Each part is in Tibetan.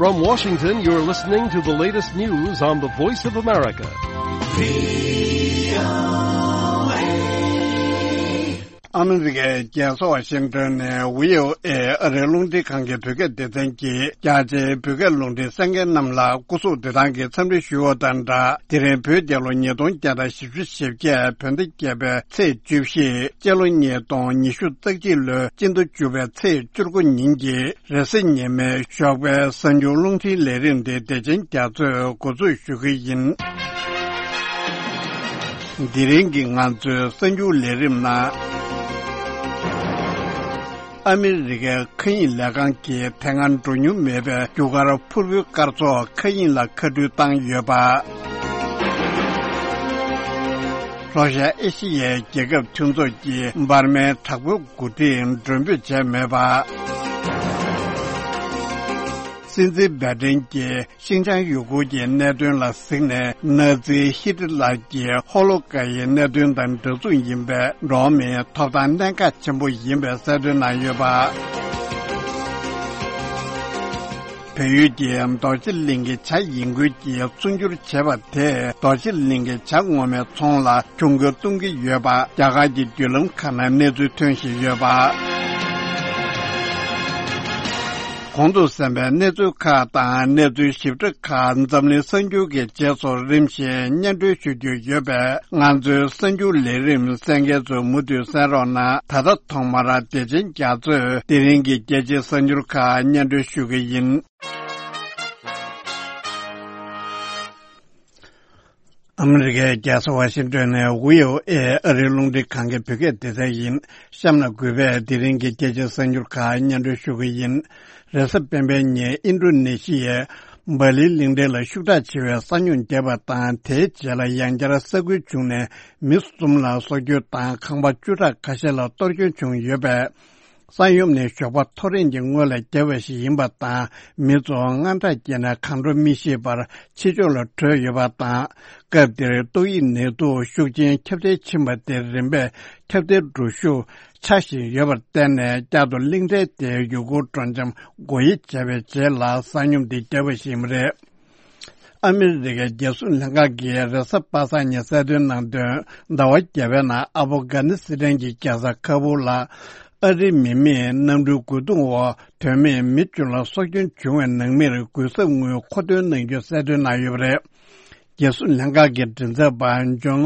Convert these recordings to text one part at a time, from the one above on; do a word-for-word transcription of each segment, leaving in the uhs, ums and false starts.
From Washington, you're listening to the latest news on the Voice of America. ཨ་མི་རི་ཀའི་རྒྱལ་ས་ཝ་ཤིང་ཏོན་ནས་བྷི་ཨོ་ཨེ་ཨ་རིའི་རླུང་འཕྲིན་ཁང་གི་བོད་སྐད་སྡེ་ཚན་གྱིས་རྒྱ་ཆེའི་བོད་སྐད་རླུང་འཕྲིན་གསན་མཁན་རྣམས་ལ་སྐུ་གཟུགས་བདེ་ཐང་གི་འཚམས་འདྲི་ཞུ་བ་དང་སྦྲགས། དེ་རིང་བོད་རྒྱལ་ལོ་ཉིས་སྟོང་བརྒྱ་དང་བཞི་བཅུ་ཞེ་བརྒྱད་བོད་ཟླ་བརྒྱད་པའི་ཚེས་བཅུ་བཞི། སྤྱི་ལོ་ཉིས་སྟོང་ཉི་ཤུ་རྩ་གཅིག་ལོའི་སྤྱི་ཟླ་བཅུ་པའི་ཚེས་བཅུ་དགུ་ཉིན་གྱི་རེས་གཟའ་ཉི་མའི་ཞོགས་པའི་གསར་འགྱུར་རླུང་འཕྲིན་ལས་རིམ་དེ་བདེ་ཆེན་རྒྱ་མཚོས་འགོ་འཛུགས་ཞུ་གི་ཡིན། དེ་རིང་གི་ང་ཚོའི་གསར་འགྱུར་ལས་རིམ་ནང་། ཨ་མི་རི་ཀའི་མཁའ་དབྱིངས་ལས་ཁང་གིས་དེ་སྔ་འགྲོ་མྱོང་མེད་པའི་རྒྱུ་སྐར་ཕུར་བུའི་སྐར་ཚོགས་མཁའ་དབྱིངས་ལ་མཁའ་འགྲུལ་བཏང་ཡོད་པ། ལྷོ་ཤར་ཨེ་ཤི་ཡའི་རྒྱལ་ཁབ་མཐུན་ཚོགས་ཀྱིས་འབར་མའི་དྲག་པོའི་འགོ་ཁྲིད་མགྲོན་འབོད་བྱས་མེད་པ། སྲིད་འཛིན་བྷའི་ཏིན་གྱིས་ཤིན་ཅང་ཡུ་གུར་གྱི་གནད་དོན་ལ་གཟིགས་ནས། ནཱ་ཛི་ཧི་ཏི་ལར་གྱི་ཧོ་ལོ་ཀ་ཡི་གནད་དོན་དང་འདྲ་མཚུངས་ཡིན་པའི་འགྲོ་བ་མིའི་ཐོབ་ཐང་གནད་འགག་ཆེན་པོ་ཡིན་པའི་གསལ་སྟོན་གནང་ཡོད་པ། བལ་ཡུལ་གྱི་རྡོ་རྗེ་གླིང་གི་བྱ་ཡིན་ཁུལ་གྱིས་ཚུར་འགྱུར་བྱས་པ་དེས་རྡོ་རྗེ་གླིང་གི་བྱ་ངོ་མའི་ཚོང་ལ་གྱོང་གུན་གཏོང་གི་ཡོད་པ་རྒྱ་གར་གྱི་བརྒྱུད་ལམ་ཁག་ནང་གནས་ཚུལ་ཐོན་བཞིན་ཡོད་པ། གོང་དུ་གསན་པའི་གནས་ཚུལ་ཁག་དང་གནས་ཚུལ་ཞིབ་ཕྲ་ཁག་འཛམ་གླིང་གསར་འགྱུར་གྱི་རྗེས་སུ་རིམ་བཞིན་སྙན་སྒྲོན་ཞུ་རྒྱུ་ཡོད་པས། ང་ཚོའི་གསར་འགྱུར་ལས་རིམ་གསན་མཁན་ཚོས་མུ་མཐུད་གསན་རོགས་གནང་། ད་ལྟ་ཐོག་མར་བདེ་ཆེན་རྒྱ་མཚོས་དེ་རིང་གི་རྒྱལ་སྤྱིའི་གསར་འགྱུར་ཁག་སྙན་སྒྲོན་ཞུ་གི་ཡིན། ཨ་མི་རི་ཀའི་རྒྱལ་ས་ཝ་ཤིང་ཏོན་ནས་བྷི་ཨོ་ཨེ་ཨ་རིའི་རླུང་འཕྲིན་ཁང་གི་བོད་སྐད་སྡེ་ཚན་ཡིན། གཤམ་ལ་གུས་པས་དེ་རིང་གི་རྒྱལ་སྤྱིའི་གསར་འགྱུར་ཁག་སྙན་སྒྲོན་ཞུ་གི་ཡིན། རེས་གཟའ་སྤེན་པའི་ཉིན་ཨིན་ཌོ་ནེ་ཤི་ཡའི་སྦ་ལིའི་གླིང་ཕྲན་ལ་ཤུགས་དྲག་ཆེ་བའི་ས་སྨྱུག་བརྒྱབ་པ་དང་། དེའི་རྗེས་ལ་ཡང་བསྐྱར་ས་ཁུལ་བྱུང་ནས་མི་གསུམ་ལ་སྲོག་སྐྱོན་དང་ཁང་པ་བཅུ་ཕྲག་ཁ་ཤས་ལ་གཏོར་སྐྱོན་བྱུང་ཡོད་པས། ས་ཡོམ་ནི་ཞོགས་པ་ཐོ་རེངས་ཀྱི་སྔོན་ལ་བརྒྱབ་པ་ཞིག་ཡིན་པ་དང་། མི་ཚོ་དངངས་སྐྲག་སྐྱེས་ནས་གང་འགྲོ་མི་ཤེས་པར་ཕྱི་ཕྱོགས་ལ་བྲོས་ཡོད་པ་དང་། སྐབས་དེར་ཏོག་དབྱིབས་ནད་དུག་ཤུགས་ཆེན་ཁྱབ་གདལ་ཕྱིན་པ་དེ་རིམ་པས་ཁྱབ་གདལ་འགྲོ་ཤུགས་ཆག་བཞིན་ཡོད་པར་བརྟེན་ནས། བསྐྱར་དུ་གླིང་ཕྲན་དེའི་ཡུལ་སྐོར་སྤྲོ་འཆམ་སྒོ་དབྱེ་བྱས་པའི་རྗེས་ལ་ས་ཡོམ་འདི་བརྒྱབ་པ་ཞིག་ཡིན་པ་རེད། ཨ་མི་རི་ཀའི་རྒྱལ་སྲུང་ལྷན་ཁང་གིས་རེས་གཟའ་པ་སངས་ཉིན་གསལ་སྟོན་གནང་དོན། ཟླ་བ་བརྒྱད་པའི་ནང་ཨ་ཕོ་གྷ་ནི་སི་ཐན་གྱི་རྒྱལ་ས་ཁ་བུར་ལ་ཨ་རིའི་མི་མེད་གནམ་གྲུའི་རྒོལ་རྡུང་འོག་དོན་མེད་མི་བཅུ་ལ་སྲོག་སྐྱོན་བྱུང་བའི་ནང་མིར་གུས་ཞབས་དངུལ་མཁོ་འདོན་གནང་རྒྱུ་གསལ་སྟོན་གནང་ཡོད་པ་རེད། རྒྱལ་སྲུང་ལྷན་ཁང་གི་མགྲིན་ཚབ་པ་ཇོན་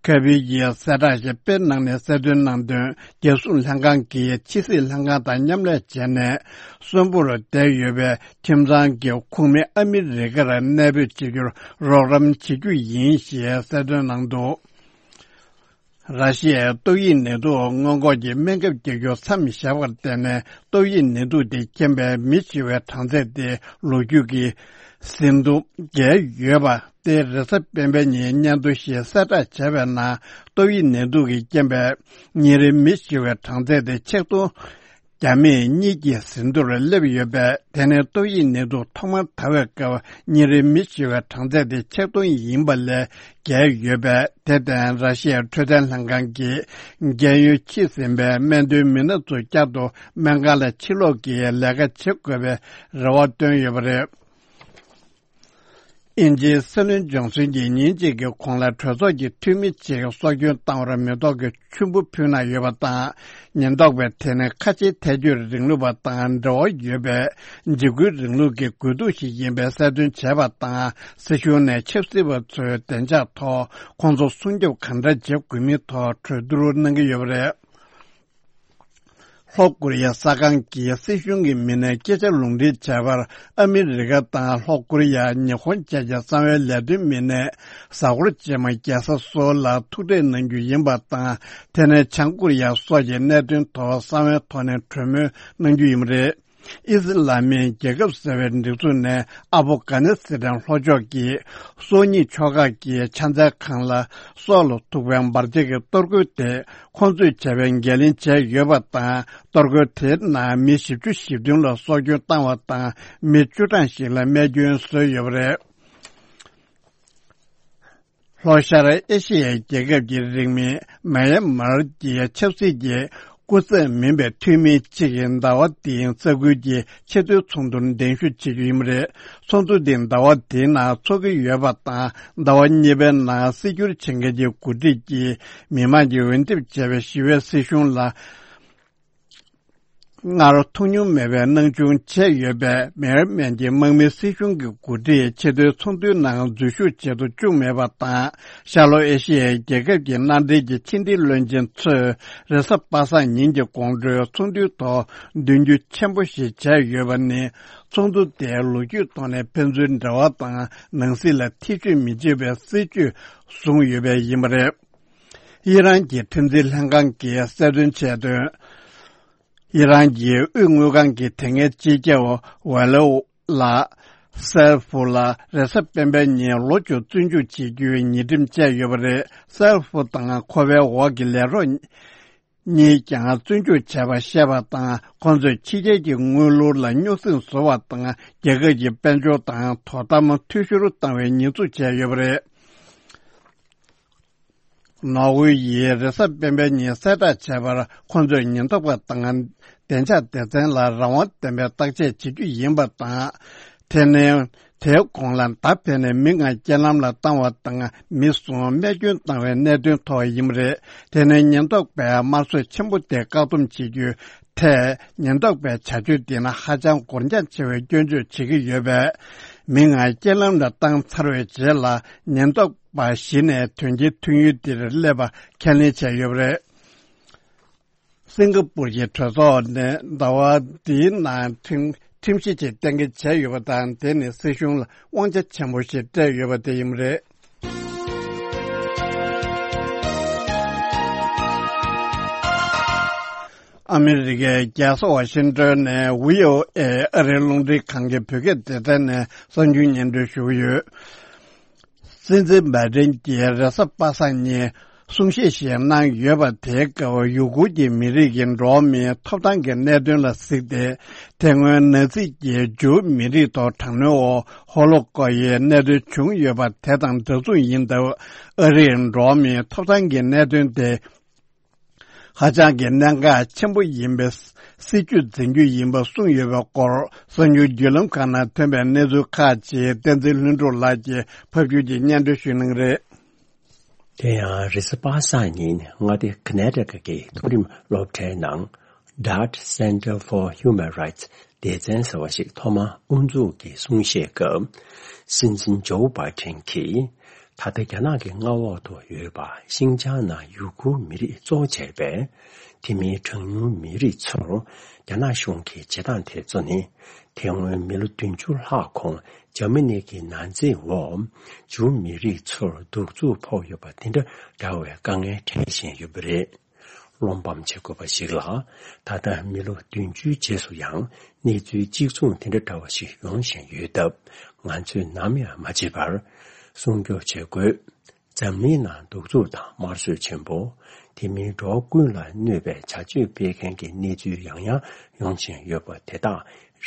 ཁེར་བྷི་ཡིས་གསལ་བསྒྲགས་ཤིག་དཔེ་གནང་ནས་གསལ་སྟོན་གནང་དོན། རྒྱལ་སྲུང་ལྷན་ཁང་གིས་ཕྱི་སྲིད་ལྷན་ཁང་དང་མཉམ་ལས་བྱས་ནས་གསོན་པོར་བསྡད་ཡོད་པའི་ཁྱིམ་ཚང་གི་ཁོངས་མི་ཨ་མི་རི་ཀར་གནས་སྤོས་བྱེད་རྒྱུར་རོགས་རམ་བྱེད་རྒྱུ་ཡིན་ཞེས་གསལ་སྟོན་གནང་འདུག། ར་ཤི་ཡའི་ཏོག་དབྱིབས་ནད་དུག་སྔོན་འགོག་གི་སྨན་ཁབ་རྒྱག་རྒྱུ་མཚམས་བཞག་པར་བརྟེན་ནས། ཏོག་དབྱིབས་ནད་དུག་དེ་རྐྱེན་པས་མི་ཤི་བའི་གྲངས་ཚད་དེ་ལོ་རྒྱུས་ཀྱི་ཟིན་ཐོ་བརྒལ་ཡོད་པ་དེ་རེས་གཟའ་སྤེན་པའི་ཉིན་སྙན་ཐོ་ཞིག་གསལ་བསྒྲགས་བྱས་པའི་ནང་། ཏོག་དབྱིབས་ནད་དུག་གི་རྐྱེན་པས་ཉིན་རེའི་མི་ཤི་བའི་གྲངས་ཚད་དེ་ཆིག་སྟོང་བརྒྱ་མེད་གཉིས་ཀྱི་ཟིན་ཐོར་སླེབས་ཡོད་པས། དེ་ནི་ཏོག་དབྱིབས་ནད་དུག་ཐོག་མར་དར་བའི་སྐབས་ཉིན་རེའི་མི་ཤི་བའི་གྲངས་ཚད་དེ་ཆིག་སྟོང་ཡིན་པ་ལས་བརྒལ་ཡོད་པས། དེ་བརྟེན་ར་ཤི་ཡའི་འཕྲོད་བསྟེན་ལྷན་ཁང་གིས་རྒན་ཡོལ་ཕྱིན་ཟིན་པའི་སྨན་དོན་མི་སྣ་ཚོ་བསྐྱར་དུ་སྨན་ཁང་ལ་ཕྱིར་ལོག་གིས་ལས་ཀ་བྱེད་དགོས་པའི་རེ་བ་བཏོན་ཡོད་པ་རེད། དབྱིན་ཇིའི་སྲིད་བློན་ཇོན་སན་གྱིས་ཉིན་གཅིག་གི་གོང་ལ་གྲོས་ཚོགས་ཀྱི་འཐུས་མི་གཅིག་སྲོག་སྐྱོན་བཏང་བར་མི་ཐོག་གི་ཆུན་པོ་ཕུལ་གནང་ཡོད་པ་དང་། ཉེན་རྟོག་པས་དེ་ནི་ཁ་ཆེའི་ཐལ་སྐྱོད་རིང་ལུགས་པ་དང་འབྲེལ་བ་ཡོད་པའི་འཇིགས་སྐུལ་རིང་ལུགས་ཀྱི་དགོས་གཏུག་ཞིག་ཡིན་པའི་གསལ་སྟོན་བྱས་པ་དང་། སྲིད་གཞུང་ནས་ཆབ་སྲིད་པ་ཚོའི་བདེ་འཇགས་ཐོག་ཁོང་ཚོ་སྲུང་སྐྱོབ་གང་འདྲ་བྱེད་དགོས་མིན་ཐོག་གྲོས་བསྡུར་གནང་གི་ཡོད་པ་རེད། ལྷོ་ཀོ་རི་ཡ་གསར་ཁང་གིས་སྲིད་གཞུང་གི་མི་སྣས་སྐད་ཆ་ལུང་འདྲེན་བྱས་པར། ཨ་མི་རི་ཀ་དང་ལྷོ་ཀོ་རི་ཡ། ཉི་ཧོང་བཅས་ཀྱི་གསང་བའི་ལས་དོན་མི་སྣས་གཟའ་འཁོར་རྗེས་མ་རྒྱལ་ས་སོལ་ལ་ཐུག་འཕྲད་གནང་རྒྱུ་ཡིན་པ་དང་། དེ་ནས་བྱང་ཀོ་རི་ཡ་སོགས་ཀྱི་གནད་དོན་ཐོག་གསང་བའི་ཐོག་ནས་གྲོས་མོལ་གནང་རྒྱུ་ཡིན་པ་རེད། ཨི་སི་ལ་མིའི་རྒྱལ་ཁབ་ཟེར་བའི་སྒྲིག་འཛུགས་ནས་ཨ་ཕོ་གྷ་ནི་སི་ཐན་ལྷོ་ཕྱོགས་ཀྱི་སོག་གཉིས་ཕྱོགས་ཁག་གི་ཕྱག་འཚལ་ཁང་ལ་སྲོག་ལ་ཐུག་པའི་འབར་རྫས་ཀྱི་གཏོར་རྒོལ་དེ། ཁོང་ཚོས་བྱས་པའི་འགན་ལེན་བྱས་ཡོད་པ་དང་། གཏོར་རྒོལ་དེའི་ནང་མི་བཞི་བཅུ་ཞེ་བདུན་ལ་སྲོག་སྐྱོན་བཏང་བ་དང་། མི་བཅུ་གྲངས་ཤིག་ལ་རྨས་སྐྱོན་བཟོས་ཡོད་པ་རེད། ལྷོ་ཤར་ཨེ་ཤི་ཡའི་རྒྱལ་ཁབ་ཀྱི་རིང་མིན་མཱ་ཡན་མར་གྱི་ཆབ་སྲིད་ཀྱི་ སྐུ་ཚབ་མིན་པའི་འཐུས་མི་གཅིག་གིས་ཟླ་བ་འདིའི་ས་ཁུལ་གྱི་ཆེས་མཐོའི་ཚོགས་འདུར་གདན་ཞུ་བྱེད་རྒྱུ་ཡིན་པ་རེད། ཚོགས་འདུ་འདི་ཟླ་བ་འདིའི་ནང་འཚོགས་ཀྱི་ཡོད་པ་དང་། ཟླ་བ་གཉིས་པའི་ནང་སྲིད་སྐྱོང་བྱེད་མཁན་གྱི་འགོ་ཁྲིད་ཀྱིས་མི་མང་གིས་འོས་འདེམས་བྱས་པའི་ཞི་བའི་སྲིད་གཞུང་ལ་སྔར་ཐོགས་མྱོང་མེད་པའི་སྣང་ཆུང་བྱས་ཡོད་པས། མེར་མན་གྱི་དམག་མི་སྲིད་གཞུང་གི་འགོ་ཁྲིད་ཆེས་མཐོའི་ཚོགས་འདུའི་ནང་འཛུལ་ཞུགས་བྱེད་དུ་བཅུག་མེད་པ་དང་། ཤར་ལྷོ་ཨེ་ཤི་ཡའི་རྒྱལ་ཁབ་ཀྱི་མནའ་འབྲེལ་གྱི་ཕྱི་འབྲེལ་བློན་ཆེན་ཚོས་རེས་གཟའ་པ་སངས་ཉིན་གྱི་དགོང་དྲོའི་ཚོགས་འདུའི་ཐོག་མདུན་སྐྱོད་ཆེན་པོ་ཞིག་བྱས་ཡོད་པ་ནི། ཚོགས་འདུ་དེའི་ལོ་རྒྱུས་ཐོག་ནས་ཕན་ཚུན་འབྲེལ་བ་དང་ནང་སྲིད་ལ་ཐེ་བྱུས་མི་བྱེད་པའི་སྲིད་བྱུས་བཟུང་ཡོད་པས་ཡིན་པ་རེད། ཨི་རན་གྱི་ཁྲིམས་འཛིན་ལྷན་ཁང་གིས་གསལ་སྟོན་བྱས་དོན། ཨི་རན་གྱི་དབུས་དངུལ་ཁང་གི་དེ་སྔའི་སྤྱི་ཁྱབ་ཝེ་ལོ་ལ་སེལ་ཧྥུ་ལ་རེས་གཟའ་སྤེན་པའི་ཉིན་ལོ་བཅུ་བཙོན་འཇུག་བྱེད་རྒྱུའི་ཉེས་ཁྲིམས་བཅད་ཡོད་པ་རེད། སེལ་ཧྥུ་དང་ཁོ་པའི་འོག་གི་ལས་རོགས་གཉིས་ཀྱང་བཙོན་འཇུག་བྱས་པ་བཤད་པ་དང་། ཁོང་ཚོས་ཕྱི་རྒྱལ་གྱི་དངུལ་ལོར་ལ་རྙོག་ཟིང་བཟོ་བ་དང་། རྒྱལ་ཁབ་ཀྱི་དཔལ་འབྱོར་དང་དོ་དམ་འཐུས་ཤོར་བཏང་བའི་ཉེས་འཛུགས་བྱས་ཡོད་པ་རེད། ནོར་ཝེ་ཡིས་རེས་གཟའ་སྤེན་པའི་ཉིན་གསལ་བསྒྲགས་བྱས་པར། ཁོང་ཚོས་ཉེན་རྟོག་པ་དང་བདེ་འཇགས་སྡེ་ཚན་ལ་རང་དབང་ལྡན་པའི་བརྟག་དཔྱད་བྱེད་རྒྱུ་ཡིན་པ་དང་། དེ་ནི་དེའི་གོང་ལ་མདའ་འཕེན་ནས་མི་ལྔ་རྐྱེན་ལམ་ལ་བཏང་བ་དང་། མི་གསུམ་རྨས་སྐྱོན་བཏང་བའི་གནད་དོན་ཐོག་ཡིན་པ་རེད། དེ་ནི་ཉེན་རྟོག་པས་དམར་གསོད་ཆེན་པོ་དེ་བཀག་སྡོམ་བྱེད་རྒྱུའི་ཐད། ཉེན་རྟོག་པའི་བྱ་སྤྱོད་དེ་ནི་ཧ་ཅང་འགོར་འགྱངས་ཆེ་བའི་སྐྱོན་བརྗོད་བྱེད་ཀྱི་ཡོད་པས། མི་ལྔ་རྐྱེན་ལམ་ལ་བཏང་ཚར་བའི་རྗེས་ལ། ཉེན་རྟོག་པ་གཞི་ནས་དོན་རྐྱེན་ཐོན་ཡུལ་དེར་སླེབས་པ་ཁས་ལེན་བྱས་ཡོད་པ་རེད། སིང་ག་པུར་གྱི་གྲོས་ཚོགས་ནས་ཟླ་བ་འདིའི་ནང་ཁྲིམས་ཁྲིམས་གཞི་ཅིག་གཏན་འཁེལ་བྱས་ཡོད་པ་དང་། དེ་ནི་སྲིད་གཞུང་ལ་དབང་ཆ་ཆེན་པོ་ཞིག་སྤྲད་ཡོད་པ་དེ་ཡིན་པ་རེད། ཨ་མི་རི་ཀའི་རྒྱལ་ས་ཝ་ཤིང་ཏོན་ནས་ཝི་ཨོ་ཨེ་ཨ་རིའི་རླུང་འཕྲིན་ཁང་གི་བོད་སྐད་སྡེ་ཚན་ནས་གསར་འགྱུར་སྙན་སྒྲོན་ཞུ་གི་ཡོད། སྲིད་འཛིན་བྷའི་ཌེན་གྱིས་རེས་གཟའ་པ་སངས་ཉིན་གསུང་བཤད་ཞིག་གནང་ཡོད་པ། དེའི་སྐབས་ཡུ་གུར་གྱི་མི་རིགས་ཀྱི་འགྲོ་བ་མིའི་ཐོབ་ཐང་གི་གནད་དོན་ལ་གཟིགས་ཏེ། དེ་སྔོན་ནཱ་ཛི་གྱིས་ཇུའུ་མི་རིགས་ཐོག་དྲག་གནོན་འོག་ཧོ་ལོ་ཀོ་སི་གནད་དོན་བྱུང་ཡོད་པ་དེ་དང་འདྲ་མཚུངས་ཡིན་སྟབས། ཨ་རིར་འགྲོ་བ་མིའི་ཐོབ་ཐང་གི་གནད་དོན་དེ་ཧ་ཅང་གི་གནད་འགག་ཆེན་པོ་ཡིན་པའི་སྲིད་ཇུས་འཛིན་རྒྱུ་ཡིན་པ་གསུངས་ཡོད་པའི་སྐོར། གསར་འགྱུར་བརྒྱུད་ལམ་ཁག་ནང་ཐོན་པའི་གནས་ཚུལ་ཁག་ཅིག་བསྟན་འཛིན་ལྷུན་གྲུབ་ལགས་ཀྱིས་ཕབ་སྒྱུར་གྱིས་སྙན་སྒྲོན་ཞུ་གནང་རེད། དེ་ཡང་རེས་གཟའ་པ་སངས་ཉིན་མངའ་སྡེ་ཀ་ན་ཊ་ཀ་གི་མཐོ་རིམ་སློབ་གྲྭའི་ནང་Dart Center for Human Rights སྡེ་ཚན་ཟེར་བ་ཞིག་ཐོག་མར་དབུ་འཛུགས་ཀྱི་གསུང་བཤད་སྐབས། སྲིད་འཛིན་ཇོ་བྷའི་ཌེན་གྱིས། ད་ལྟ་རྒྱ་ནག་གི་མངའ་འོག་ཏུ་ཡོད་པ་ཤིན་ཅང་ནང་ཡུ་གུར་མི་རིགས་གཙོ་བོ་བྱས་པའི་དེ་མིན་གྲངས་ཉུང་མི་རིགས་ཚོར་རྒྱ་ནག་གཞུང་གི་བྱེད་སྟངས་དེ་ཚོ་ནི། དེ་སྔོན་མི་ལོ་བདུན་ཅུ་ལྷག་གོང་འཇར་མ་ནི་གི་ནང་འཛིང་འོག་ཇུའུ་མི་རིགས་ཚོར་གདུག་རྩུབ་ཕོག་ཡོད་པ་དེ་འདྲ་འདྲ་བའི་དཀའ་ངལ་འཕྲད་བཞིན་ཡོད་པ་རེད། བློ་ཕམ་བྱེད་དགོས་པ་ཞིག་ལ། ད་ལྟ་མི་ལོ་བདུན་ཅུའི་རྗེས་སུ་ཡང་གནས་ཚུལ་གཅིག་མཚུངས་དེ་འདྲ་འདྲ་བ་ཞིག་ཡོང་བཞིན་ཡོད་སྟབས། ང་ཚོས་ནམ་ཡང་མ་བརྗེད་པར་སྲུང་སྐྱོབ་བྱེད་དགོས། འཛམ་གླིང་ནང་གདུག་རྩུབ་དང་དམར་གསོད་ཆེན་པོ། དེ་མིན་འགྲོ་བ་ཀུན་ལ་གནོད་པའི་བྱ་སྤྱོད་སྤེལ་མཁན་གྱི་གནས་ཚུལ་ཡང་ཡང་ཡོང་བཞིན་ཡོད་པ་དེ་དག་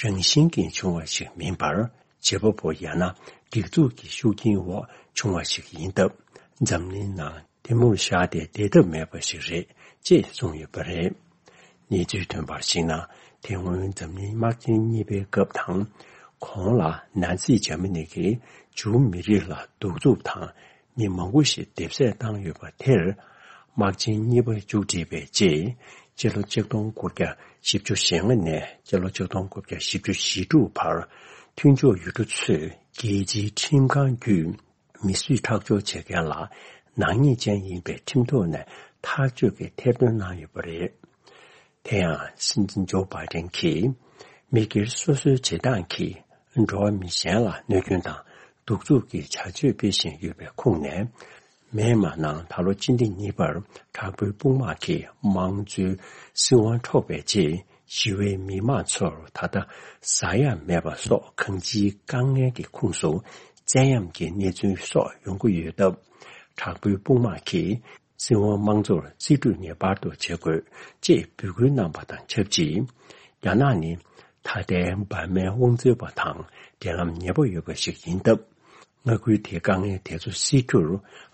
རང་བཞིན་གྱིས་བྱུང་བ་ཞིག་མིན་པར། བྱེད་པ་པོ་ཡང་ན་སྒྲིག་འཛུགས་ཀྱི་ཤུགས་རྐྱེན་འོག་བྱུང་བ་ཞིག་ཡིན་སྟབས། འཛམ་གླིང་ནང་དེ་མུར་བཞག་སྟེ་བསྡད་ཐབས་མེད་པ་ཞིག་རེད་ཅེས་གསུངས་ཡོད་པ་རེད། གནས་ཚུལ་ཐོན་པར་གཞིགས་ན། དེ་སྔོན་འཛམ་གླིང་དམག་ཆེན་གཉིས་པའི་སྐབས་དང་། གོང་ལ་ནཱ་ཛི་འཇར་མ་ནི་གིས་ཇུའུ་མི་རིགས་ལ་གདུག་རྩུབ་དང་། མི་མང་པོ་ཞིག་རྡེབ་བསད་བཏང་ཡོད་པ་དེར། དམག་ཆེན་གཉིས་པ་མཇུག་བསྒྲིལ་བའི་རྗེས། སྤྱི་ལོ་ཆིག་སྟོང་དགུ་བརྒྱ་བཞི་བཅུ་ཞེ་ལྔ་ནས་སྤྱི་ལོ་ཆིག་སྟོང་དགུ་བརྒྱ་བཞི་བཅུ་ཞེ་དྲུག་བར། མཐུན་ཕྱོགས་ཡུལ་གྲུ་ཚོས་རྒྱལ་སྤྱིའི་ཁྲིམས་ཁང་བརྒྱུད། མི་གསོད་ཁྲག་སྦྱོར་བྱེད་མཁན་ལ་ནག་ཉེས་ཅན་ཡིན་པའི་ཁྲིམས་ཐོག་ནས་ཐག་གཅོད་ཀྱི་ཐེར་འདོན་གནང་ཡོད་པ་རེད། དེ་ཡང་སྲིད་འཛིན་ཇོ་བྷའི་ཌེན་གྱིས་མི་སྒེར་སོ་སོའི་བྱེད་སྟངས་ཀྱིས་འགྲོ་བ་མི་གཞན་ལ་གནོད་སྐྱོན་དང་གདུག་རྩུབ་ཀྱི་བྱ་སྤྱོད་སྤེལ་བཞིན་ཡོད་པའི་ཁུངས་ནས། མེན་མ་ནང་ད་ལོ་སྤྱི་ཟླ་གཉིས་པར་དྲག་པོའི་དཔུང་དམག་གིས་དམངས་གཙོའི་སྲིད་དབང་འཕྲོག་པའི་རྗེས། ཞི་བའི་མི་མང་ཚོར་ད་ལྟ་ཟ་ཡ་མེད་པ་སོགས་གང་ཅིའི་དཀའ་ངལ་གྱི་ཁོངས་སུ་བཙན་གཡེམ་གྱི་གནས་ཚུལ་སོགས་ཡོང་གི་ཡོད་སྟབས། དྲག་པོའི་དཔུང་དམག་གིས་སྲིད་དབང་དམངས་གཙོར་རྩིས་སྤྲོད་ངེས་པར་དུ་བྱེད་དགོས་ཅེས་འབོད་སྐུལ་གནང་པ་དང་ཆབས་ཅིག་རྒྱ་ནག་ནི་ད་ལྟའི་འབར་མའི་དབང་འཛིན་པ་དང་འབྲེལ་ལམ་ཉེ་པོ་ཡོད་པ་ཞིག་ཡིན་སྟབས། མངའ་ཁུལ་དེའི་དཀའ་ངལ་དེ་ཚོ་སེལ་རྒྱུར་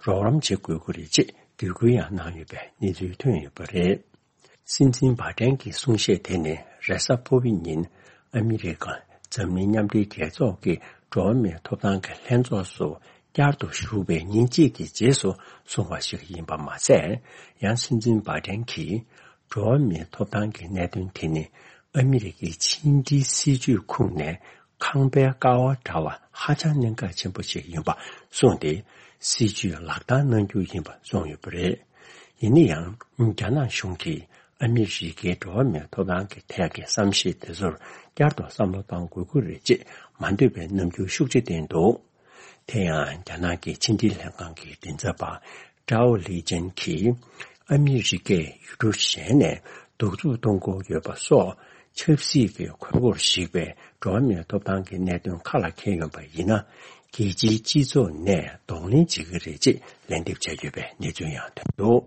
རོགས་རམ་བྱེད་དགོས་ཀྱི་རེད་ཅེས་འབོད་སྐུལ་ཡང་གནང་ཡོད་པའི་གནས་ཚུལ་ཐོན་ཡོད་པ་རེད། སྲིད་འཛིན་བྷ་ཏན་གྱི་གསུང་བཤད་དེ་ནི་རེས་གཟའ་ཕུར་བུའི་ཉིན་ཨ་མི་རི་ཀ་འཛམ་གླིང་མཉམ་འབྲེལ་རྒྱལ་ཚོགས་ཀྱི་འགྲོ་བ་མིའི་ཐོབ་ཐང་གི་ལྷན་ཚོགས་སུ་བསྐྱར་དུ་ཞུགས་པའི་ཉིན་གཅིག་གི་རྗེས་སུ་གསུངས་པ་ཞིག་ཡིན་པ་མ་ཟད། ཡང་སྲིད་འཛིན་བྷ་ཏན་གྱིས་འགྲོ་བ་མིའི་ཐོབ་ཐང་གི་གནད་དོན་དེ་ནི་ཨ་མི་རི་ཀའི་ཕྱི་འབྲེལ་སྲིད་ཇུས་ཁུངས་ནས་ཁང་པའི་ཀ་བ་འདྲ་བ་ཧ་ཅང་གནད་འགག་ཆེན་པོ་ཞིག་ཡིན་པ་གསུངས་ཏེ། སྲིད་ཇུས་ལག་བསྟར་གནང་རྒྱུ་ཡིན་པ་གསུངས་ཡོད་པ་རེད། ཡིན་ན་ཡང་རྒྱ་ནག་གཞུང་གིས་ཨ་མི་རི་ཀའི་འགྲོ་བ་མིའི་ཐོབ་ཐང་གི་ཐད་ཀྱི་བསམ་ཤེས་དེ་ཚོར་བསྐྱར་དུ་བསམ་བློ་གཏང་དགོས་ཀྱི་རེད་ཅེས་མ་འདོད་པའི་རྣམ་འགྱུར་ཤུགས་ཆེ་བསྟན་འདུག་དེ་ཡང་རྒྱ་ནག་གི་ཕྱི་འབྲེལ་ལྷན་ཁང་གི་མགྲིན་ཚབ་པ་ཀྲའོ་ལི་ཅན་གྱིས། ཨ་མི་རི་ཀས་ཡུལ་གྲུ་གཞན་ནས་གདུག་རྩུབ་གཏོང་དགོས་ཡོད་པ་སོགས་ཆབ་སྲིད་ཀྱི་ཁོལ་པོར་གཞིགས་པའི་འགྲོ་བ་མིའི་ཐོབ་ཐང་གི་གནད་དོན་ཁ་ལ་འཁྱེར་ཡོང་པ་ཡིན་ན། རྒྱལ་སྤྱིའི་སྤྱི་ཚོགས་ནས་གདོང་ལེན་བྱེད་ཀྱི་རེད་ཅེས་ལན་འདེབས་བྱས་ཡོད་པའི་གནས་ཚུལ་ཡང་ཐོན་འདུག་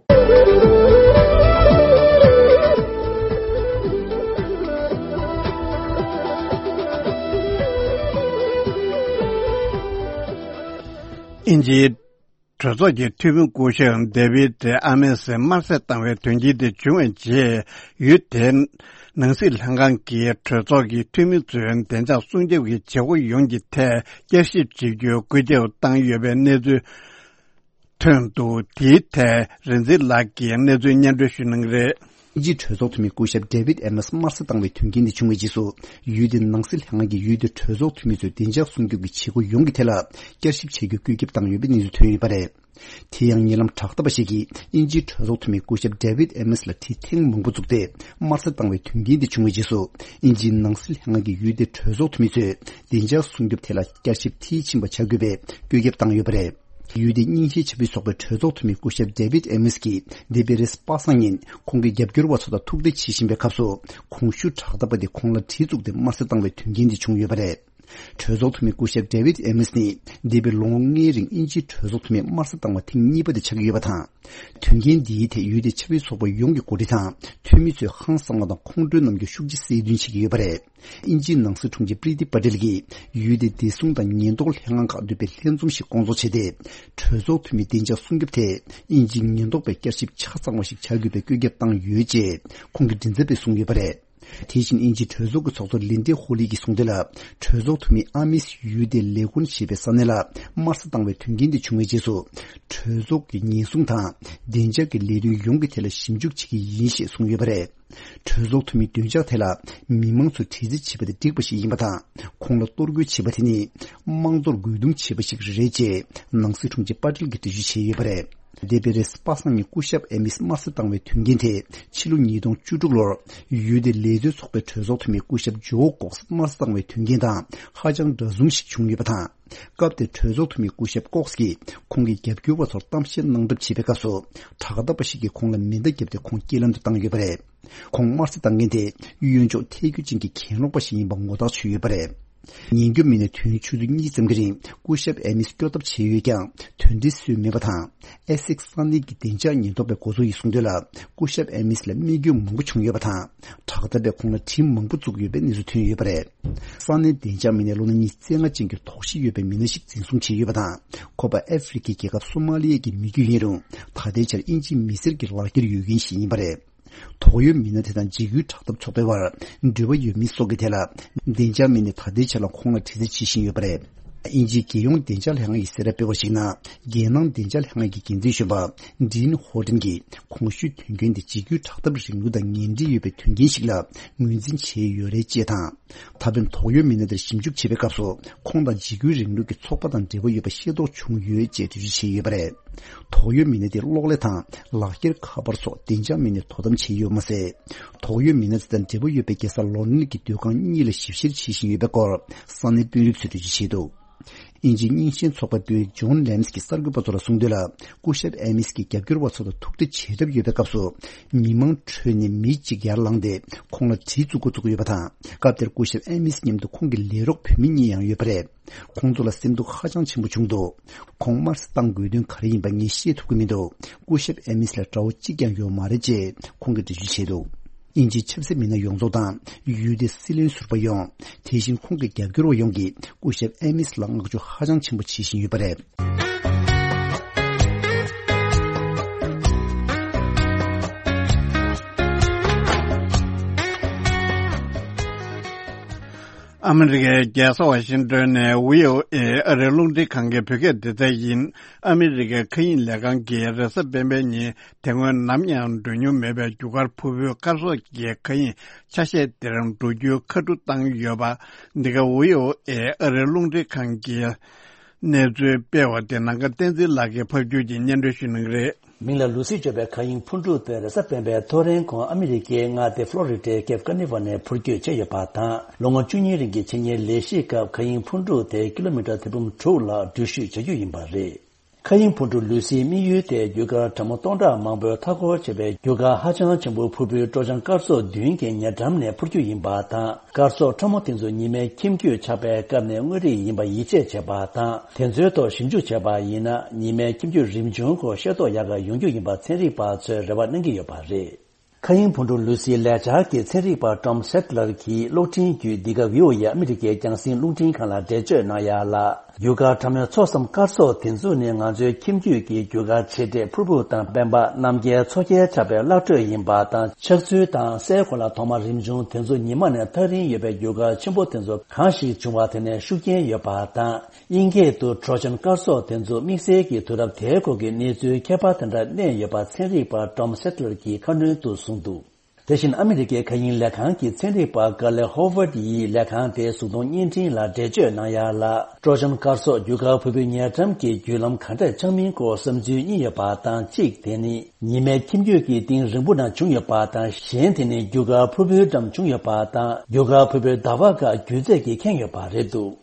ཨིན་ཇིའི་གྲོས་ཚོགས་ཀྱི་འཐུས་མི་སྐུ་ཞབས་ཌེ་བིད་ཨ་མེས་དམར་གསོད་བཏང་བའི་དོན་རྐྱེན་དེ་བྱུང་བའི་རྗེས། ཡུལ་དེའི་ནང་སྲིད་ལྷན་ཁང་གིས་གྲོས་ཚོགས་ཀྱི་འཐུས་མི་ཚོའི་བདེ་འཇགས་སྲུང་སྐྱོབ་ཀྱི་བྱེད་སྒོ་ཡོངས་ཀྱི་ཐད་བསྐྱར་ཞིབ་བྱེད་རྒྱུའི་བཀོད་ཁྱབ་བཏང་ཡོད་པའི་གནས་ཚུལ་ཐོན་འདུག་དེའི་ཐད་རིག་འཛིན་ལགས་ཀྱིས་གནས་ཚུལ་སྙན་སྒྲོན་ཞུ་གནང་གི་རེད། དབྱིན་ཇིའི་གྲོས་ཚོགས་འཐུས་མི་སྐུ་ཞབས་ཌེ་བིད་ཨེ་མེས་དམར་གསོད་བཏང་བའི་དོན་རྐྱེན་འདི་བྱུང་བའི་རྗེས་སུ། ཡུལ་དེའི་ནང་སྲིད་ལྷན་ཁང་གིས་ཡུལ་དེའི་གྲོས་ཚོགས་འཐུས་མི་ཚོའི་བདེ་འཇགས་སྲུང་སྐྱོབ་ཀྱི་བྱེད་སྒོ་ཡོངས་ཀྱི་ཐད་ལ་བསྐྱར་ཞིབ་བྱེད་རྒྱུའི་བཀོད་ཁྱབ་བཏང་ཡོད་པའི་གནས་ཚུལ་ཐོན་ཡོད་པ་རེད། དེ་ཡང་ཉེ་ལམ་དྲ་བདག་པ་ཞིག་གིས་དབྱིན་ཇིའི་གྲོས་ཚོགས་འཐུས་མི་སྐུ་ཞབས་ཌེ་བིད་ཨེ་མེས་ལ་དྲི་ཐེངས་མང་པོ་བཙུགས་ཏེ། དམར་གསོད་བཏང་བའི་དོན་རྐྱེན་འདི་བྱུང་བའི་རྗེས་སུ། དབྱིན་ཇིའི་ནང་སྲིད་ལྷན་ཁང་གིས་ཡུལ་དེའི་གྲོས་ཚོགས་འཐུས་མི་ཚོས་བདེ་འཇགས་སྲུང་སྐྱོབ་ཐད་ལ་བསྐྱར་ཞིབ་མཐིལ་ཕྱིན་པ་བྱ་དགོས་པའི་བཀོད་ཁྱབ་བཏང་ཡོད་པ་རེད། ཡུལ་དེའི་རྙིང་ཞེན་ཆེ་བའི་ཚོགས་པའི་གྲོས་ཚོགས་འཐུས་མི་སྐུ་ཞབས་ཌེ་བིད་ཨེ་མེས་ཀྱིས་འདས་པའི་རེས་གཟའ་པ་སངས་ཉིན་ཁོང་གི་རྒྱབ་སྐྱོར་བ་ཚོ་དང་ཐུག་འཕྲད་བྱེད་བཞིན་པའི་སྐབས་སུ། གོང་ཞུས་དྲ་བདག་པ་དེ་ཁོང་ལ་གྲི་བཙུགས་ཏེ་དམར་གསོད་བཏང་བའི་དོན་རྐྱེན་དེ་བྱུང་ཡོད་པ་རེད། གྲོས་ཚོགས་འཐུས་མི་སྐུ་ཞབས་ཌེ་བིད་ཨེ་མེས་ནི་འདས་པའི་ལོ་ངོ་ལྔའི་རིང་དབྱིན་ཇིའི་གྲོས་ཚོགས་འཐུས་མི་དམར་གསོད་བཏང་བ་ཐེངས་གཉིས་པ་དེ་ཆགས་ཀྱི་ཡོད་པ་དང་། དོན་རྐྱེན་འདིའི་ཐད་ཡུལ་དེའི་ཆབ་སྲིད་ཚོགས་པ་ཡོངས་ཀྱི་འགོ་ཁྲིད་དང་འཐུས་མི་ཚོས་ཧང་སངས་པ་དང་ཁོང་ཁྲོའི་རྣམ་འགྱུར་ཤུགས་ཆེ་གསལ་སྟོན་བྱེད་ཀྱི་ཡོད་པ་རེད། དབྱིན་ཇིའི་ནང་སྲིད་དྲུང་ཆེ་པྲི་ཏི་པ་ཏེལ་གྱིས་ཡུལ་དེའི་བདེ་སྲུང་དང་ཉེན་རྟོག་ལྷན་ཁང་ཁག་འདུས་པའི་ལྷན་འཛོམས་ཤིག་སྐོང་ཚོགས་བྱས་ཏེ། གྲོས་ཚོགས་འཐུས་མིའི་བདེ་འཇགས་སྲུང་སྐྱོབ་ཐད་དབྱིན་ཇིའི་ཉེན་རྟོག་པས་བསྐྱར་ཞིབ་ཆ་ཚང་བ་ཞིག་བྱ་དགོས་པའི་བཀོད་ཁྱབ་བཏང་ཡོད་ཅེས་ཁོང་གི་མགྲིན་ཚབ་པས་གསུངས་ཡོད་པ་རེད། དེ་བཞིན་དབྱིན་ཇིའི་གྲོས་ཚོགས་ཀྱི་ཚོགས་གཙོ་ལིན་ཌེ་ཧོ་ལི་གིས་གསུངས་དོན་ལ། གྲོས་ཚོགས་འཐུས་མི་ཨ་མིས་ཡུལ་དེའི་ལེ་གོན་ཞེས་པའི་ས་གནས་ལ་དམར་གསོད་བཏང་བའི་དོན་རྐྱེན་དེ་བྱུང་བའི་རྗེས་སུ། གྲོས་ཚོགས་ཀྱི་ཉེན་སྲུང་དང་བདེ་འཇགས་ཀྱི་ལས་དོན་ཡོངས་ཀྱི་ཐད་ལ་ཞིབ་འཇུག་བྱེད་ཀྱི་ཡིན་ཞེས་གསུངས་ཡོད་པ་རེད། གྲོས་ཚོགས་འཐུས་མིའི་འདོད་འཇགས་ཐད་ལ་མི་མང་ཚོས་དྲི་རྩད་བྱེད་པ་དེ་འགྲིག་པ་ཞིག་ཡིན་པ་དང་། ཁོང་ལ་གཏོར་རྒོལ་བྱེད་པ་དེ་ནི་དམངས་གཙོར་རྒོལ་རྡུང་བྱེད་པ་ཞིག་རེད་ཅེས་ནང་སྲིད་དྲུང་ཆེ་པ་ཏེལ་གྱིས་འགྲེལ་བརྗོད་བྱས་ཡོད་པ་རེད། འདས་པའི་རེས་གཟའ་པ་སངས་ཉིན་སྐུ་ཞབས་ཨེ་མིས་དམར་གསོད་བཏང་བའི་དོན་རྐྱེན་དེ་ཕྱི་ལོ་ཉིས་སྟོང་བཅུ་དྲུག་ལོར་ཡུལ་དེའི་ལས་བཟོའི་ཚོགས་པའི་གྲོས་ཚོགས་འཐུས་མི་སྐུ་ཞབས་ཇོ་ཀོག་སི་དམར་གསོད་བཏང་བའི་དོན་རྐྱེན་དང་ཧ་ཅང་འདྲ་མཚུངས་ཤིག་བྱུང་ཡོད་པ་དང་། སྐབས་དེར་གྲོས་ཚོགས་འཐུས་མི་སྐུ་ཞབས་ཀོག་སི་ཀྱིས་ཁོང་གི་རྒྱབ་སྐྱོར་བ་ཚོར་གཏམ་བཤད་གནང་གྲབས་བྱས་པའི་སྐབས་སུ། དྲ་བདག་པ་ཞིག་གིས་ཁོང་ལ་མེ་མདའ་བརྒྱབ་སྟེ་ཁོང་རྐྱེན་ལམ་དུ་བཏང་ཡོད་པ་རེད། ཁོང་དམར་གསོད་བཏང་མཁན་དེ་གཡོན་ཕྱོགས་ཐལ་འགྱུར་ཅན་གྱི་གྱེན་ལོག་པ་ཞིག་ཡིན་པ་ངོ་ཐག་ཆོད་ཡོད་པ་རེད། ཉེན་སྐྱོབ་མི་སྣས་དུས་ཡུན་ཆུ་ཚོད་གཉིས་ཙམ་གྱི་རིང་སྐུ་ཞབས་ཨེ་མིས་སྐྱོབ་ཐབས་བྱས་ཡོད་ཀྱང་དོན་འབྲས་སུ་མེད་པ་དང་། ཨེ་སེག་ས་གནས་ཀྱི་བདེ་འཇགས་ཉེན་རྟོག་པའི་འགོ་གཙོ་ཡིས་གསུངས་དོན་ལ། སྐུ་ཞབས་ཨེ་མིས་ལ་རྨས་སྐྱོན་མང་པོ་བྱུང་ཡོད་པ་དང་། དྲག་འཐབ་པས་ཁོང་ལ་གྲི་མང་པོ་བཙུགས་ཡོད་པའི་གནས་ཚུལ་ཐོན་ཡོད་པ་རེད། ས་གནས་བདེ་འཇགས་མི་སྣས་ལོ་ན་ཉི་ཤུ་རྩ་ལྔ་ཅན་གྱི་དོགས་གཞི་ཡོད་པའི་མི་སྣ་ཞིག་འཛིན་བཟུང་བྱས་ཡོད་པ་དང་། ཁོ་པ་ཨ་ཧྥེ་རི་ཁའི་རྒྱལ་ཁབ་སོ་མ་ལི་ཡ་གི་མི་རྒྱུད་ཡིན་རུང་། ད་ལྟའི་ཆར་དབྱིན་ཇིའི་མི་སེར་གྱི་ལག་འཁྱེར་ཡོད་མཁན་ཞིག་ཡིན་པ་རེད། དོགས་ཡོད་མི་སྣ་དེ་དང་འཇིགས་སྐུལ་དྲག་འཐབ་ཚོགས་པའི་བར་འབྲེལ་བ་ཡོད་མེད་སོགས་ཀྱི་ཐད་ལ། བདེ་འཇགས་མི་སྣས་ད་ལྟའི་ཆར་ལ་ཁོང་ལ་དྲི་རྩད་བྱེད་བཞིན་ཡོད་པ་རེད། དབྱིན་ཇིའི་རྒྱལ་ཡོངས་བདེ་འཇགས་ལྷན་ཁང་གིས་གསལ་བསྒྲགས་སྤེལ་བར་གཞིགས་ན། རྒྱལ་ནང་བདེ་འཇགས་ལྷན་ཁང་གི་འགན་འཛིན་གཞོན་པ་ཌིན་ཧོ་ཏིན་གྱིས་གོང་ཞུས་དོན་རྐྱེན་དེ་འཇིགས་སྐུལ་དྲག་འཐབ་རིང་ལུགས་དང་ངན་འབྲེལ་ཡོད་པའི་དོན་རྐྱེན་ཞིག་ལ་ངོས་འཛིན་བྱས་ཡོད་རེད་ཅེས་དང་། ད་ཕན་དོགས་ཡོད་མི་སྣ་དེར་ཞིབ་འཇུག་བྱེད་པའི་སྐབས་སུ་ཁོང་དང་འཇིགས་སྐུལ་རིང་ལུགས་ཀྱི་ཚོགས་པ་དང་འབྲེལ་བ་ཡོད་པ་ཤེས་རྟོགས་བྱུང་ཡོད་ཅེས་འགྲེལ་བརྗོད་བྱས་ཡོད་པ་རེད། དོགས་ཡོད་མི་སྣ་དེ་གློག་ཀླད་དང་ལག་འཁྱེར་ཁ་པར་སོགས་བདེ་འཇགས་མི་སྣས་དོ་དམ་བྱས་ཡོད་མ་ཟད། དོགས་ཡོད་མི་སྣ་དེ་དང་འབྲེལ་བ་ཡོད་པའི་རྒྱལ་ས་ལོན་ཌོན་གྱི་སྡོད་ཁང་གཉིས་ལ་ཞིབ་བཤེར་བྱེད་བཞིན་ཡོད་པའི་སྐོར་ས་གནས་དཔོན་རིགས་ཚོས་འགྲེལ་བརྗོད་བྱས་འདུག་དབྱིན་ཇིའི་རྙིང་ཞེན་ཚོགས་པའི་དཔོན་རིགས་ཇོན་ལེམ་སི་གིས་གསར་འགོད་པ་ཚོ་ལ་གསུངས་དོན་ལ། སྐུ་ཞབས་ཨེ་མིས་ཀྱི་རྒྱབ་སྐྱོར་བ་ཚོ་དང་ཐུག་འཕྲད་བྱེད་གྲབས་ཡོད་པའི་སྐབས་སུ། མི་མང་ཁྲོད་ནས་མི་གཅིག་ཡར་ལངས་ཏེ་ཁོང་ལ་གྲི་བཙུགས་འགོ་བཙུགས་ཡོད་པ་དང་། སྐབས་དེར་སྐུ་ཞབས་ཨེ་མིས་མཉམ་དུ་ཁོང་གི་ལས་རོགས་བུད་མེད་གཉིས་ཡང་ཡོད་པ་རེད། ཁོང་ཚོ་ལ་སེམས་སྡུག་ཧ་ཅང་ཆེན་པོ་བྱུང་འདུག་ཁོང་དམར་གསོད་བཏང་དགོས་དོན་ག་རེ་ཡིན་པ་ངས་ཤེས་ཐུབ་ཀྱི་མི་འདུག་སྐུ་ཞབས་ཨེ་མིས་ལ་དགྲ་བོ་གཅིག་ཀྱང་ཡོད་མ་རེད་ཅེས་ཁོང་གིས་འགྲེལ་བརྗོད་བྱས་འདུག་དབྱིན་ཇིའི་ཆབ་སྲིད་མི་སྣ་ཡོངས་རྫོགས་དང་ཡུལ་དེའི་སྲིད་བློན་ཟུར་པ་ཡོངས། དེ་བཞིན་ཁོང་གི་རྒྱབ་སྐྱོར་བ་ཡོངས་ཀྱིས་སྐུ་ཞབས་ཨེ་མིས་ལ་བསྔགས་བརྗོད་ཧ་ཅང་ཆེན་པོ་བྱེད་བཞིན་ཡོད་པ་རེད། ཨ་མི་རི་ཀའི་རྒྱལ་ས་ཝ་ཤིང་ཏོན་ནས་བྷི་ཨོ་ཨེ་ཨ་རིའི་རླུང་འཕྲིན་ཁང་གི་བོད་སྐད་སྡེ་ཚན་ཡིན། ཨ་མི་རི་ཀའི་མཁའ་དབྱིངས་ལས་ཁང་གིས་རེས་གཟའ་སྤེན་པའི་ཉིན་དེ་སྔོན་ནམ་ཡང་འགྲོ་མྱོང་མེད་པའི་རྒྱུ་སྐར་ཕུར་བུའི་སྐར་གསོག་གི་མཁའ་དབྱིངས་ཆ་ཤས་དེར་འགྲོ་རྒྱུའི་ཁ་ཐུག་བཏང་ཡོད་པ། འདི་ག་བྷི་ཨོ་ཨེ་ཨ་རིའི་རླུང་འཕྲིན་ཁང་གིས་གནས་ཚུལ་སྤེལ་བ་དེ་ནམ་མཁའ་བསྟན་འཛིན་ལགས་ཀྱིས་ཕབ་སྒྱུར་གྱིས་སྙན་སྒྲོན་ཞུ་གནང་གི་རེད། མིང་ལ་ལུ་སི་བརྗོད་པའི་མཁའ་དབྱིངས་འཕུར་གྲུ་དེ་རེས་གཟའ་སྤེན་པའི་ཐོ་རེངས་གོང་ཨ་མི་རི་ཀའི་མངའ་སྡེ་ཕློ་རི་ཌའི་ཀེབ་ཀ་ནི་ཝར་ནས་འཕུར་སྐྱོད་བྱས་ཡོད་པ་དང་། ལོ་ངོ་བཅུ་གཉིས་རིང་གི་འཆད་ཉན་ལས་གཞིའི་སྐབས་མཁའ་དབྱིངས་འཕུར་གྲུ་དེ་ཀི་ལོ་མི་ཊར་ཐེར་འབུམ་དྲུག་ལ་འགྲུལ་བཞུད་བྱ་རྒྱུ་ཡིན་པ་རེད། མཁའ་དབྱིངས་འཕུར་གྲུ་ལུ་སིའི་དམིགས་ཡུལ་དེ་རྒྱུ་སྐར་གྲངས་མང་སྟོང་ཕྲག་མང་པོའི་མཐའ་འཁོར་བྱས་པའི་རྒྱུ་སྐར་ཧ་ཅང་ཆེན་པོའི་ཕུར་བུའི་སྤྲོ་འཆམ་སྐར་ཚོགས་བདུན་གྱི་ཉེ་འགྲམ་ནས་འཕུར་རྒྱུ་ཡིན་པ་དང་། སྐར་ཚོགས་ཕྲ་མོ་དེ་ཚོ་ཉི་མའི་ཁྱིམ་རྒྱུད་ཆགས་པའི་སྐབས་ནས་དངོས་རིགས་ཡིན་པ་ཡིད་ཆེས་བྱས་པ་དང་། དེ་ཚོའི་ཐོག་ཞིབ་འཇུག་བྱས་པ་ཡིན་ན། ཉི་མའི་ཁྱིམ་རྒྱུད་རིམ་བྱུང་སྐོར་ཤེས་རྟོགས་ཡག་ག་ཡོང་རྒྱུ་ཡིན་པ་ཚན་རིག་པ་ཚོས་རེ་བ་གནང་གི་ཡོད་པ་རེད། མཁའ་དབྱིངས་འཕུར་གྲུ་ལུ་སིའི་ལས་འཆར་གྱི་ཚན་རིག་པ་ཊོམ་སེ་ཊི་ལར་གྱིས་གློག་འཕྲིན་བརྒྱུད་འདི་ག་བྷི་ཨོ་ཨེ་ཨ་མི་རི་ཀའི་རྒྱང་སྲིང་རླུང་འཕྲིན་ཁང་ལ་འགྲེལ་བརྗོད་གནང་ཡ་ལ། རྒྱུ་སྐར་ཕྲ་མོའི་ཚོགས་སམ་སྐར་ཚོགས་དེ་ཚོ་ནི་ང་ཚོའི་ཁྱིམ་རྒྱུད་ཀྱི་རྒྱུ་སྐར་ཆེ་གྲས་ཕུར་བུ་དང་སྤེན་པ་གནམ་རྒྱལ་མཚོ་རྒྱལ་ཆགས་པའི་གླ་སྤྲོད་ཡིན་པ་དང་། ཆགས་ཚུལ་དང་སའི་གོ་ལ་ཐོག་མ་རིམ་བྱུང་དེ་ཚོ་ཉི་མ་ནས་ཐག་རིང་ཡོད་པའི་རྒྱུ་སྐར་ཆེན་པོ་དེ་ཚོ་གང་ཞིག་བྱུང་བ་དེ་ནས་ཤུགས་རྐྱེན་ཡོད་པ་དང་། དབྱིན་སྐད་དུ་ཊོ་རོ་ཇན་སྐར་ཚོགས་དེ་ཚོ་དམིགས་བསལ་གྱི་དུས་རབས་དེའི་སྐོར་གྱི་གནས་ཚུལ་ཁྱད་པར་དེ་འདྲ་གནས་ཡོད་པ་ཚན་རིག་པ་ཊོམ་སེ་ཊི་ལར་གྱིས་ཁ་སྣོན་དུ་གསུངས་འདུག། དེ་བཞིན་ཨ་མི་རི་ཀའི་མཁའ་དབྱིངས་ལས་ཁང་གི་ཚན་རིག་པ་ཀར་ལེ་ཧོ་ཝར་ཌི་ཡིས་ལས་ཁང་དེའི་གཟུགས་མཐོང་བརྙན་འཕྲིན་ལ་འགྲེལ་བརྗོད་གནང་ཡ་ལ། ཊོ་རོ་ཇན་སྐར་ཚོགས་རྒྱུ་སྐར་ཕུར་བུའི་ཉེ་འགྲམ་གྱི་བརྒྱུད་ལམ་ག་འདྲས་ཆགས་མིན་སྐོར་བསམ་ཚུལ་གཉིས་ཡོད་པ་དང་། གཅིག་དེ་ནི་ཉི་མའི་ཁྱིམ་རྒྱུད་ཀྱི་གཏིང་རིང་པོ་ན་བྱུང་ཡོད་པ་དང་། གཞན་དེ་ནི་རྒྱུ་སྐར་ཕུར་བུའི་འགྲམ་བྱུང་ཡོད་པ་དང་། རྒྱུ་སྐར་ཕུར་བུའི་ཟླ་བ་ཁག་རྒྱུད་ཚད་ཀྱིས་ཁེངས་ཡོད་པ་རེད་འདུག།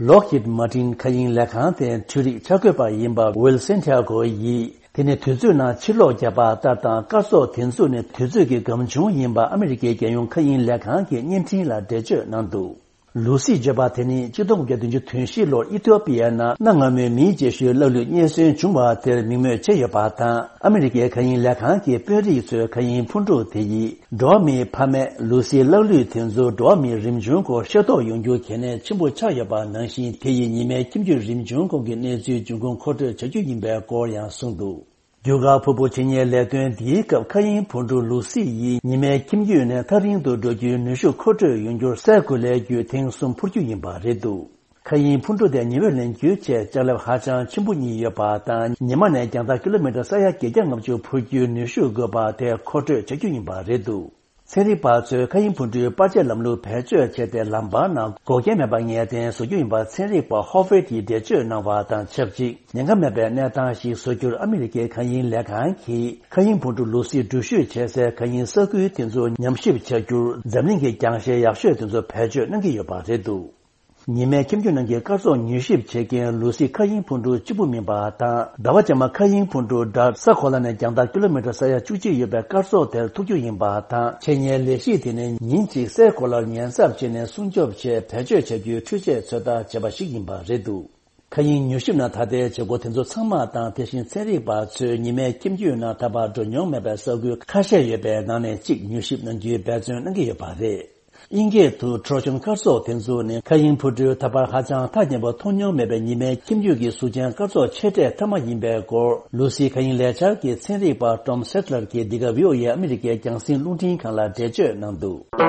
ལོག་ཧིད་མ་ཏིན་མཁའ་དབྱིངས་ལས་ཁང་དེའི་འཕྲུལ་རིག་འཆར་འགོད་པ་ཡིན་པ་ཝིལ་སན་ཏི་ཡ་གོ་ཡིས། དེ་ནི་དུས་ཚོད་ནང་ཕྱིར་ལོག་བརྒྱབ་པ་ལྟར་དང་། སྐར་ཚོགས་དེ་ཚོ་ནི་དུས་ཚོད་ཀྱི་སྒམ་ཆུང་ཡིན་པ་ཨ་མི་རི་ཀའི་རྒྱལ་ཡོངས་མཁའ་དབྱིངས་ལས་ཁང་གི་བརྙན་འཕྲིན་ལ་འགྲེལ་བརྗོད་གནང་འདུག། ལུ་སི་བརྗོད་པ་དེ་ནི་ཆིག་སྟོང་དགུ་བརྒྱ་བདུན་ཅུ་དོན་བཞི་ལོར་ཨི་ཐིའོ་པི་ཡ་ནང་གནའ་སྔ་མོའི་མིའི་རྗེས་ཤུལ་ལག་ལུས་རྙེད་སོན་བྱུང་བ་དེར་མིང་སྨོས་བྱས་ཡོད་པ་དང་། ཨ་མི་རི་ཀའི་མཁའ་དབྱིངས་ལས་ཁང་གི་དཔོན་རིགས་ཚོས་མཁའ་དབྱིངས་འཕུར་གྲུ་དེ་ཡིས། འགྲོ་བ་མིའི་ཕ་མས་ལུ་སིའི་ལག་ལུས་དེ་ཚོ་འགྲོ་བ་མིའི་རིམ་བྱུང་སྐོར་ཤེས་རྟོགས་ཡོང་རྒྱུ་གལ་གནད་ཆེན་པོ་ཆགས་ཡོད་པ་ནང་བཞིན། དེ་ཡིས་ཉི་མའི་ཁྱིམ་རྒྱུད་རིམ་བྱུང་སྐོར་གྱི་གནས་ཚུལ་འབྱུང་ཁུངས་མཁོ་སྤྲོད་བྱ་རྒྱུ་ཡིན་པའི་སྐོར་ཡང་གསུངས་འདུག། རྒྱུ་སྐར་ཕུར་བུ་འཆད་ཉན་ལས་དོན་འདིའི་སྐབས་མཁའ་དབྱིངས་འཕུར་གྲུ་ལུ་སི་ཡིས་ཉི་མའི་ཁྱིམ་རྒྱུད་ནས་ཐག་རིང་དུ་འགྲོ་རྒྱུའི་ནུས་ཤུགས་མཁོ་སྤྲོད་ཡོང་རྒྱུར་སའི་གོ་ལའི་རྒྱུད་ཐེངས་གསུམ་འཕུར་རྒྱུ་ཡིན་པ་རེད་འདུག། མཁའ་དབྱིངས་འཕུར་གྲུ་དེ་ཉི་འོད་ལེན་རྒྱུའི་ཆེད་ལྕགས་ལེབ་ཧ་ཅང་ཆེན་པོ་གཉིས་ཡོད་པ་དང་། ཉི་མ་ནས་རྒྱང་ཐག་ཀི་ལོ་མི་ཊར་ས་ཡ་བརྒྱད་བརྒྱ་ལྔ་བཅུ་འཕུར་རྒྱུའི་ནུས་ཤུགས་དགོས་པ་དེ་མཁོ་སྤྲོད་བྱ་རྒྱུ་ཡིན་པ་རེད་འདུག། ཚན་རིག་པ་ཚོས་མཁའ་དབྱིངས་འཕུར་གྲུའི་པར་ཆས་ལམ་ལུགས་བེད་སྤྱོད་བྱས་ཏེ། ལམ་བར་ན་འགོག་རྐྱེན་མེད་པར་ངེས་གཏན་བཟོ་རྒྱུ་ཡིན་པ་ཚན་རིག་པ་ཧོ་ཧྥེ་ཏིས་འགྲེལ་བརྗོད་གནང་བ་དང་ཆབས་ཅིག། ཉེན་ཁ་མེད་པའི་གནས་སྟངས་ཤིག་བཟོ་རྒྱུར་ཨ་མི་རི་ཀའི་མཁའ་དབྱིངས་ལས་ཁང་གིས་མཁའ་དབྱིངས་འཕུར་གྲུ་ལུ་སི་འགྲུལ་བཞུད་བྱེད་སའི་མཁའ་དབྱིངས་ས་ཁུལ་དེ་ཚོ་ཉམས་ཞིབ་བྱ་རྒྱུར། འཛམ་གླིང་གི་རྒྱང་ཤེལ་ཡག་ཤོས་དེ་ཚོ་བེད་སྤྱོད་གནང་གི་ཡོད་པ་རེད་འདུག། ཉི་མའི་ཁྱིམ་རྒྱུད་ནང་གི་སྐར་ཚོགས་མྱུལ་ཞིབ་བྱེད་མཁན་ལུ་སི་མཁའ་དབྱིངས་འཕུར་གྲུ་གཅིག་པུ་མིན་པ་དང་། ཟླ་བ་རྗེས་མ་མཁའ་དབྱིངས་འཕུར་གྲུ་ཌཱརཊ་ས་གོ་ལ་ནས་རྒྱང་ཐག་ཀི་ལོ་མི་ཊར་ས་ཡ་བཅུ་གཅིག་ཡོད་པའི་སྐར་ཚོགས་དེར་ཐུག་རྒྱུ་ཡིན་པ་དང་། འཆད་ཉན་ལས་གཞི་དེ་ནི་ཉིན་གཅིག་སའི་གོ་ལར་ཉེན་ཚབས་བྱས་ནས་སྲུང་སྐྱོབ་ཆེད་བེད་སྤྱོད་བྱ་རྒྱུའི་འཕྲུལ་ཆས་ཚོད་ལྟ་བྱས་པ་ཞིག་ཡིན་པ་རེད་འདུག། མཁའ་དབྱིངས་མྱུལ་ཞིབ་ནང་ད་ལྟའི་བྱེད་སྒོ་དེ་ཚོ་ཚང་མ་དང་། དེ་བཞིན་ཚན་རིག་པ་ཚོས་ཉི་མའི་ཁྱིམ་རྒྱུད་ནང་ད་བར་འགྲོ་མྱོང་མེད་པའི་ས་ཁུལ་ཁ་ཤས་ཡོད་པའི་ནང་ནས་གཅིག་མྱུལ་ཞིབ་གནང་རྒྱུའི་འབད་བརྩོན་གནང་གི་ཡོད་པ་རེད། དབྱིན་སྐད་དུ་ཊོ་རོ་ཇན་སྐར་ཚོགས་དེ་ཚོ་ནི་མཁའ་དབྱིངས་འཕུར་གྲུའི་ད་བར་ཧ་ཅང་ཐག་ཉེ་པོ་མཐོང་མྱོང་མེད་པའི་ཉི་མའི་ཁྱིམ་རྒྱུད་ཀྱི་གཟུགས་ཅན་སྐར་ཚོགས་ཆེ་གྲས་མཐའ་མ་ཡིན་པའི་སྐོར། ལུ་སིའི་མཁའ་དབྱིངས་ལས་འཆར་གྱི་ཚན་རིག་པ་ཊོམ་སེ་ཊི་ལར་གྱིས་འདི་ག་བྷི་ཨོ་ཨེ་ཨ་མི་རི་ཀའི་རྒྱང་སྲིང་རླུང་འཕྲིན་ཁང་ལ་འགྲེལ་བརྗོད་གནང་འདུག།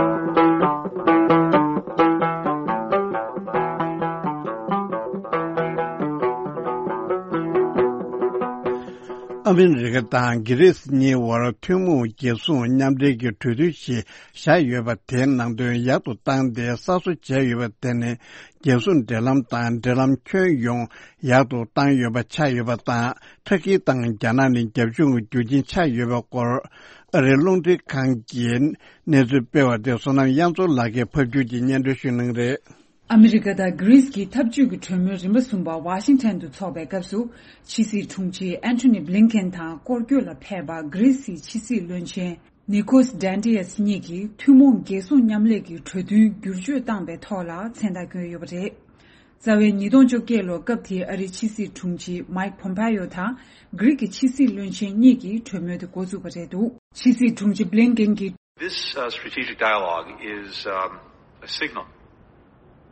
ཨ་མི་རི་ཀ་དང་གྷི་རི་སི་གཉིས་བར་ཐུན་མོང་རྒྱལ་སྲུང་མཉམ་འབྲེལ་གྱི་གྲོས་མཐུན་ཞིག་བཞག་ཡོད་པ་དེའི་ནང་དོན་ཡག་ཏུ་བཏང་སྟེ་གསར་བཟོ་བྱས་ཡོད་པ་དེ་ནི་རྒྱལ་སྲུང་འབྲེལ་ལམ་དང་འབྲེལ་ལམ་ཁྱོན་ཡོངས་ཡག་ཏུ་བཏང་ཡོད་པ་ཆགས་ཡོད་པ་དང་། ཏུར་ཀི་དང་རྒྱ་ནག་ནི་རྒྱབ་ལྗོངས་ཀྱི་རྒྱུ་རྐྱེན་ཆགས་ཡོད་པའི་སྐོར། ཨ་རིའི་རླུང་འཕྲིན་ཁང་གིས་གནས་ཚུལ་སྤེལ་བ་དེ་བསོད་ནམས་དབྱངས་མཚོ་ལགས་ཀྱིས་ཕབ་སྒྱུར་གྱིས་སྙན་སྒྲོན་ཞུ་གནང་གི་རེད། ཨ་མི་རི་ཀ་དང་གྷི་རིས་ཀྱི་འཐབ་ཇུས་ཀྱི་གྲོས་མོལ་རིམ་པ་གསུམ་པ་ཝ་ཤིང་ཐན་དུ་འཚོགས་པའི་སྐབས་སུ། ཕྱི་སྲིད་དྲུང་ཆེ་ཨན་ཐོ་ནི་བྷི་ལིན་ཀེན་དང་སྐོར་སྐྱོད་ལ་ཕེབས་པ་གྷི་རིས་ཀྱི་ཕྱི་སྲིད་བློན་ཆེན་ནི་ཀོས་ཌན་ཏི་ཡས་གཉིས་ཀྱིས་ཐུན་མོང་རྒྱལ་སྲུང་མཉམ་ལས་ཀྱི་གྲོས་མཐུན་བསྒྱུར་བཅོས་བཏང་པའི་ཐོག་ལ་མཚན་རྟགས་བསྐྱོན་ཡོད་པ་རེད། རྩ་བའི་ཉིས་སྟོང་བཅོ་བརྒྱད་ལོར་སྐབས་དེའི་ཨ་རིའི་ཕྱི་སྲིད་དྲུང་ཆེ་མའིག་ཕོམ་པེ་ཡོ་དང་གྷི་རིས་ཀྱི་ཕྱི་སྲིད་བློན་ཆེན་གཉིས་ཀྱིས་གྲོས་མོལ་དེ་འགོ་བཙུགས་པ་རེད་འདུག། ཕྱི་སྲིད་དྲུང་ཆེ་བྷི་ལིན་ཀེན་གྱིས། This, uh, strategic dialogue is, um, a signal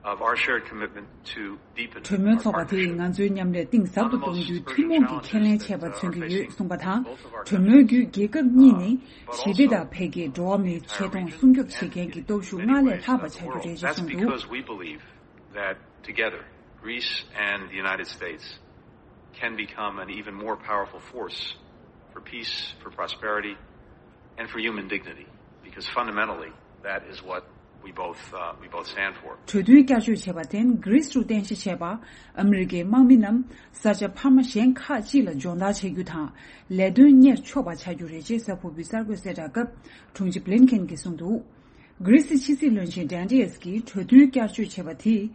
of our shared commitment to deepen གྲོས་མོལ་ཚོགས་པ་དེས་ང་ཚོའི་མཉམ་ལས་གཏིང་ཟབ་ཏུ་གཏོང་རྒྱུའི་ཐུན་མོང་གི་ཁས་ལེན་བྱས་པ་མཚོན་གྱི་ཡོད་གསུངས་པ་དང་། གྲོས་མོལ་བརྒྱུད་རྒྱལ་ཁབ་གཉིས་ནི་ཞི་བདེ་དང་འཕེལ་རྒྱས། འགྲོ་བ་མིའི་ཆེ་མཐོང་སྲུང་སྐྱོབ་བྱེད་མཁན་གྱི་སྟོབས་ཤུགས་སྔར་ལས་ལྷག་པ་ཆགས་རྒྱུ་རེད་ཅེས་གསུངས་འདུག། Because we believe that together, Greece and the United States can become an even more powerful force for peace, for prosperity, and for human dignity. Because fundamentally, that is what we both, uh, we both stand for. གྲོས་མཐུན་བསྐྱར་བཅོས་བྱས་པར་བརྟེན། གྷི་རིས་སུ་རྟེན་གཞི་བྱས་པ་ཨ་མི་རི་ཀའི་དམག་མི་རྣམས་ས་ཆ་འཕར་མ་གཞན་ཁག་ཅིག་ལ་སྦྱོང་བརྡར་བྱེད་རྒྱུ་དང་ལས་དོན་གཉེར་ཆོག་པ་ཆགས་རྒྱུ་རེད་ཅེས་གཟའ་ཕུར་བུའི་གསར་འགོད་གསལ་བསྒྲགས་སྐབས་དྲུང་ཆེ་བྷི་ལིན་ཁེན་གྱིས་གསུངས་འདུག། གྷི་རིས་སི་ཕྱི་སྲིད་བློན་ཆེན་ཌན་ཏི་ཨེས་ཀྱིས་གྲོས་མཐུན་བསྐྱར་བཅོས་བྱས་པ་དེས་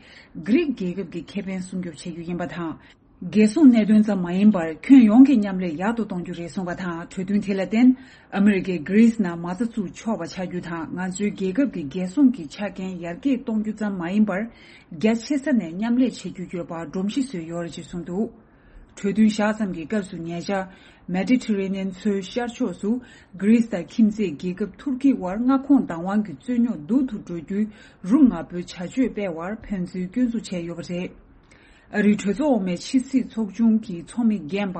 གྷི་རིག་རྒྱལ་ཁབ་ཀྱི་ཁེ་ཕན་སྲུང་སྐྱོབ་བྱེད་རྒྱུ་ཡིན་པ་དང་། རྒྱལ་སྲུང་གནད་དོན་ཙམ་མ་ཡིན་པར་ཁྱོན་ཡོངས་ཀྱི་མཉམ་ལས་ཡག་ཏུ་གཏོང་རྒྱུ་རེད་གསུངས་པ་དང་། གྲོས་མཐུན་དེ་ལ་བརྟེན་ཨ་མི་རི་ཀས་གྷི་རིས་ནང་མ་རྩ་བཙུགས་ཆོག་པ་ཆགས་རྒྱུ་དང་། ང་ཚོའི་རྒྱལ་ཁབ་ཀྱི་རྒྱལ་སྲུང་གི་ཆ་རྐྱེན་ཡར་རྒྱས་གཏོང་རྒྱུ་ཙམ་མ་ཡིན་པར་རྒྱ་ཆེ་ས་ནས་མཉམ་ལས་བྱེད་རྒྱུ་ཡོད་པར་སྒྲོམ་གཞི་བཟོས་ཡོད་རེད་ཅེས་གསུངས་འདུག། གྲོས་མཐུན་བཞག་ཙམ་གྱི་སྐབས་སུ་ཉེ་ཆར་མེ་ཌི་ཊི་རེ་ནི་ཡན་མཚོའི་ཤར་ཕྱོགས་སུ་གྷི་རིས་དང་ཁྱིམ་མཚེས་རྒྱལ་ཁབ་ཐུར་ཁེ་དབར་མངའ་ཁོངས་བདག་དབང་གི་རྩོད་རྙོག་སྡུག་ཏུ་འགྲོ་རྒྱུའི་རུ་ང་པོའི་བྱ་སྤྱོད་སྤེལ་བར་ཕན་ཚུན་སྐྱོན་འཛུགས་བྱས་ཡོད་པ་རེད། ཨ་རིའི་གྲོས་ཚོགས་འོག་མའི་ཕྱི་སྲིད་ཚོགས་ཆུང་གི་ཚོགས་མི་རྒན་པ་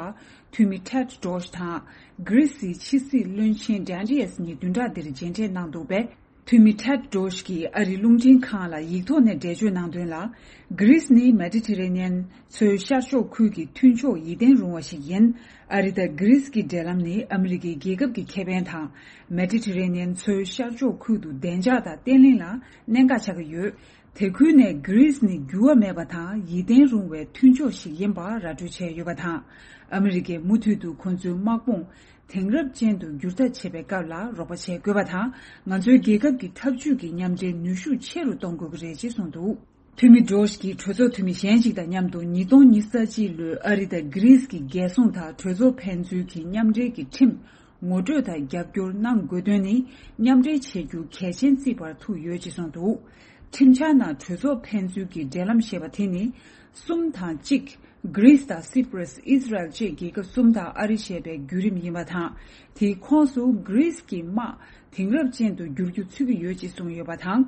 འཐུས་མི་ཊེཌ་རོ་ཤི་དང་གྷི་རིས་སི་ཕྱི་སྲིད་བློན་ཆེན་ཌན་ཏི་ཨེས་གཉིས་བདུན་ཕྲག་འདིར་མཇལ་འཕྲད་གནང་འདུག་པས། འཐུས་མི་ཊེཌ་རོ་ཤི་གིས་ཨ་རིའི་རླུང་འཕྲིན་ཁང་ལ་ཡིག་ཐོག་ནས་འགྲེལ་བརྗོད་གནང་དོན་ལ། གྷི་རིས་ནི་མེ་ཌི་ཊི་རེ་ནི་ཡན་མཚོའི་ཤར་ཕྱོགས་ཁུལ་གྱི་མཐུན་ཕྱོགས་ཡིད་བརྟན་རུང་བ་ཞིག་ཡིན། ཨ་རི་དང་གྷི་རིས་ཀྱི་འབྲེལ་ལམ་ནི་ཨ་མི་རི་ཀའི་རྒྱལ་ཁབ་ཀྱི་ཁེ་ཕན་དང་། མེ་ཌི་ཊི་རེ་ནི་ཡན་མཚོའི་ཤར་ཕྱོགས་ཁུལ་དུ་བདེ་འཇགས་དང་བརྟན་ལྷིང་ལ་གནད་འགག་ཆགས་ཀྱི་ཡོད། དེ་ཁུལ་ནས་གྷི་རིས་ནི་འགྱུར་བ་མེད་པ་དང་ཡིད་བརྟན་རུང་བའི་མཐུན་ཕྱོགས་ཤིག་ཡིན་པ་ར་སྤྲོད་བྱས་ཡོད་པ་དང་། ཨ་མི་རི་ཀས་མུ་མཐུད་དུ་ཁོ་ཚོའི་དམག་དཔུང་དེང་རབས་ཅན་དུ་འགྱུར་ཐབས་བྱེད་པའི་སྐབས་ལ་རོགས་པ་བྱེད་དགོས་པ་དང་། ང་ཚོའི་རྒྱལ་ཁབ་ཀྱི་འཐབ་ཇུས་ཀྱི་མཉམ་འབྲེལ་ནུས་ཤུགས་ཆེ་རུ་གཏོང་དགོས་ཀྱི་རེད་ཅེས་གསུངས་འདུག། འཐུས་མི་ཌོ་ཤི་གིས་གྲོས་ཚོགས་འཐུས་མི་གཞན་ཞིག་དང་མཉམ་དུ་ཉིས་སྟོང་ཉི་ཤུ་རྩ་གཅིག་ལོའི་ཨ་རི་དང་གྷི་རིས་ཀྱི་རྒྱལ་སྲུང་དང་གྲོས་ཚོགས་ཕན་ཚུན་གྱི་མཉམ་འབྲེལ་གྱི་ཁྲིམས་ངོ་སྤྲོད་དང་རྒྱབ་སྐྱོར་གནང་དགོས་དོན་ནི་མཉམ་འབྲེལ་བྱེད་རྒྱུ་གལ་ཆེན་བརྩིས་པར་ཐུག་ཡོད་ཅེས་གསུངས་འདུག། ཁྲིམས་འཆར་ནང་གྲོས་ཚོགས་ཕན་ཚུན་གྱི་འབྲེལ་ལམ་ཞེས་པ་དེ་ནི་གསུམ་དང་གཅིག། གྷི་རིས་དང་སི་པྲ་སི། ཨི་ཟི་རལ་བཅས་རྒྱལ་ཁབ་གསུམ་དང་ཨ་རི་ཞེས་པའི་བརྒྱུད་རིམ་ཡིན་པ་དང་། དེའི་ཁོངས་སུ་གྷི་རིས་ཀྱི་དམག་དེང་རབས་ཅན་དུ་བསྒྱུར་རྒྱུ་ཚུད་ཀྱི་ཡོད་ཅེས་གསུངས་ཡོད་པ་དང་།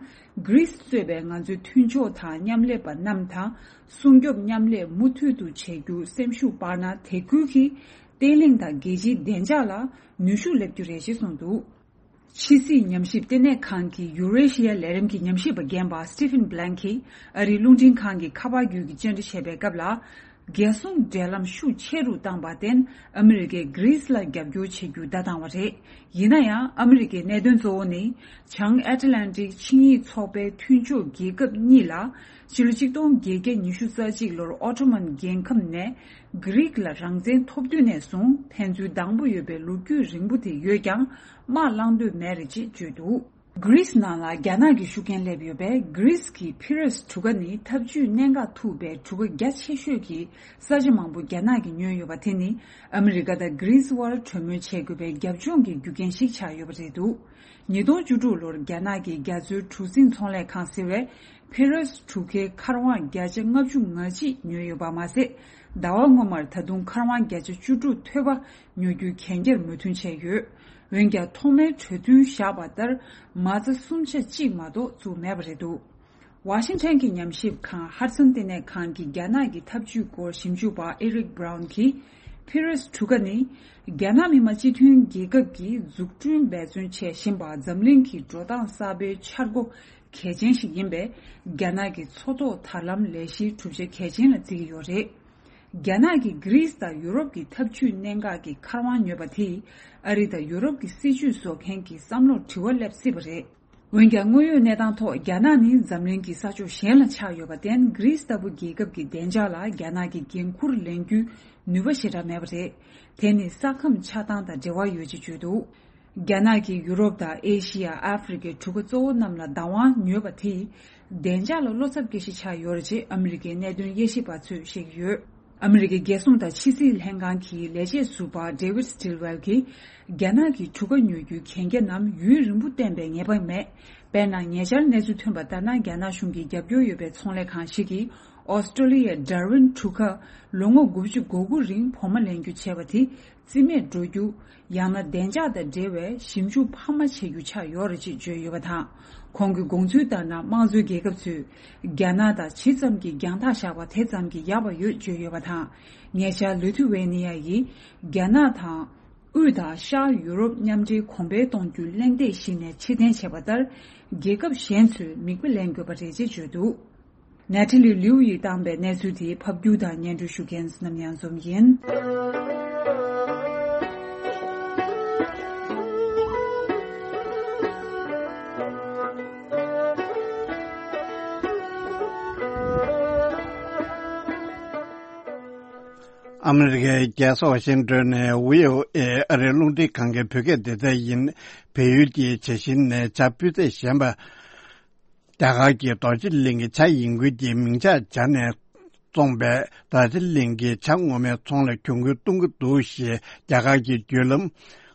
གྷི་རིས་གཙོས་པའི་ང་ཚོའི་མཐུན་ཕྱོགས་དང་མཉམ་ལས་པ་རྣམས་དང་སྲུང་སྐྱོབ་མཉམ་ལས་མུ་མཐུད་དུ་བྱེད་རྒྱུ་སེམས་ཤུགས་སྤར་ན། དེ་ཁུལ་གྱི་བརྟན་ལྷིང་དང་རྒྱལ་སྤྱིའི་བདེ་འཇགས་ལ་ནུས་ཤུགས་སླེབས་རྒྱུ་རེད་ཅེས་གསུངས་འདུག། ཕྱི་སྲིད་ཉམས་ཞིབ་ལྟེ་གནས་ཁང་གི་ཡུ་རེ་ཤི་ཡ་ལས་རིམ་གྱི་ཉམས་ཞིབ་པ་རྒན་པ་Stephen Blank གིས་ཨ་རིའི་རླུང་འཕྲིན་ཁང་གི་ཁ་པར་བརྒྱུད་ཀྱི་བཅར་འདྲི་བྱས་པའི་སྐབས་ལ། རྒྱལ་སྲུང་འབྲེལ་ལམ་ཤུགས་ཆེ་རུ་བཏང་བར་བརྟེན། ཨ་མི་རི་ཀས་གྷི་རིས་ལ་རྒྱབ་སྐྱོར་བྱེད་རྒྱུ་བརྡ་བཏང་བ་རེད། ཡིན་ན་ཡང་ཨ་མི་རི་ཀའི་གནད་དོན་གཙོ་བོ་ནི་བྱང་ཨེཊ་ལན་ཊིག་ཆིངས་ཡིག་ཚོགས་པའི་མཐུན་ཕྱོགས་རྒྱལ་ཁབ་གཉིས་ལ་ཕྱི་ལོ་ཆིག་སྟོང་བརྒྱད་བརྒྱ་ཉི་ཤུ་རྩ་གཅིག་ལོར་ཨོ་ཊོ་མན་རྒྱལ་ཁམས་ནས་གྷི་རིག་ལ་རང་བཙན་ཐོབ་དུས་ནས་བཟུང་ཕན་ཚུན་སྡང་པོ་ཡོད་པའི་ལོ་རྒྱུས་རིང་པོ་དེ་ཡོད་ཀྱང་དམག་བསླང་འདོད་མེད་རེད་ཅེས་བརྗོད་འདུག། གྷི་རིས་ནང་ལ་རྒྱ་ནག་གི་ཤུགས་རྐྱེན་སླེབས་ཡོད་པས། གྷི་རིས་ཀྱི་ཕི་རོས་གྲུ་ཁ་ནི་འཐབ་ཇུས་གནད་འགག་ཐུག་པའི་གྲུ་ཁ་རྒྱ་ཆེ་ཤོས་ཀྱི་ས་ཆ་མང་པོ་རྒྱ་ནག་གིས་ཉོས་ཡོད་པ་དེ་ནི་ཨ་མི་རི་ཀ་དང་གྷི་རིས་དབར་གྲོས་མོལ་བྱེད་དགོས་པའི་རྒྱབ་ལྗོངས་ཀྱི་རྒྱུ་རྐྱེན་ཞིག་ཆགས་ཡོད་པ་རེད་འདུག། ཉིས་སྟོང་བཅུ་དྲུག་ལོར་རྒྱ་ནག་གི་རྒྱ་མཚོའི་གྲུ་གཟིངས་ཚོང་ལས་ཁང་ཟེར་བས་ཕི་རོས་གྲུ་ཁའི་མཁར་དབང་བརྒྱ་ཆ་ལྔ་བཅུ་ང་གཅིག་ཉོས་ཡོད་པ་མ་ཟད། ཟླ་བ་སྔོན་མར་ད་དུང་མཁར་དབང་བརྒྱ་ཆ་བཅུ་དྲུག་ཐོལ་པ་ཉོ་རྒྱུའི་གན་རྒྱར་མོས་མཐུན་བྱས་ཡོད། འོན་ཀྱང་ཐོག་མའི་གྲོས་མཐུན་བཞག་པ་ལྟར་མ་རྩ་གསུམ་ཆ་གཅིག་མ་གཏོགས་བཙུགས་མེད་པ་རེད་འདུག། ཝ་ཤིང་ཊོན་གྱི་ཉམས་ཞིབ་ཁང་ཧ་ཌི་སན་ལྟེ་གནས་ཁང་གི་རྒྱ་ནག་གི་འཐབ་ཇུས་སྐོར་ཞིབ་འཇུག་པ་ཨེ་རིག་བྷ་རའུན་གྱིས་ཕི་རོས་གྲུ་ཁ་ནི་རྒྱ་ནག་མི་དམངས་སྤྱི་མཐུན་རྒྱལ་ཁབ་ཀྱིས་འཛུགས་སྐྲུན་འབད་བརྩོན་བྱེད་བཞིན་པ་འཛམ་གླིང་གི་འགྲོ་སྟངས་གསར་པའི་འཆར་སྒོ་གལ་ཆེན་ཞིག་ཡིན་པས། རྒྱ་ནག་གི་མཚོ་ཐོག་དར་ལམ་ལས་གཞིའི་གྲུབ་ཆ་གལ་ཆེན་ལ་བརྩི་གི་ཡོད་རེད། རྒྱ་ནག་གིས་གྷི་རིས་དང་ཡུ་རོབ་ཀྱི་འཐབ་ཇུས་གནད་འགག་གི་མཁར་དབང་ཉོས་པ་དེས་ཨ་རི་དང་ཡུ་རོབ་ཀྱི་སྲིད་ཇུས་བཟོ་མཁན་གྱི་བསམ་བློར་དྲི་བ་སླེབས་སྲིད་པ་རེད། འོན་ཀྱང་དངོས་ཡོད་གནས་སྟངས་ཐོག་རྒྱ་ནག་ནི་འཛམ་གླིང་གི་ས་ཕྱོགས་གཞན་ལ་ཆགས་ཡོད་པར་བརྟེན། གྷི་རིས་ལྟ་བུ་རྒྱལ་ཁབ་ཀྱི་བདེ་འཇགས་ལ་རྒྱ་ནག་གིས་འགན་འཁུར་ལེན་རྒྱུའི་ནུས་པ་ཞེ་དྲག་མེད་པ་རེད། དེ་ནི་ས་ཁམས་ཆགས་སྟངས་དང་འབྲེལ་བ་ཡོད་ཅེས་བརྗོད་འདུག། རྒྱ་ནག་གིས་ཡུ་རོབ་དང་ཨེ་ཤི་ཡ། ཨ་ཧྥེ་རི་ཁའི་གྲུ་ཁ་གཙོ་བོ་རྣམས་ལ་བདག་དབང་ཉོས་པ་དེས། བདེ་འཇགས་ལ་བློ་འཚབ་སྐྱེ་གཞི་ཆགས་ཡོད་རེད་ཅེས་ཨ་མི་རི་ཀའི་གནད་དོན་དབྱེ་ཞིབ་པ་ཚོས་བཤད་ཀྱི་ཡོད། ཨ་མི་རི་ཀའི་རྒྱལ་སྲུང་དང་ཕྱི་སྲིད་ལྷན་ཁང་གི་ལས་བྱེད་ཟུར་པ་David Stilwell གྱིས། རྒྱ་ནག་གིས་གྲུ་ཁ་ཉོ་རྒྱུའི་གན་རྒྱ་རྣམས་ཡུན་རིང་པོ་བརྟན་པའི་ངེས་པ་མེད། དཔེར་ན། ཉེ་ཆར་གནས་ཚུལ་ཐོན་པ་ལྟར་ན། རྒྱ་ནག་གཞུང་གི་རྒྱབ་སྐྱོར་ཡོད་པའི་ཚོང་ལས་ཁང་ཞིག་གིས་ཨོ་སི་ཀྲོ་ལི་ཡའི་Darwin གྲུ་ཁ་ལོ་ངོ་དགུ་བཅུ་གོ་དགུ་རིང་བོགས་མ་ལེན་རྒྱུ་བྱས་པ་དེ། རྩིས་མེད་འགྲོ་རྒྱུ། ཡང་ན་བདེ་འཇགས་དང་འབྲེལ་བའི་ཞིབ་འཇུག་འཕར་མ་བྱེད་རྒྱུ་ཆགས་ཡོད་རེད་ཅེས་བརྗོད་ཡོད་པ་དང་། ཁོང་གི་དགོངས་ཚུལ་ལྟར་ན། དམངས་གཙོའི་རྒྱལ་ཁབ་ཚོས་རྒྱ་ནག་དང་ཇི་ཙམ་གྱིས་རྒྱང་ཐག་བཞག་པ་དེ་ཙམ་གྱིས་ཡག་པ་ཡོད་བརྗོད་ཡོད་པ་དང་། ཉེ་ཆར་ལི་ཐུ་ཝེ་ནི་ཡ་ཡིས་རྒྱ་ནག་དང་། དབུས་དང་ཤར་ཡུ་རོབ་མཉམ་འབྲེལ་གོང་འཕེལ་གཏོང་རྒྱུའི་གླེང་སྟེགས་ཤིག་ནས་ཕྱིར་འཐེན་བྱས་པ་ལྟར། རྒྱལ་ཁབ་གཞན་ཚོས་མིག་དཔེ་ལེན་དགོས་པ་རེད་ཅེས་བརྗོད་འདུག་ནེ་ཐི་ལི་ལིའུ་ཡིས་བཏང་པའི་གནས་ཚུལ་དེ་ཕབ་སྒྱུར་དང་སྙན་སྒྲོན་ཞུ་མཁན་བསོད་ནམས་ཉང་འཛོམས་ཡིན། ཨ་མི་རི་ཀའི་རྒྱལ་ས་ཝ་ཤིང་ཏོན་ནས་བྷི་ཨོ་ཨེ་ཨ་རིའི་རླུང་འཕྲིན་ཁང་གི་བོད་སྐད་སྡེ་ཚན་ཡིན། བལ་ཡུལ་གྱི་བྱ་བཞིན་ནས་བྱ་སྤུས་ཚད་ཞན་པ། རྒྱ་གར་གྱི་རྡོ་རྗེ་གླིང་གི་བྱ་ཡིན་ཁུལ་གྱི་མིང་ཆགས་སྦྱར་ནས་བཙོངས་པའི་རྡོ་རྗེ་གླིང་གི་བྱ་ངོ་མའི་ཚོང་ལ་གྱོང་གུན་གཏོང་གི་འདུག་ཞེས་རྒྱ་གར་གྱི་བརྒྱུད་ལམ་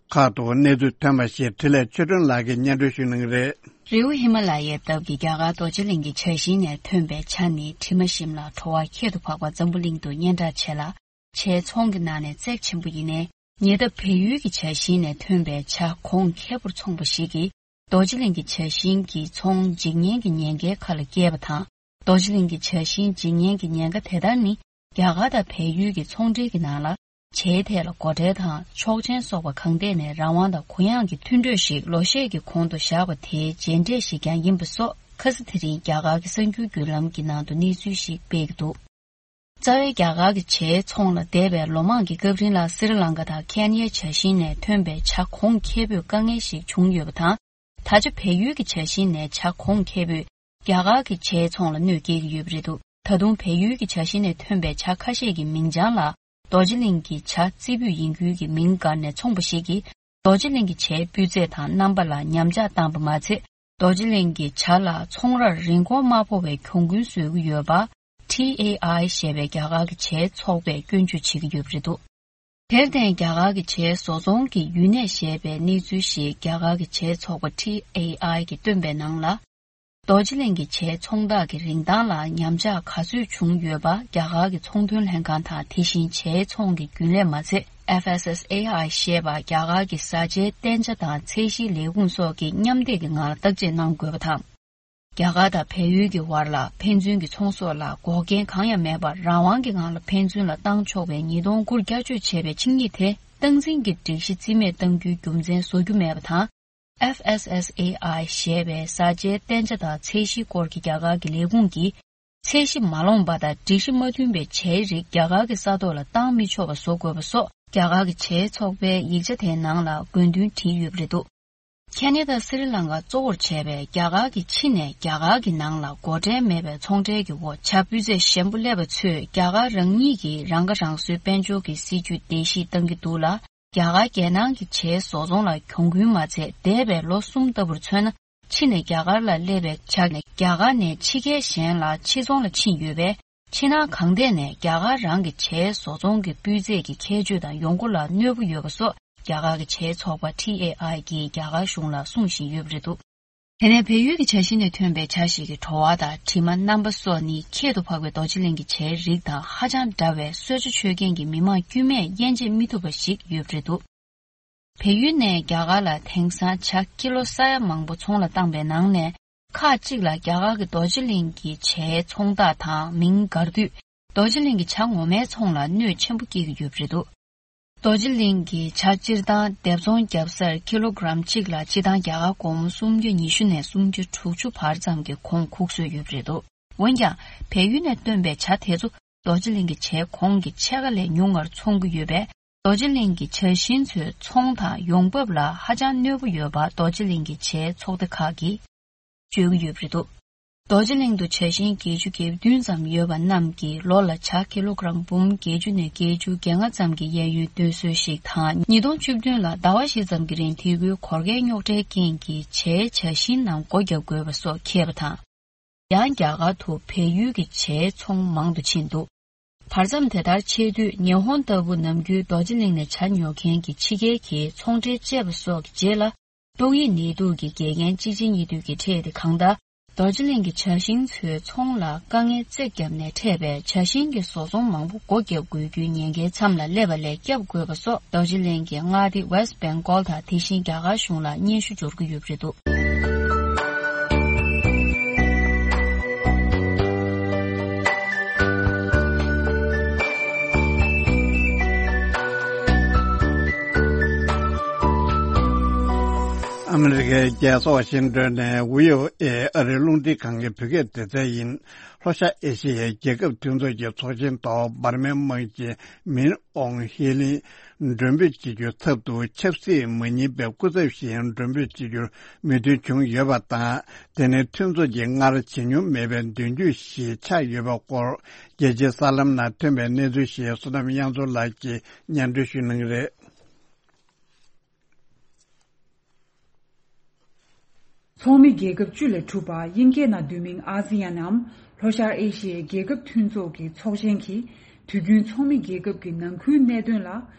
ཁག་ཏུ་གནས་ཚུལ་ཐོན་པ་ཞིག་འཕྲིན་ལས་ཆོས་སྒྲོན་ལགས་ཀྱིས་སྙན་སྒྲོན་ཞུ་གནང་གི་རེད། རི་བོ་ཧི་མ་ལ་ཡའི་འདབས་ཀྱི་རྒྱ་གར་རྡོ་རྗེ་གླིང་གི་བྱ་བཞིན་ནས་ཐོན་པའི་བྱ་ནི་དྲི་མ་ཞིམ་ལ་བྲོ་བ་ཁྱད་དུ་འཕགས་པ་འཛམ་བུ་གླིང་དུ་སྙན་གྲགས་ཆེ་ལ། བྱའི་ཚོང་གི་ནང་ནས་བརྩེགས་ཆེན་པོ་ཡིན་ནའི། ཉེ་འདབས་བལ་ཡུལ་གྱི་བྱ་བཞིན་ནས་ཐོན་པའི་བྱ་གོང་ཁེ་པོར་འཚོང་པ་ཞིག་གིས། རྡོ་རྗེ་གླིང་གི་བྱ་བཞིན་གྱི་ཚོང་འཇིག་ཉེན་གྱི་ཉེན་ཁའི་ཁ་ལ་བསྐྱལ་བ་དང་། རྡོ་རྗེ་གླིང་གི་བྱ་བཞིན་འཇིག་ཉེན་གྱི་ཉེན་ཁ་དེ་ལྟར་ནི། རྒྱ་གར་དང་བལ་ཡུལ་གྱི་ཚོང་འབྲེལ་གྱི་ནང་ལ། བྱའི་ཐད་ལ་སྒོ་ཁྲལ་དང་ཆོག་མཆན་སོགས་པ་གང་ཐད་ནས་རང་དབང་དང་གུ་ཡངས་ཀྱི་མཐུན་གྲོས་ཤིག་ལོ་ཤས་ཀྱི་གོང་དུ་བཞག་པ་དེའི་རྗེས་འབྲས་ཤིག་ཀྱང་ཡིན་པ་སོགས། ཁ་སང་དེ་རིང་རྒྱ་གར་གྱི་གསར་འགྱུར་བརྒྱུད་ལམ་གྱི་ནང་དུ་གནས་ཚུལ་ཞིག་སྤེལ་གྱི་འདུག་རྩ་བའི་རྒྱ་གར་གྱི་བྱའི་ཚོང་ལ་འདས་པའི་ལོ་མང་གི་སྐབས་རིང་ལ། སི་རི་ལང་ཀ་དང་ཁེན་ཡའི་བྱ་བཞིན་ནས་ཐོན་པའི་བྱ་གོང་ཁེ་པོས་དཀའ་ངལ་ཞིག་བྱུང་ཡོད་པ་དང་། ད་ཆ་བལ་ཡུལ་གྱི་བྱ་བཞིན་ནས་བྱ་གོང་ཁེ་པོས་རྒྱ་གར་གྱི་བྱའི་ཚོང་ལ་གནོད་སྐྱེལ་གྱི་ཡོད་པ་རེད་འདུག་ད་དུང་བལ་ཡུལ་གྱི་བྱ་བཞིན་ནས་ཐོན་པའི་བྱ་ཁ་ཤས་ཀྱི་མིང་བྱང་ལ། རྡོ་རྗེ་གླིང་གི་བྱ་རྩེ་ཕུད་ཡིན་ཁུལ་གྱི་མིང་བཀར་ནས་འཚོང་པ་ཞིག་གིས། རྡོ་རྗེ་གླིང་གི་བྱའི་སྤུས་ཚད་དང་རྣམ་པ་ལ་ཉམས་ཆག་བཏང་པ་མ་ཚད། རྡོ་རྗེ་གླིང་གི་བྱ་ལ་ཚོང་རར་རིན་གོང་དམའ་ཕོ་བའི་གྱོང་གུན་བཟོ་གི་ཡོད་པ། ཊི་ཨེ་ཨའི་ཞེས་པའི་རྒྱ་གར་གྱི་བྱའི་ཚོགས་པས་སྐྱོན་བརྗོད་བྱེད་ཀྱི་ཡོད་པ་རེད་འདུག་དེར་བརྟེན། རྒྱ་གར་གྱི་བྱའི་བཟོ་ཚོང་གི་ཡུན་གནས་ཞེས་པའི་གནས་ཚུལ་ཞིག་རྒྱ་གར་གྱི་བྱའི་ཚོགས་པ་ཊི་ཨེ་ཨའི་གིས་བཏོན་པའི་ནང་ལ། རྡོ་རྗེ་གླིང་གི་བྱའི་ཚོང་རྟགས་ཀྱི་རིན་ཐང་ལ་ཉམས་ཆག་ག་ཚོད་བྱུང་ཡོད་པ། རྒྱ་གར་གྱི་ཚོང་དོན་ལྷན་ཁང་དང་། དེ་བཞིན་བྱའི་ཚོང་གི་རྒྱུན་ལས་མ་ཚད། ཨེཕ་ཨེས་ཨེས་ཨེ་ཨའི་ཞེས་པ་རྒྱ་གར་གྱི་བཟའ་བཅའི་བསྟན་ཆ་དང་ཚད་གཞིའི་ལས་ཁུངས་སོགས་ཀྱིས་མཉམ་འདེགས་ཀྱི་ངང་ལ་བརྟག་དཔྱད་གནང་དགོས་པ་དང་། རྒྱ་གར་དང་བལ་ཡུལ་གྱི་བར་ལ་ཕན་ཚུན་གྱི་ཚོང་ཟོག་ལ་འགོག་རྐྱེན་གང་ཡང་མེད་པར། རང་དབང་གི་ངང་ལ་ཕན་ཚུན་ལ་བཏང་ཆོག་པའི་ཉིས་སྟོང་དགུར་བསྐྱར་བཅོས་བྱས་པའི་ཆིངས་ཡིག་དེ། སྟངས་འཛིན་གྱི་སྒྲིག་གཞི་རྩིས་མེད་གཏང་རྒྱུའི་རྒྱུ་མཚན་བཟོ་རྒྱུ་མེད་པ་དང་། ཨེཕ་ཨེས་ཨེས་ཨེ་ཨའི་ཞེས་པའི་བཟའ་བཅའི་བསྟན་ཆ་དང་ཚད་གཞིའི་སྐོར་གྱི་རྒྱ་གར་གྱི་ལས་ཁུངས་ཀྱིས། ཚད་གཞི་མ་ལོངས་པ་དང་སྒྲིག་གཞི་མ་མཐུན་པའི་བྱའི་རིགས་རྒྱ་གར་གྱི་ས་ཐོག་ལ་བཏང་མི་ཆོག་པ་བཟོ་དགོས་པ་སོགས། རྒྱ་གར་གྱི་བྱའི་ཚོགས་པའི་ཡིག་ཆ་དེའི་ནང་ལ་དགོས་འདུན་བྲིས་ཡོད་པ་རེད་འདུག་ཁེ་ན་ཌ། སི་རི་ལང་ཀ་གཙོ་བོར་བྱས་པའི་རྒྱ་གར་གྱི་ཕྱི་ནས་རྒྱ་གར་གྱི་ནང་ལ་སྒོ་ཁྲལ་མེད་པའི་ཚོང་ཁྲལ་གྱི་འོག་བྱ་སྤུས་ཚད་ཞན་པོ་སླེབས་པ་ཚོས་རྒྱ་གར་རང་ཉིད་ཀྱི་རང་ཁ་རང་གསོའི་དཔལ་འབྱོར་གྱི་སྲིད་ཇུས་བརྡལ་བཤིག་བཏང་གི་འདུག་ལ། རྒྱ་གར་རྒྱལ་ནང་གི་བྱའི་བཟོ་ཚོང་ལ་གྱོང་གུན་མ་ཚད། འདས་པའི་ལོ་གསུམ་ལྟ་བུར་མཚོན་ན། ཕྱི་ནས་རྒྱ་གར་ལ་སླེབས་པའི་བྱ་ནི་རྒྱ་གར་ནས་ཕྱི་རྒྱལ་གཞན་ལ་ཕྱིར་ཚོང་ལ་ཕྱིན་ཡོད་པས། ཕྱི་ནང་གང་ཐད་ནས་རྒྱ་གར་རང་གི་བྱའི་བཟོ་ཚོང་གི་སྤུས་ཚད་ཀྱི་ཁྱད་ཆོས་དང་ཡོང་སྒོ་ལ་གནོད་པ་ཡོད་པ་སོགས། རྒྱ་གར་གྱི་བྱའི་ཚོགས་པ་ཊི་ཨེ་ཨའི་གིས་རྒྱ་གར་གཞུང་ལ་གསུང་བཞིན་ཡོད་པ་རེད་འདུག་དེ་ནས་བལ་ཡུལ་གྱི་བྱ་ཞིག་ནས་ཐོན་པའི་བྱ་ཞིག་གི་བྲོ་བ་དང་དྲི་མ་རྣམ་པ་སོགས་ནི་ཁྱད་དུ་འཕགས་པའི་རྡོ་རྗེ་གླིང་གི་བྱའི་རིགས་དང་ཧ་ཅང་འདྲ་བས། གསོལ་ཇ་མཆོད་མཁན་གྱི་མི་མང་དཀྱུས་མས་དབྱེ་འབྱེད་མི་ཐུབ་པ་ཞིག་ཡོད་པ་རེད་འདུག་བལ་ཡུལ་ནས་རྒྱ་གར་ལ་དེང་སང་བྱ་ཀི་ལོ་ས་ཡ་མང་པོ་ཚོང་ལ་བཏང་པའི་ནང་ནས། ཁག་ཅིག་ལ་རྒྱ་གར་གྱི་རྡོ་རྗེ་གླིང་གི་བྱའི་ཚོང་རྟགས་དང་མིང་བཀར་དུས། རྡོ་རྗེ་གླིང་གི་བྱ་ངོ་མའི་ཚོང་ལ་གནོད་ཆེན་པོ་སྐྱེལ་གྱི་ཡོད་པ་རེད་འདུག་རྡོ་རྗེ་གླིང་གི་བྱ་སྤྱིར་བཏང་སྡེབ་ཚོང་བརྒྱབ་སར་ཀི་ལོ་གྲམ་གཅིག་ལ་སྤྱིར་བཏང་རྒྱ་གར་སྒོར་མོ་སུམ་བརྒྱ་ཉི་ཤུ་ནས་སུམ་བརྒྱ་དྲུག་ཅུ་བར་ཙམ་གྱི་གོང་ཁུག་སྲོལ་ཡོད་པ་རེད་འདུག་འོན་ཀྱང་། བལ་ཡུལ་ནས་བཏོན་པའི་བྱ་དེ་ཚོ་རྡོ་རྗེ་གླིང་གི་བྱའི་གོང་གི་ཕྱེད་ཀ་ལས་ཉུང་བར་འཚོང་གི་ཡོད་པས། རྡོ་རྗེ་གླིང་གི་བྱ་བཞིན་ཚོའི་ཚོང་དང་ཡོང་འབབ་ལ་ཧ་ཅང་གནོད་པ་ཡོད་པ་རྡོ་རྗེ་གླིང་གི་བྱའི་ཚོགས་སྡེ་ཁག་གིས་བརྗོད་ཀྱི་ཡོད་པ་རེད་འདུག་རྡོ་རྗེ་གླིང་དུ་བྱ་བཞིན་བརྒྱད་ཅུ་གྱ་བདུན་ཙམ་ཡོད་པ་རྣམས་ཀྱིས་ལོ་ལ་བྱ་ཀི་ལོ་གྲམ་འབུམ་བརྒྱད་ཅུ་ནས་བརྒྱད་ཅུ་གྱ་ལྔ་ཙམ་གྱི་གཡས་གཡོན་སྟོན་སྲོལ་ཞིག་དང་། ཉིས་སྟོང་བཅུ་བདུན་ལ་ཟླ་བ་བཞི་ཙམ་གྱི་རིང་དེ་ཁུལ་གོར་ཁའི་རྙོག་དྲའི་རྐྱེན་གྱིས་བྱའི་བྱ་བཞིན་རྣམས་སྒོ་བརྒྱབ་དགོས་པ་སོགས་འཁེལ་བ་དང་། ཡང་རྒྱ་གར་དུ་བལ་ཡུལ་གྱི་བྱའི་ཚོང་མང་དུ་ཕྱིན་འདུག་བར་མཚམས་དེ་ལྟར་ཆད་དུས། ཉི་ཧོང་ལྟ་བུ་ནམ་རྒྱུན་རྡོ་རྗེ་གླིང་ནས་བྱ་ཉོ་མཁན་གྱི་ཕྱི་རྒྱལ་གྱི་ཚོང་འབྲེལ་བཅད་པ་སོགས་ཀྱི་རྗེས་ལ། ཏོག་དབྱིབས་ནད་དུག་གི་འགལ་རྐྱེན་གཅིག་རྗེས་གཉིས་མཐུད་ཀྱིས་འཕྲད་དེ། གང་ལྟར་ རྡོ་རྗེ་གླིང་གི་ཇ་ཤིང་ཚོའི་ཚོང་ལ་དཀའ་ངལ་རྩེ་བརྒྱབ་ནས་འཕྲད་པའི་ཇ་ཤིང་གི་བཟོ་ཚོང་མང་པོ་སྒོ་བརྒྱབ་དགོས་རྒྱུའི་ཉེན་ཁའི་མཚམས་ལ་སླེབས་པ་ལས་བསྐྱབ་དགོས་པ་སོགས། རྡོ་རྗེ་གླིང་གི་མངའ་སྡེ་West Bengal དང་དེ་བཞིན་རྒྱ་གར་གཞུང་ལ་སྙན་ཞུ་འབྱོར་གྱི་ཡོད་པ་རེད་འདུག། ཨ་མི་རི་ཀའི་རྒྱལ་ཚོགས་ཝ་ཤིང་ཏོན་ནས་ཝི་ཨོ་ཨེ་ཨ་རིའི་རླུང་འཕྲིན་ཁང་གི་བོད་སྐད་སྡེ་ཚན་ཡིན། ལྷོ་ཤར་ཨེ་ཤི་ཡའི་རྒྱལ་ཁབ་མཐུན་ཚོགས་ཀྱི་ཚོགས་ཆེན་ཐོག་འབར་མའི་དམག་སྤྱི་མིན་ཨོང་ཧེ་ལིན་མགྲོན་འབོད་བྱེད་རྒྱུའི་ཚབ་ཏུ་ཆབ་སྲིད་མ་ཡིན་པའི་སྐུ་ཚབ་ཞིག་མགྲོན་འབོད་བྱེད་རྒྱུར་མོས་མཐུན་བྱུང་ཡོད་པ་དང་། དེ་ནི་མཐུན་ཚོགས་ཀྱིས་སྔར་བྱེད་མྱོང་མེད་པའི་མདུན་སྐྱོད་ཞིག་ཆགས་ཡོད་པའི་སྐོར་རྒྱལ་སྤྱིའི་གསར་ལམ་ནང་ཐོན་པའི་གནས་ཚུལ་ཞིག་བསོད་ནམས་དབྱངས་མཚོ་ལགས་ཀྱིས་སྙན་སྒྲོན་ཞུ་གནང་གི་རེད། ཚོགས་མི་རྒྱལ་ཁབ་བཅུ་ལས་གྲུབ་པ་དབྱིན་སྐད་ནང་བསྡུས་མིང་ཨ་སི་ཡན་ནམ་ལྷོ་ཤར་ཨེ་ཤི་ཡའི་རྒྱལ་ཁབ་མཐུན་ཚོགས་ཀྱི་ཚོགས་ཆེན་གྱིས་དུས་རྒྱུན་ཚོགས་མི་རྒྱལ་ཁབ་ཀྱི་ནང་ཁུལ་གནད་དོན་ལ་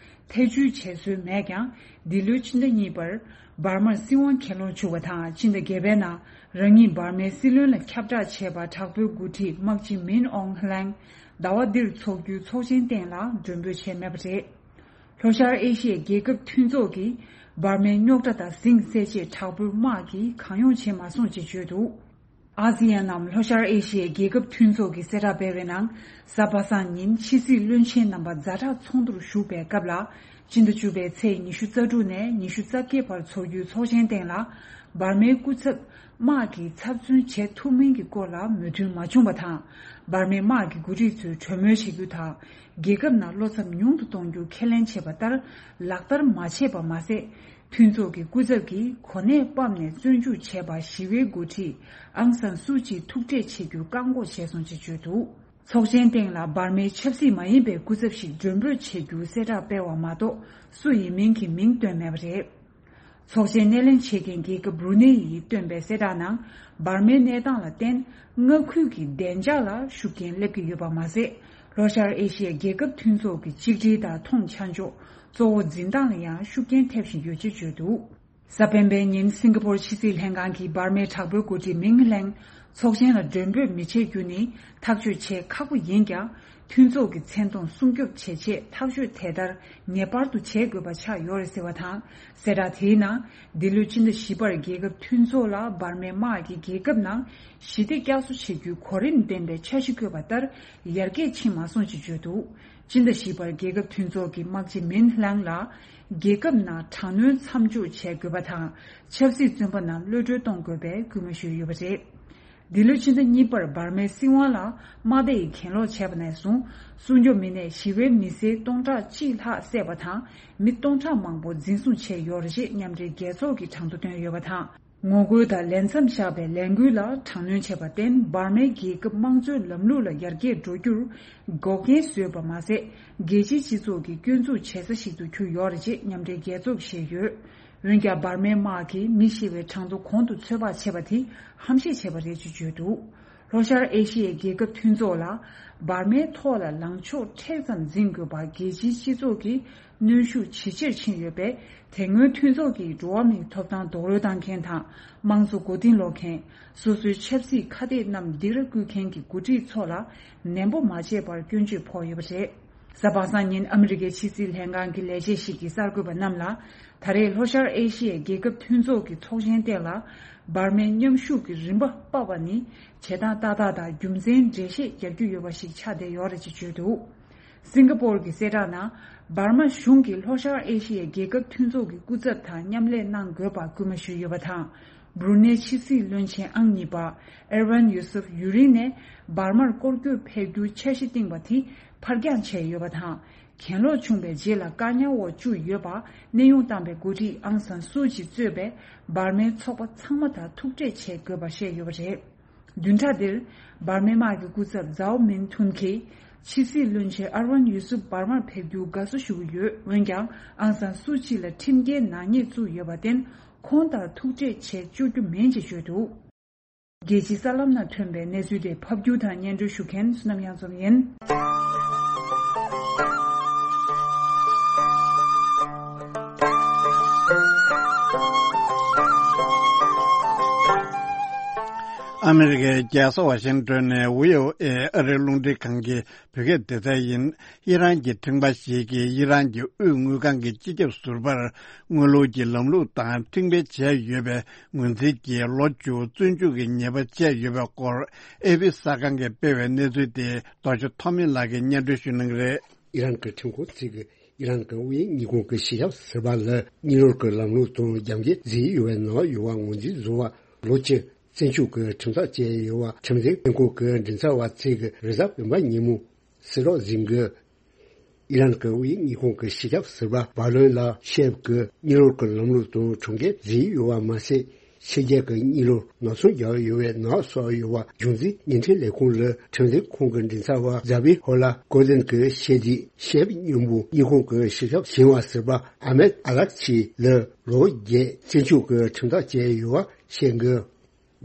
ཐེ་བྱུས་བྱེད་སྲོལ་མེད་ཀྱང་། འདི་ལོའི་ཕྱི་ཟླ་གཉིས་པར་འབར་མར་སྲིད་དབང་གྱེན་ལོག་བྱུང་བ་དང་། ཕྱི་ཟླ་བརྒྱད་པའི་ནང་རང་ཉིད་འབར་མའི་སྲིད་བློན་ལ་ཁྱབ་བསྒྲགས་བྱས་པ་དྲག་པོའི་འགོ་ཁྲིད་དམག་སྤྱི་མིན་ཨོང་ཧ་ལེང་ཟླ་བ་འདིར་འཚོགས་རྒྱུའི་ཚོགས་ཆེན་སྟེང་ལ་མགྲོན་འབོད་བྱས་མེད་པ་རེད། ལྷོ་ཤར་ཨེ་ཤི་ཡའི་རྒྱལ་ཁབ་མཐུན་ཚོགས་ཀྱིས་འབར་མའི་རྙོག་དྲ་དང་ཟིང་སེལ་ཆེད་དྲག་པོའི་དམག་གིས་གང་ཡོང་བྱེད་མ་སོང་ཅེས་བརྗོད་འདུག། ཨ་སི་ཡན་ནམ་ལྷོ་ཤར་ཨེ་ཤི་ཡའི་རྒྱལ་ཁབ་མཐུན་ཚོགས་ཀྱིས་གསལ་བསྒྲགས་སྤེལ་བའི་ནང་། གཟའ་པ་སངས་ཉིན་ཕྱི་སྲིད་བློན་ཆེན་རྣམ་པ་ཛ་དྲག་ཚོགས་འདུར་ཞུགས་པའི་སྐབས་ལ། སྤྱི་ཟླ་བཅུ་པའི་ཚེས་ཉི་ཤུ་རྩ་དྲུག་ནས་ཉི་ཤུ་རྩ་བརྒྱད་བར་འཚོགས་རྒྱུའི་ཚོགས་ཆེན་སྟེང་ལ། འབར་མའི་སྐུ་ཚབ་དམག་གིས་ཚབ་མཚོན་བྱེད་ཐུབ་མིན་གྱི་སྐོར་ལ་མོས་མཐུན་མ་བྱུང་བ་དང་། འབར་མའི་དམག་གི་འགོ་ཁྲིད་ཚོས་གྲོས་མོལ་བྱེད་རྒྱུ་དང་། རྒྱལ་ཁབ་ནང་བློ་འཚབ་ཉུང་དུ་གཏོང་རྒྱུ་ཁས་ལེན་བྱས་པ་ལྟར་ལག་བསྟར་མ་བྱས་པ་མ་ཟད། མཐུན་ཚོགས་ཀྱི་སྐུ་ཚབ་ཀྱིས་གོ་གནས་སྤམ་ནས་བཙོན་འཇུག་བྱས་པ་ཞི་བའི་འགོ་ཁྲིད་ཨང་སན་སུའུ་ཅི་ཐུག་འཕྲད་བྱེད་རྒྱུ་བཀག་འགོག་བྱས་སོང་ཅེས་བརྗོད་འདུག། ཚོགས་ཆེན་སྟེང་ལ་འབར་མའི་ཆབ་སྲིད་མ་ཡིན་པའི་སྐུ་ཚབ་ཞིག་མགྲོན་འབོད་བྱེད་རྒྱུ་གསལ་བསྒྲགས་སྤེལ་བ་མ་གཏོགས། སུ་ཡིན་མིན་གྱི་མིང་བཏོན་མེད་པ་རེད། ཚོགས་ཆེན་སྣེ་ལེན་བྱེད་མཁན་རྒྱལ་ཁབ་བྷུ་རུ་ནེ་ཡིས་བཏོན་པའི་གསལ་བསྒྲགས་ནང་། འབར་མའི་གནས་སྟངས་ལ་བརྟེན། མངའ་ཁུལ་གྱི་བདེ་འཇགས་ལ་ཤུགས་རྐྱེན་སླེབས་ཀྱི་ཡོད་པ་མ་ཟད། ལྷོ་ཤར་ཨེ་ཤི་ཡའི་རྒྱལ་ཁབ་མཐུན་ཚོགས་ཀྱི་གཅིག་སྒྲིལ་དང་མཐོང་ཆ་འཇོག་གཙོ་བོ་འཛིན་སྟངས་ལ་ཡང་ཤུགས་རྐྱེན་ཐེབས་བཞིན་ཡོད་ཅེས་བརྗོད་འདུག། གཟའ་སྤེན་པའི་ཉིན་སིང་ག་པོར་ཕྱི་སྲིད་ལྷན་ཁང་གིས་འབར་མའི་དྲག་པོའི་འགོ་ཁྲིད་མིང་ཧ་ལེང་ཚོགས་ཆེན་ལ་མགྲོན་འབོད་མི་བྱེད་རྒྱུ་ནི་ཐག་གཅོད་བྱེད་ཁག་པོ་ཡིན་ཀྱང་། མཐུན་ཚོགས་ཀྱི་མཚན་མཐོང་སྲུང་སྐྱོབ་བྱེད་ཆེད་ཐག་གཅོད་དེ་ལྟར་ངེས་པར་དུ་བྱེད་དགོས་པ་ཆགས་ཡོད་རེད་ཟེར་བ་དང་། གསལ་བསྒྲགས་དེའི་ནང་། འདི་ལོའི་ཕྱི་ཟླ་བཞི་པར་རྒྱལ་ཁབ་མཐུན་ཚོགས་ལ་འབར་མའི་དམག་གིས་རྒྱལ་ཁབ་ནང་ཞི་བདེ་བསྐྱར་གསོ་བྱེད་རྒྱུའི་གོ་རིམ་ལྡན་པའི་འཆར་གཞི་བཀོད་པ་ལྟར་ཡར་རྒྱས་ཕྱིན་མ་སོང་ཅེས་བརྗོད་འདུག། ཕྱི་ཟླ་བཞི་པར་རྒྱལ་ཁབ་མཐུན་ཚོགས་ཀྱི་དམག་སྤྱི་མིན་ལང་ལ། རྒྱལ་ཁབ་ནང་དྲག་གནོན་མཚམས་འཇོག་བྱེད་དགོས་པ་དང་། ཆབ་སྲིད་བཙོན་པ་རྣམས་གློད་གྲོལ་གཏོང་དགོས་པའི་སྐུལ་མ་ཞུས་ཡོད་པ་རེད། འདི་ལོའི་ཕྱི་ཟླ་གཉིས་པར་འབར་མའི་སྲིད་དབང་ལ་དམག་སྡེ་ཡིས་གྱེན་ལོག་བྱས་པ་ནས་བཟུང་། སྲུང་སྐྱོབ་མི་སྣས་ཞི་བའི་མི་སེར་སྟོང་ཕྲག་གཅིག་ལྷག་བསད་པ་དང་། མི་སྟོང་ཕྲག་མང་པོ་འཛིན་བཟུང་བྱས་ཡོད་རེད་ཅེས་མཉམ་འབྲེལ་རྒྱལ་ཚོགས་ཀྱིས་གྲངས་ཐོ་བཏོན་ཡོད་པ་དང་། ངོ་རྒོལ་དང་ལས་མཚམས་བཞག་པའི་ལས་འགུལ་ལ་དྲག་གནོན་བྱས་པར་བརྟེན། འབར་མའི་རྒྱལ་ཁབ་དམངས་གཙོའི་ལམ་ལུགས་ལ་ཡར་རྒྱས་འགྲོ་རྒྱུར་འགོག་རྐྱེན་བཟོས་པ་མ་ཟད། རྒྱལ་སྤྱིའི་སྤྱི་ཚོགས་ཀྱི་སྐྱོན་འཛུགས་བྱེད་ས་ཞིག་ཏུ་གྱུར་ཡོད་རེད་ཅེས་མཉམ་འབྲེལ་རྒྱལ་ཚོགས་ཀྱིས་བཤད་ཡོད། འོན་ཀྱང་། འབར་མའི་དམག་གིས་མི་ཤི་བའི་གྲངས་ཐོ་གོང་དུ་ཚོད་དཔག་བྱས་པ་དེ་ཧམ་བཤད་བྱས་པ་རེད་ཅེས་བརྗོད་འདུག། ལྷོ་ཤར་ཨེ་ཤི་ཡའི་རྒྱལ་ཁབ་མཐུན་ཚོགས་ལ། འབར་མའི་ཐོག་ལ་ལངས་ཕྱོགས་མཁྲེགས་ཙམ་འཛིན་དགོས་པ་རྒྱལ་སྤྱིའི་སྤྱི་ཚོགས་ཀྱི་གནོན་ཤུགས་ཇེ་ཆེར་ཕྱིན་ཡོད་པས། དེ་སྔོན་མཐུན་ཚོགས་ཀྱི་འགྲོ་བ་མིའི་ཐོབ་ཐང་རྡོག་རོལ་བཏང་མཁན་དང་། དམངས་གཙོ་མགོ་རྟིང་སློག་མཁན། སོ་སོའི་ཆབ་སྲིད་ཁ་གཏད་རྣམས་སྡིགས་ར་བསྐུལ་མཁན་གྱི་འགོ་ཁྲིད་ཚོ་ལ་ནན་པོ་མ་བྱས་པར་སྐྱོན་བརྗོད་ཕོག་ཡོད་པ་རེད། གཟའ་པ་སངས་ཉིན་ཨ་མི་རི་ཀའི་ཕྱི་སྲིད་ལྷན་ཁང་གི་ལས་བྱེད་ཞིག་གིས་གསར་འགོད་པ་རྣམས་ལ། ད་རེས་ལྷོ་ཤར་ཨེ་ཤི་ཡའི་རྒྱལ་ཁབ་མཐུན་ཚོགས་ཀྱི་ཚོགས་ཆེན་སྟེང་ལ། འབར་མའི་མཉམ་ཞུགས་ཀྱི་རིམ་པ་སྤར་བ་ནི། བྱེད་སྟངས་ཏག་ཏག་དང་རྒྱུ་མཚན་འགྲེལ་བཤད་རྒྱག་རྒྱུ་ཡོད་པ་ཞིག་ཆགས་བསྡད་ཡོད་རེད་ཅེས་བརྗོད་འདུག། སིང་ག་པོར་གྱི་གསལ་བསྒྲགས་ནང་། འབར་མ་གཞུང་གིས་ལྷོ་ཤར་ཨེ་ཤི་ཡའི་རྒྱལ་ཁབ་མཐུན་ཚོགས་ཀྱི་སྐུ་ཚབ་དང་མཉམ་ལས་གནང་དགོས་པ་སྐུལ་མ་ཞུས་ཡོད་པ་དང་། སྦྲུ་ནེ་ཕྱི་སྲིད་བློན་ཆེན་ཨང་གཉིས་པ་ཨེར་ཝན་ཡུ་སུབ་ཡུ་རིན་ནས་འབར་མར་སྐོར་སྐྱོད་ཕེབས་རྒྱུའི་འཆར་གཞི་བཏིང་བ་དེ་ཕར་འགྱངས་བྱས་ཡོད་པ་དང་། གྱེན་ལོག་བྱུང་བའི་རྗེས་ལ་བཀག་ཉར་འོག་བཅུག་ཡོད་པ། གནས་དབྱུང་བཏང་བའི་འགོ་ཁྲིད་ཨང་སན་སུའུ་ཅི་གཙོས་པའི་འབར་མའི་ཚོགས་པ་ཚང་མ་དང་ཐུག་འཕྲད་བྱེད་དགོས་པ་བཤད་ཡོད་པ་རེད། བདུན་ཕྲག་འདིར། འབར་མའི་དམག་གི་སྐུ་ཚབ་ཛའོ་མིན་ཐུན་གྱིས། ཕྱི་སྲིད་བློན་ཆེན་ཨར་ཝན་ཡུ་སུབ་འབར་མར་ཕེབས་རྒྱུར་དགའ་བསུ་ཞུ་གི་ཡོད། འོན་ཀྱང་། ཨང་སན་སུའུ་ཅི་ལ་ཁྲིམས་འགལ་ནག་ཉེས་བཙུགས་ཡོད་པར་བརྟེན། ཁོང་དང་ཐུག་འཕྲད་བྱེད་བཅུག་རྒྱུ་མིན་ཅེས་བརྗོད་འདུག། རྒྱལ་སྤྱིའི་གསར་ལམ་ནང་ཐོན་པའི་གནས་ཚུལ་དེ་ཕབ་སྒྱུར་དང་སྙན་སྒྲོན་ཞུ་མཁན་བསོད་ནམས་དབྱངས་འཛོམས་ཡིན། ཨ་མི་རི་ཀའི་རྒྱལ་ས་ཝ་ཤིང་ཏོན་ནས་བྷི་ཨོ་ཨེ་ཨ་རིའི་རླུང་འཕྲིན་ཁང་གི་བོད་སྐད་སྡེ་ཚན་ཡིན། ཨི་རན་གྱི་ཁྲིམས་པ་ཞིག་གིས་ཨི་རན་གྱི་དབུས་དངུལ་ཁང་གི་སྤྱི་ཁྱབ་ཟུར་པར་དངུལ་ལོར་གྱི་ལམ་ལུགས་དང་ཁྲིམས་འགལ་བྱས་ཡོད་པའི་ངོས་འཛིན་གྱིས་ལོ་བཅུ་བཙོན་འཇུག་གི་ཉེས་པ་བཅད་ཡོད་པའི་སྐོར་ཨེ་པི་གསར་ཁང་གིས་སྤེལ་བའི་གནས་ཚུལ་དེ་རྡོ་རྗེ་ཐོགས་མེད་ལགས་ཀྱིས་སྙན་སྒྲོན་ཞུ་གནང་གི་རེད། ཨི་རན་གྱི་ཁྲིམས་ཁང་ཚོས་ཀྱིས་ཨི་རན་གྱི་དབུས་དངུལ་ཁང་གི་སྤྱི་ཁྱབ་ཟུར་པ་ལ་དངུལ་ལོར་གྱི་ལམ་ལུགས་དང་རྒྱབ་འགལ་བཟོས་ཡོད་པའི་ནང་ཡོད་པ་ངོས་འཛིན་བཟོ་བར་ལོ་བཅུ་བཙོན་འཇུག་གི་ཁྲིམས་ཐག་བཅད་ཡོད་པ་ཁྲིམས་འཛིན་ཁྲིམས་ཁང་གི་མགྲིན་ཚབ་པ་ཚོས་ཀྱིས་རེས་གཟའ་སྤེན་པ་ཉིན་མོ་གསལ་བསྒྲགས་ཟིན་གྱི། ཨི་རན་གྱི་དབུས་དངུལ་ཁང་གི་སྤྱི་ཁྱབ་ཟུར་པ་བྷ་ལོན་ལ་ཤེབ་ཀྱིས་དངུལ་ལོར་གྱི་ལམ་ལུགས་དང་ཁྲིམས་འགལ་བཟོས་ཡོད་པ་མ་ཟད། ཕྱི་རྒྱལ་གྱི་དངུལ་ལོར་ནག་ཚོང་རྒྱག་ཡོད་པའི་ནག་སོགས་ཡོད་པ་གཞུང་འཛིན་བརྙན་འཕྲིན་ལས་ཁུངས་ལ་ཁྲིམས་འཛིན་ཁང་གི་མགྲིན་ཚབ་པ་ཛ་བི་ཧོ་ལ་ཀོ་ལིན་གྱིས་བཤད་དུས། ཤེབ་མཉམ་པོ་དངུལ་ཁང་གི་སྤྱི་ཁྱབ་ཞིང་བ་ཟུར་པ་ཨ་མེད་ཨ་ལག་ཆི་ལ་ལོ་བརྒྱད་བཙོན་འཇུག་གི་ཁྲིམས་ཐག་བཅད་ཡོད་པ་བཤད་འདུག་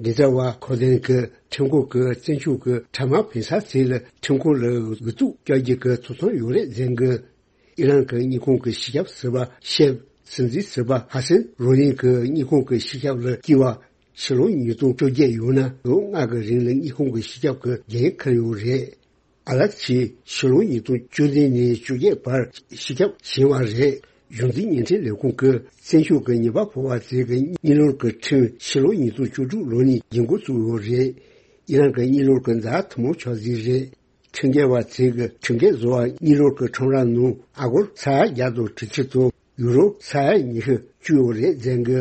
མགྲིན་ཚབ་པ་ཁོ་ལིན་གྱིས་ཁྲིམས་ཁང་གི་བཙོན་འཇུག་གི་ཁྲལ་དམག་འཕེན་ས་ཚོ་ལ་ཁྲིམས་ཁང་ལ་གུ་ཐུག་རྒྱག་རྒྱུ་གི་ཐོབ་ཐང་ཡོད་རེད་ཟེར་གི། ཨི་རན་གྱི་དངུལ་ཁང་གི་སྤྱི་ཁྱབ་ཟུར་པ་ཤེབ་སྲིད་འཛིན་ཟུར་པ་ཧ་སན་རོ་ལིན་གྱིས་དངུལ་ཁང་གི་སྤྱི་ཁྱབ་ལ་བསྐོས་པ་ཕྱི་ལོ་ཉིས་སྟོང་བཅོ་བརྒྱད་ཡོད་ན་ལོ་ལྔ་གི་རིང་ལ་དངུལ་ཁང་གི་སྤྱི་ཁྱབ་ཀྱི་འགན་འཁུར་ཡོད་རེད། ཨ་ལག་ཆི་ཕྱི་ལོ་ཉིས་སྟོང་བཅུ་བདུན་ནས་བཅོ་བརྒྱད་བར་སྤྱི་ཁྱབ་ཞིང་བ་རེད། གཞུང་འཛིན་བརྙན་འཕྲིན་ལས་ཁུངས་ཀྱིས་བཙོན་འཇུག་གི་ཉེས་པ་ཕོག་པ་ཚོས་ཀྱི་དངུལ་ལོར་གྱི་ཁྲིམས་ཕྱི་ལོ་ཉིས་སྟོང་བཅུ་དྲུག་ལོ་ནས་འགན་འཁུར་བཙུགས་ཡོད་རེད། ཨི་རན་གྱི་དངུལ་ལོར་གྱི་ཛ་ཐུང་མོ་ཆགས་ཟིན་རེད། ཁྲིམས་འགལ་བ་ཚོས་ཀྱི་ཁྲིམས་འགལ་བཟོ་བ་དངུལ་ལོར་གྱི་ཁྲོམ་ར་ནང་ཨ་སྒོར་ས་ཡ་བརྒྱ་དང་དྲུག་ཅུ་དང་ཡུ་རོ་ས་ཡ་ཉི་ཤུ་བཅུག་ཡོད་རེད་ཟེར་གི།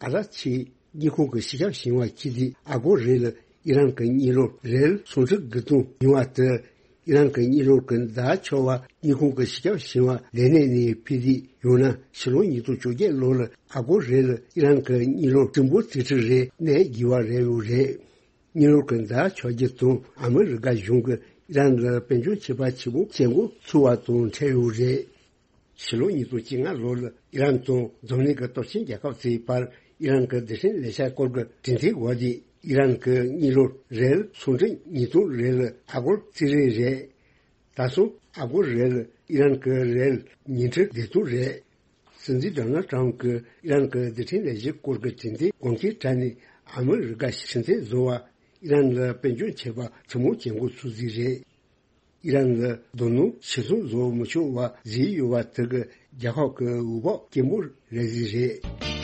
ཨ་ལག་ཆི་དངུལ་ཁང་གི་སྤྱི་ཁྱབ་ཞིང་བ་ཁྱི་དེ་ཨ་སྒོར་རེ་ལ་ཨི་རན་གྱི་དངུལ་ལོར་རེལ་སུམ་ཁྲི་དགུ་སྟོང་ཡོང་བ་དེ། ཨི་རན་གྱི་དངུལ་ལོར་གྱི་ཛ་ཆགས་པ་དངུལ་ཁང་གི་སྤྱི་ཁྱབ་ཞིང་བ་ལས་གནས་ནས་ཕུད་དེ་ཡོང་ན་ཕྱི་ལོ་ཉིས་སྟོང་བཅོ་བརྒྱད་ལོ་ལ་ཨ་སྒོར་རེ་ལ་ཨི་རན་གྱི་དངུལ་ལོར་ཀྲུང་པོ་རྩིས་ཁྲི་རེ་གནས་དགོས་པ་རེད་ཡོད་རེད། དངུལ་ལོར་གྱི་ཛ་ཆགས་རྒྱུ་དང་ཨ་མི་རི་ཀ་གཞུང་གིས་ཨི་རན་ལ་དཔལ་འབྱོར་ཆད་པ་ཆེན་པོ་བྱེད་འགོ་ཚུགས་པ་དང་འཕྲད་ཡོད་རེད། ཕྱི་ལོ་ཉིས་སྟོང་བཅོ་ལྔ་ལོ་ལ་ཨི་རན་དང་འཛམ་གླིང་གི་སྟོབས་ཆེན་རྒྱལ་ཁབ་ཚོའི་བར་ཨི་རན་གྱི་རྡུལ་ཕྲན་ལས་འཆར་སྐོར་གྱི་གྲོས་མཐུན་འོག་དེ་ཨི་རན་གྱི་དངུལ་ལོར་རེལ་སུམ་ཁྲི་ཉིས་སྟོང་རེ་ལ་ཨ་སྒོར་རྩིས་རེས་རེད། ད་སོང་ཨ་སྒོར་རེ་ལ་ཨི་རན་གྱི་རེལ་ཉི་ཁྲི་བདུན་སྟོང་རེད། སྲིད་འཛིན་ཌོ་ནལ་ཊམ་གྱིས་ཨི་རན་གྱི་རྡུལ་ཕྲན་ལས་འཆར་སྐོར་གྱི་གྲོས་མཐུན་གོང་འཁེལ་དྲ་ནས་ཨ་མི་རི་ཀ་ཕྱིར་འཐེན་བཟོ་བ། ཨི་རན་ལ་དཔལ་འབྱོར་ཆད་པ་ཆེན་མོ་བྱེད་འགོ་ཚུགས་ཟིན་རེད། ཨི་རན་ལ་རྡོ་སྣུམ་ཕྱིར་ཚོང་བཟོ་མི་ཆོག་པ་བཟོས་ཡོད་པ་དེ་གིས་རྒྱལ་ཁབ་ཀྱི་འོས་བབ་སྐྱེན་པོ་རེད་ཟིན་རེད།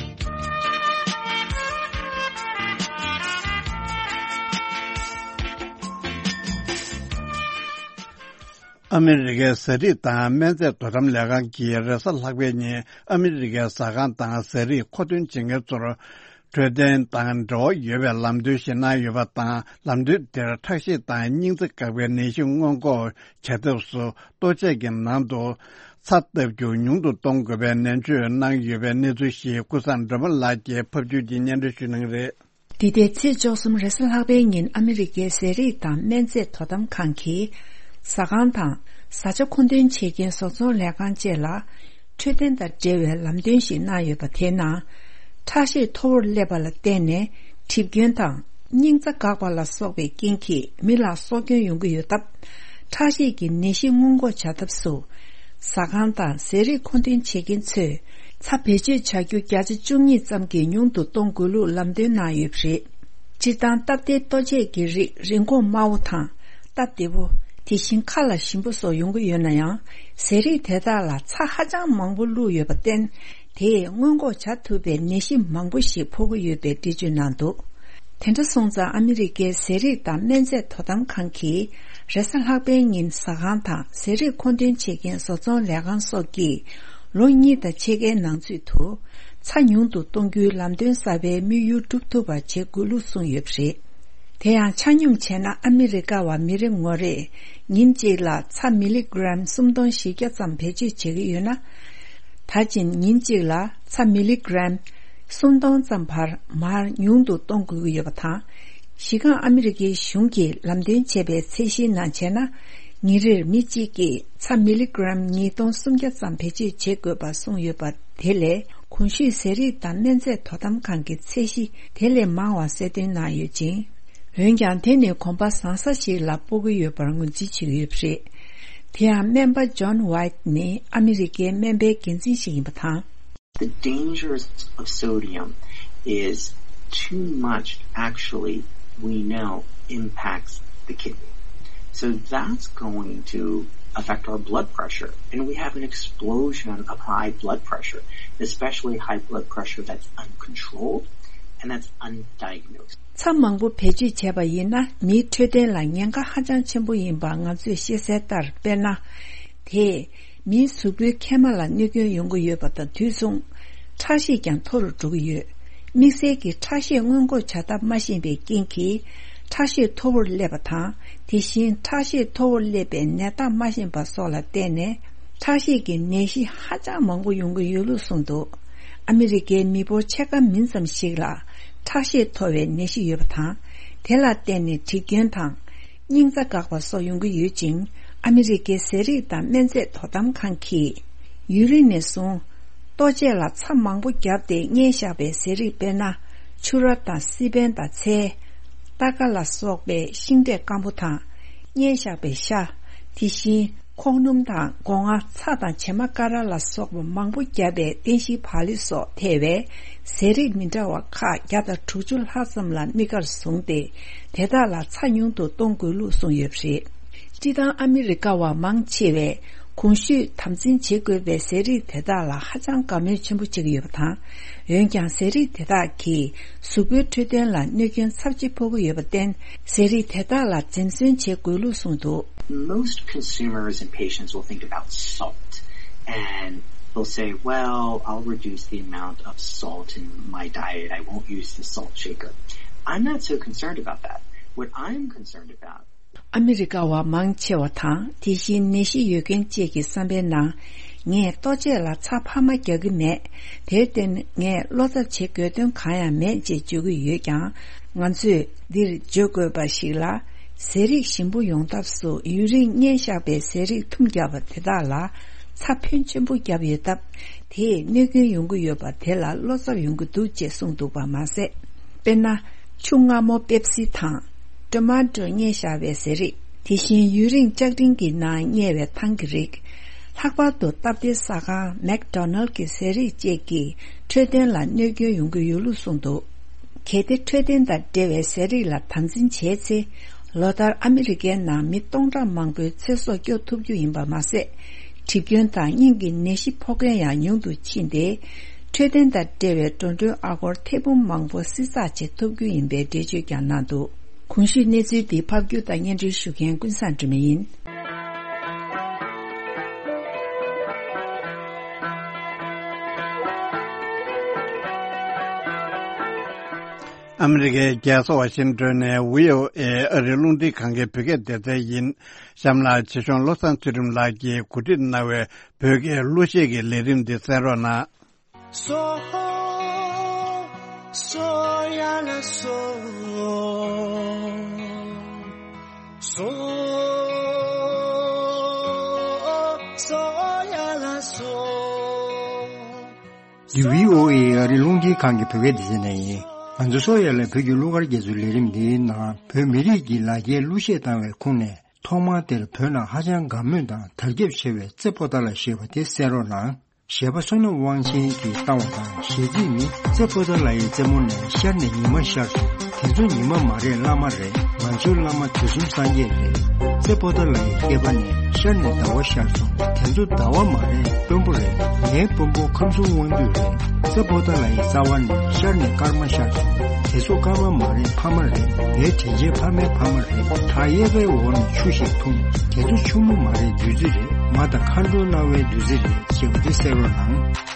ཨ་མི་རི་ཀའི་ཟས་རིགས་དང་སྨན་རྫས་དོ་དམ་ལས་ཁང་གིས་རེས་གཟའ་ལྷག་པའི་ཉིན་ཨ་མི་རི་ཀའི་ཟ་ཁང་དང་ཟས་རིགས་མཁོ་འདོན་བྱེད་མཁན་ཚོར། འཕྲོད་བསྟེན་དང་འབྲེལ་བ་ཡོད་པའི་ལམ་སྟོན་ཞིག་གནང་ཡོད་པ་དང་། ལམ་སྟོན་དེར་ཁྲག་ཤེད་དང་སྙིང་རྩ་འགག་པའི་ནད་གཞི་སྔོན་འགོག་བྱ་ཐབས་སུ་ལྟོ་ཆས་ཀྱི་ནང་དུ་ཚྭ་བཏབ་རྒྱུ་ཉུང་དུ་གཏོང་དགོས་པའི་ནན་བརྗོད་གནང་ཡོད་པའི་གནས་ཚུལ་ཞིག་ཀུན་བཟང་སྒྲོལ་མ་ལགས་ཀྱིས་ཕབ་སྒྱུར་གྱིས་སྙན་སྒྲོན་ཞུ་གནང་གི་རེད། འདི་ཟླའི་ཚེས་བཅུ་གསུམ་རེས་གཟའ་ལྷག་པའི་ཉིན་ཨ་མི་རི་ཀའི་ཟས་རིགས་དང་སྨན་རྫས་དོ་དམ་ཁང་གིས་ཟ་ཁང་དང་བཟའ་བཅའ་མཁོ་འདོན་བྱེད་མཁན་བཟོ་ཚོང་ལས་ཁང་བཅས་ལ་འཕྲོད་བསྟེན་དང་འབྲེལ་བའི་ལམ་སྟོན་ཞིག་གནང་ཡོད་པ་དེའི་ནང་། ཁྲག་ཤེད་མཐོ་བོར་སླེབས་པ་ལ་བརྟེན་ནས་གྲིབ་སྐྱོན་དང་སྙིང་རྩ་འགག་པ་ལ་སོགས་པའི་རྐྱེན་གྱིས་མི་ལ་སྲོག་སྐྱོན་ཡོང་གི་ཡོད་སྟབས། ཁྲག་ཤེད་ཀྱི་ནད་གཞི་སྔོན་འགོག་བྱ་ཐབས་སུ། ཟ་ཁང་དང་ཟས་རིགས་མཁོ་འདོན་བྱེད་མཁན་ཚོས་ཚྭ་བེད་སྤྱོད་བྱ་རྒྱུ་བརྒྱ་ཆ་བཅུ་གཉིས་ཙམ་གྱིས་ཉུང་དུ་གཏོང་དགོས་ལུགས་ལམ་སྟོན་གནང་ཡོད་པ་རེད། སྤྱིར་བཏང་སྟབས་བདེའི་ལྟོ་ཆས་ཀྱི་རིགས་རིན་གོང་དམའ་བོ་དང་སྟབས་བདེ་བོ། དེ་བཞིན་ཁ་ལ་ཞིམ་པོ་སོགས་ཡོང་གི་ཡོད་ན་ཡང་། ཟས་རིགས་དེ་དག་ལ་ཚྭ་ཧ་ཅང་མང་པོ་བླུགས་ཡོད་པར་བརྟེན། དེས་སྔོན་འགོག་བྱ་ཐུབ་པའི་ནད་གཞི་མང་པོ་ཞིག་ཕོག་གི་ཡོད་པའི་འགྲེལ་བརྗོད་གནང་འདུག་དེ་འདྲ་སོང་ཙང་ཨ་མི་རི་ཀའི་ཟས་རིགས་དང་སྨན་རྫས་དོ་དམ་ཁང་གིས་རེས་གཟའ་ལྷག་པའི་ཉིན་ཟ་ཁང་དང་ཟས་རིགས་མཁོ་འདོན་བྱེད་མཁན་བཟོ་ཚོང་ལས་ཁང་སོགས་ཀྱིས་ལོ་གཉིས་དང་ཕྱེད་ཀའི་ནང་ཚུད་དུ་ཚྭ་ཉུང་དུ་གཏོང་རྒྱུའི་ལམ་སྟོན་གསར་པའི་དམིགས་ཡུལ་འགྲུབ་ཐུབ་པ་བྱེད་དགོས་ལུགས་གསུངས་ཡོད་པ་རེད། དེ་ཡང་ཆ་སྙོམས་བྱས་ན་ཨ་མི་རི་ཀ་བ་མི་རེ་ངོ་རེས་ཉིན་གཅིག་ལ་ཚྭ་མི་ལི་གྲམ་སུམ་སྟོང་བཞི་བརྒྱ་ཙམ་བེད་སྤྱོད་བྱེད་ཀྱི་ཡོད་ན། ད་ཕྱིན་ཉིན་གཅིག་ལ་ཚྭ་མི་ལི་གྲམ་སུམ་སྟོང་ཙམ་བར་མར་ཉུང་དུ་གཏོང་དགོས་ཀྱི་ཡོད་པ་དང་། གཞི་རྐང་ཨ་མི་རི་ཀའི་གཞུང་གིས་ལམ་སྟོན་བྱས་པའི་ཚད་གཞིའི་ནང་བྱས་ན། ཉིན་རེར་མི་གཅིག་གིས་ཚྭ་མི་ལི་གྲམ་ཉིས་སྟོང་སུམ་བརྒྱ་ཙམ་བེད་སྤྱོད་བྱེད་དགོས་པ་གསུངས་ཡོད་པ་དེ་ལས། གོང་ཞུས་ཟས་རིགས་དང་སྨན་རྫས་དོ་དམ་ཁང་གི་ཚད་གཞི་དེ་ལས་མང་བ་གསལ་སྟོན་གནང་ཡོད་ཅིང་། འོན་ཀྱང་དེ་ནི་གོམ་པ་བཟང་ས་ཞིག་ལ་སྤོ་གི་ཡོད་པར་ངོས་འཛིན་བྱེད་ཀྱི་ཡོད་པ་རེད། དེ་ཡང་སྨན་པ་ཇོན་ཝའིཊ་ནི་ཨ་མི་རི་ཀའི་སྨན་པའི་འགན་འཛིན་ཞིག་ཡིན་པ་དང་། The dangers of sodium is too much actually we know impacts the kidney. So that's going to affect our blood pressure. And we have an explosion of high blood pressure, especially high blood pressure that's uncontrolled and that's undiagnosed. ཚྭ་མང་པོ་བེད་སྤྱོད་བྱས་པ་ཡིན་ན་མིའི་འཕྲོད་བསྟེན་ལ་ཉེན་ཁ་ཧ་ཅང་ཆེན་པོ་ཡིན་པ་ང་ཚོས་ཤེས་གསལ་ལྟར་དཔེར་ན། དེས་མིའི་གཟུགས་པོའི་མཁལ་མ་ལ་གནོད་སྐྱོན་ཡོང་གི་ཡོད་པ་དང་དུས་མཚུངས། ཁྲག་ཤེད་ཀྱང་མཐོ་རུ་འགྲོ་གི་ཡོད། དམིགས་བསལ་གྱི་ཁྲག་ཤེད་སྔོན་འགོག་བྱ་ཐབས་མ་ཤེས་པའི་རྐྱེན་གྱིས། ཁྲག་ཤེད་མཐོ་བོར་སླེབས་པ་དང་། དེ་བཞིན་ཁྲག་ཤེད་མཐོ་བོར་སླེབས་པའི་ནད་རྟགས་མ་ཤེས་པ་སོགས་ལ་བརྟེན་ནས། ཁྲག་ཤེད་ཀྱི་ནད་གཞི་ཧ་ཅང་མང་པོ་ཡོང་གི་ཡོད་ལུགས་གསུངས་འདུག་ཨ་མི་རི་ཀའི་མི་འབོར་ཕྱེད་ཀ་མིན་ཙམ་ཞིག་ལ་ཁྲག་ཤེད་མཐོ་བའི་ནད་གཞི་ཡོད་པ་དང་། དེ་ལ་བརྟེན་ནས་གྲིབ་སྐྱོན་དང་། སྙིང་རྩ་འགག་པ་སོགས་ཡོང་གི་ཡོད་ཅིང་། ཨ་མི་རི་ཀའི་ཟས་རིགས་དང་སྨན་རྫས་དོ་དམ་ཁང་གིས། ཡུན་རིང་ནས་བཟུང་། ལྟོ་ཆས་ལ་ཚྭ་མང་པོ་བརྒྱབ་སྟེ་བསྙལ་བཞག་པའི་ཟས་རིགས་དཔེར་ན། ཕྱུར་ར་དང་སི་པན་དང་ཚལ། སྟར་ཀ་ལ་སོགས་པའི་ཤིང་འབྲས་སྐམ་པོ་དང་། བསྙལ་བཞག་པའི་ཤ། དེ་བཞིན། ཁོག་སྣུམ་དང་སྒོ་ང་། ཚྭ་དང་བྱེ་མ་ཀ་ར་ལ་སོགས་པ་མང་པོ་བརྒྱབ་པའི་བསྟན་བཤིག་བག་ལེབ་སོགས་ཐེ་བའི་ཟས་རིགས་མི་འདྲ་བ་ཁག་བརྒྱ་དང་དྲུག་ཅུ་ལྷག་ཙམ་ལ་དམིགས་བཀར་བཟུང་སྟེ། དེ་དག་ལ་ཚྭ་ཉུང་དུ་གཏོང་དགོས་ལུགས་གསུངས་ཡོད་པ་རེད། སྤྱིར་བཏང་ཨ་མི་རི་ཀ་བ་མང་ཆེ་བས་གོང་ཞུས་དམ་འཛིན་བྱེད་དགོས་པའི་ཟས་རིགས་དེ་དག་ལ་ཧ་ཅང་དགའ་མོས་ཆེན་པོ་བྱེད་ཀྱི་ཡོད་པ་དང་། འོན་ཀྱང་ཟས་རིགས་དེ་དག་གིས་གཟུགས་པོའི་འཕྲོད་བསྟེན་ལ་གནོད་སྐྱོན་ཚབས་ཆེ་ཕོག་གི་ཡོད་པར་བརྟེན། ཟས་རིགས་དེ་དག་ལ་འཛེམ་ཟོན་བྱེད་དགོས་ལུགས་གསུངས་འདུག Most consumers and patients will think about salt, and they'll say, "Well, I'll reduce the amount of salt in my diet. I won't use the salt shaker." I'm not so concerned about that. What I'm concerned about ཨ་མི་རི་ཀ་བ་མང་ཆེ་བ་དང་། དེ་བཞིན་ནད་གཞི་ཡོད་མཁན་བཅས་ཀྱི་བསམ་པའི་ནང་། ངས་ལྟོ་ཆས་ལ་ཚྭ་འཕར་མ་རྒྱག་གི་མེད། དེར་བརྟེན་ངས་བློ་འཚབ་བྱེད་དགོས་དོན་གང་ཡང་མེད་ཅེས་བརྗོད་ཀྱི་ཡོད་ཀྱང་། ང་ཚོས་འདིར་བརྗོད་དགོས་པ་ཞིག་ལ། ཟས་རིགས་ཞིམ་པོ་ཡོང་ཐབས་སུ་ཡུན་རིང་བསྙལ་བཞག་པའི་ཟས་རིགས་ཐུམ་བརྒྱབ་པ་དེ་དག་ལ་ཚྭ་ཕོན་ཆེན་པོ་བརྒྱབ་ཡོད་སྟབས། དེས་གནོད་སྐྱོན་ཡོང་གི་ཡོད་པ་དེ་ལ་བློ་འཚབ་ཡོང་གི་འདུག་ཅེས་གསུངས་འདུག་པ་མ་ཟད། དཔེར་ན། ཆུ་མངར་མོ་པེབ་སི་དང་། ཊོ་མ་ཊོ་བསྙལ་བཞག་པའི་ཟས་རིགས། དེ་བཞིན་ཡུན་རིང་ལྕགས་ཀྲིན་གྱི་ནང་བསྙལ་བའི་ཐང་གི་རིགས། ལྷག་པར་དུ་སྟབས་བདེའི་ཟ་ཁང་མེག་ཌོ་ནལ་གྱི་ཟས་རིགས་བཅས་ཀྱིས་འཕྲོད་བསྟེན་ལ་གནོད་སྐྱོན་ཡོང་གི་ཡོད་ལུགས་གསུངས་འདུག་གལ་ཏེ་འཕྲོད་བསྟེན་དང་འབྲེལ་བའི་ཟས་རིགས་ལ་དམ་འཛིན་བྱས་ཚེ། ལོ་ལྟར་ཨ་མི་རི་ཀའི་ནང་མི་སྟོང་ཕྲག་མང་པོའི་ཚེ་སྲོག་སྐྱོབ་ཐུབ་རྒྱུ་ཡིན་པ་མ་ཟད། གྲིབ་སྐྱོན་དང་སྙིང་གི་ནད་གཞི་ཕོག་མཁན་ཡང་ཉུང་དུ་ཕྱིན་ཏེ། འཕྲོད་བསྟེན་དང་འབྲེལ་བའི་འགྲོ་གྲོན་ཨ་སྒོར་ཐེར་འབུམ་མང་པོ་བསྲི་ཚགས་བྱེད་ཐུབ་རྒྱུ་ཡིན་པའི་འགྲེལ་བརྗོད་ཀྱང་གནང་འདུག་གོང་ཞུས་གནས་ཚུལ་འདི་ཕབ་སྒྱུར་དང་སྙན་སྒྲོན་ཞུ་མཁན་ཀུན་བཟང་སྒྲོལ་མ་ཡིན། ཨ་མི་རི་ཀའི་རྒྱལ་ས་ཝ་ཤིང་ཏོན་ནས་བྷི་ཨོ་ཨེ་ཨ་རིའི་རླུང་འཕྲིན་ཁང་གི་བོད་སྐད་སྡེ་ཚན་ཡིན། གཤམ་ལ་ཆེད་གཞུང་བློ་བཟང་ཚུལ་ཁྲིམས་ལགས་ཀྱིས་གོ་སྒྲིག་གནང་བའི་བོད་སྐད་གླུ་གཞས་ཀྱི་ལས་རིམ་འདི་གསན་རོགས་གནང་། སོ། སོ་ཡ་ལ་སོ། སོ། སོ་ཡ་ལ་སོ། འདི་བྷི་ཨོ་ཨེ་ཨ་རིའི་རླུང་འཕྲིན་ཁང་གི་བོད་སྐད་སྡེ་ཚན་ནས་ཡིན། ང་ཚོ་སོ་ཡ་ལ་བོད་ཀྱི་གླུ་གར་རྒྱ་མཚོའི་ལས་རིམ་འདིའི་ནང་བོད་མི་རིགས་ཀྱི་ལ་རྒྱའི་གླུ་གཞས་བཏང་བའི་ཁུངས་ནས། ཐོག་མར་དེར་བོད་ནང་ཧ་ཅང་དགའ་མོས་དང་དར་ཁྱབ་ཆེ་བའི་རྩེ་ཕོ་ཏ་ལ་ཞེས་པ་དེ་གསན་རོགས་གནང་། གཞས་པ་བསོད་ནམས་དབང་ཆེན་གྱིས་བཏང་བ་དང་། གཞས་ཚིག་ནི། རྩེ་ཕོ་ཏ་ལ་ཡི་རྩེ་མོ་ནས་ཤར་ནས་ཉི་མ་ཤར་སོང་། དེ་ཚོ་ཉི་མ་མ་རེད། བླ་མ་རེད། ང་ཚོའི་བླ་མ་དུས་གསུམ་སངས་རྒྱས་རེད། རྩེ་ཕོ་ཏ་ལ་ཡི་སྐེད་པ་ནས་ཤར་ནས་ཟླ་བ་ཤར་སོང་། དེ་ཚོ་ཟླ་བ་མ་རེད། དཔོན་པོ་རེད། ངའི་དཔོན་པོ་ཁམས་གསུམ་དབང་འདུས་རེད། རྩེ་ཕོ་ཏ་ལ་ཡི་རྩ་བ་ནས་ཤར་ནས་སྐར་མ་ཤར་སོང་། དེ་ཚོ་སྐར་མ་མ་རེད། ཕ་མ་རེད། ངའི་དྲིན་ཆེན་ཕ་མའི་ཕ་མ་རེད། བྲག་གཡས་པའི་འོག་ནས་ཆུ་ཞིག་འཐུང་། དེ་ཚོ་ཆུ་མོ་མ་རེད། བདུད་རྩི་རེད། མ་དང་མཁའ་འགྲོ་སྣང་བའི་བདུད་རྩི་རེད། ཞེས་པ་དེ་གསན་རོགས་གནང་།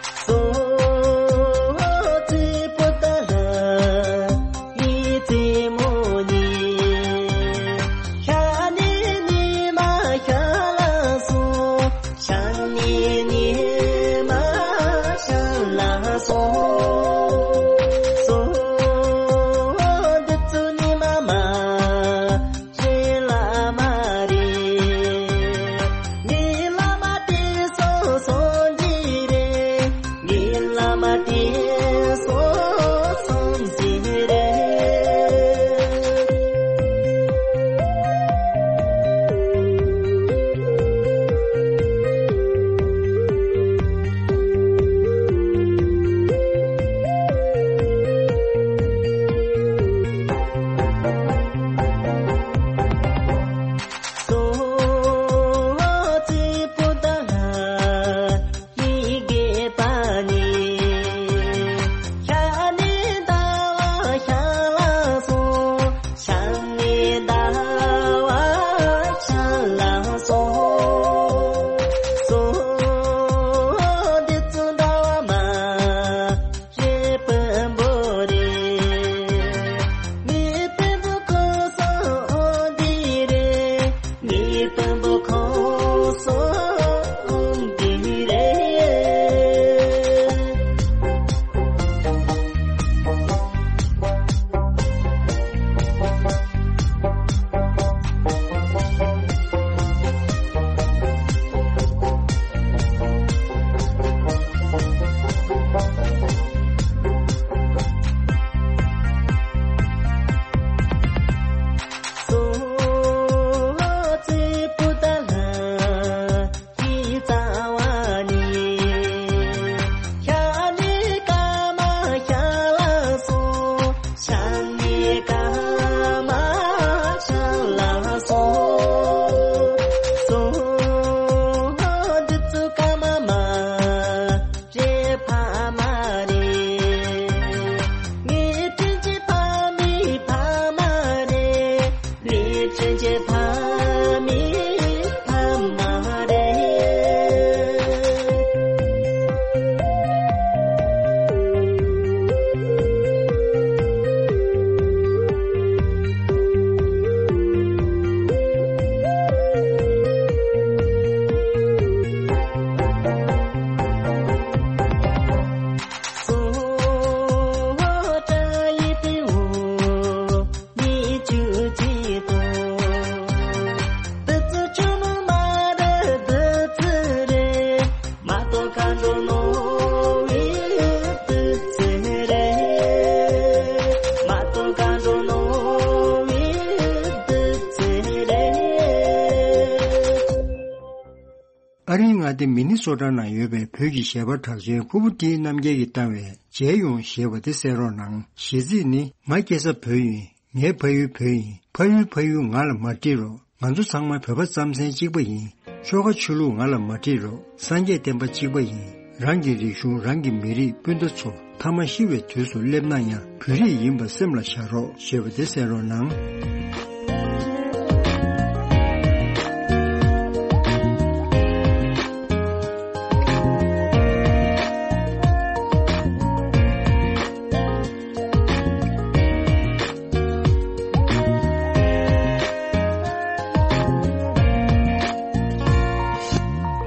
མངའ་སྡེ་མི་ནི་སོ་ཊ་ནང་ཡོད་པའི་བོད་ཀྱི་གཞས་པ་གྲགས་ཅན་ཕུར་བུ་བཀྲིས་རྣམ་རྒྱལ་གྱིས་བཏང་བའི་མཇལ་ཡོང་ཞེས་པ་དེ་གསན་རོགས་གནང་། གཞས་ཚིག་ནི། ང་སྐྱེས་ས་བོད་ཡིན། ངའི་ཕ་ཡུལ་བོད་ཡིན། ཕ་ཡུལ་ཕ་ཡུལ་ང་ལ་མ་དྲིས་རོགས། ང་ཚོ་ཚང་མ་བོད་པ་རྩམ་ཟན་གཅིག་པ་ཡིན། ཆོལ་ཁ་ཆོས་ལུགས་ང་ལ་མ་དྲིས་རོགས། སངས་རྒྱས་བསྟན་པ་གཅིག་པ་ཡིན། རང་གི་རིག་གཞུང་རང་གི་མི་རིགས་སྤུན་ཟླ་ཚོ། མཐའ་མ་ཤི་བའི་དུས་སུ་སླེབས་ན་ཡང་བོད་རིགས་ཡིན་པ་སེམས་ལ་བཞག་རོགས་ཞེས་པ་དེ་གསན་རོགས་གནང་།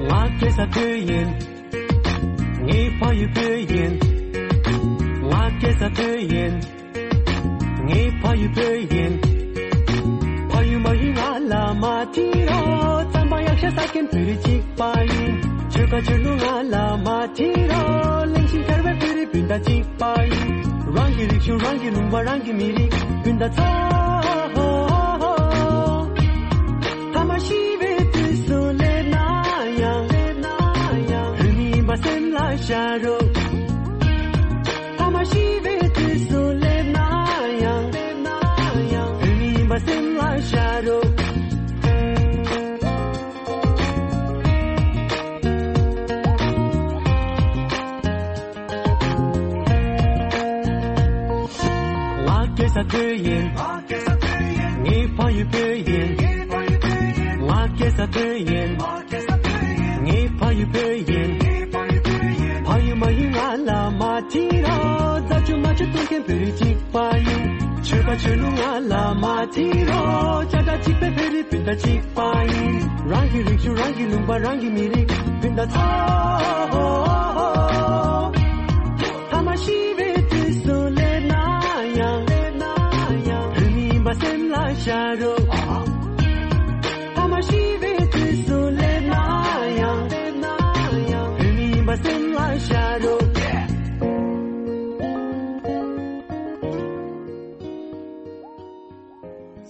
ང་སྐྱེས་ས་བོད་ཡིན། ངའི་ཕ་ཡུལ་བོད་ཡིན། ང་སྐྱེས་ས་བོད་ཡིན། ངའི་ཕ་ཡུལ་བོད་ཡིན། ཕ་ཡུལ་མ་ཡིན་ང་ལ་མ་དྲིས་རོགས། རྩམ་པ་གཡག་ཤ་ཟ་མཁན་བོད་རིགས་གཅིག་པ་ཡིན། ཆོལ་ཁ་ཆོས་ལུགས་ང་ལ་མ་དྲིས་རོགས། གླེང་བཞིན་གར་བའི་བོད་རིགས་སྤུན་ཟླ་གཅིག་པ་ཡིན། རང་གི་རིག་གཞུང་རང་གི་ལུང་པ་རང་གི་མི་རིགས་སྤུན་ཟླ་ཚོ། མཐའ་མ་ཤི་བའི་དུས་སུ་སླེབས་ན་ཡང་། བོད་མི་ཡིན་པ་སེམས་ལ་བཞག་རོགས། མཐའ་མ་ཤི་བའི་དུས་སུ་སླེབས་ན་ཡང་། བོད་མི་ཡིན་པ་སེམས་ལ་བཞག་རོགས། ང་སྐྱེས་ས་བོད་ཡིན། ངའི་ཕ་ཡུལ་བོད་ཡིན། ང་སྐྱེས་ས་བོད་ཡིན། ངའི་ཕ་ཡུལ་བོད་ཡིན། ཕ་ཡུལ་མ་ཡིན་ང་ལ་མ་དྲིས་རོགས། རྫ་ཆུ་རྨ་ཆུ་གཏོང་མཁན་བོད་རིགས་གཅིག་པ་ཡིན། ཆོལ་ཁ་ཆོས་ལུགས་ང་ལ་མ་དྲིས་རོགས། ཅ་ཀྲ་གཅིག་པའི་བོད་རིགས་སྤུན་ཟླ་གཅིག་པ་ཡིན། རང་གི་རིག་གཞུང་རང་གི་ལུང་པ་རང་གི་མི་རིགས་སྤུན་ཟླ་ཚོ། མཐའ་མ་ཤི་བའི་དུས་སུ་སླེབས་ན་ཡང་། བོད་མི་ཡིན་པ་སེམས་ལ་བཞག་རོགས། མཐའ་མ་ཤི་བའི་དུས་སུ་སླེབས་ན་ཡང་། བོད་མི་ཡིན་པ་སེམས་ལ་བཞག་རོགས།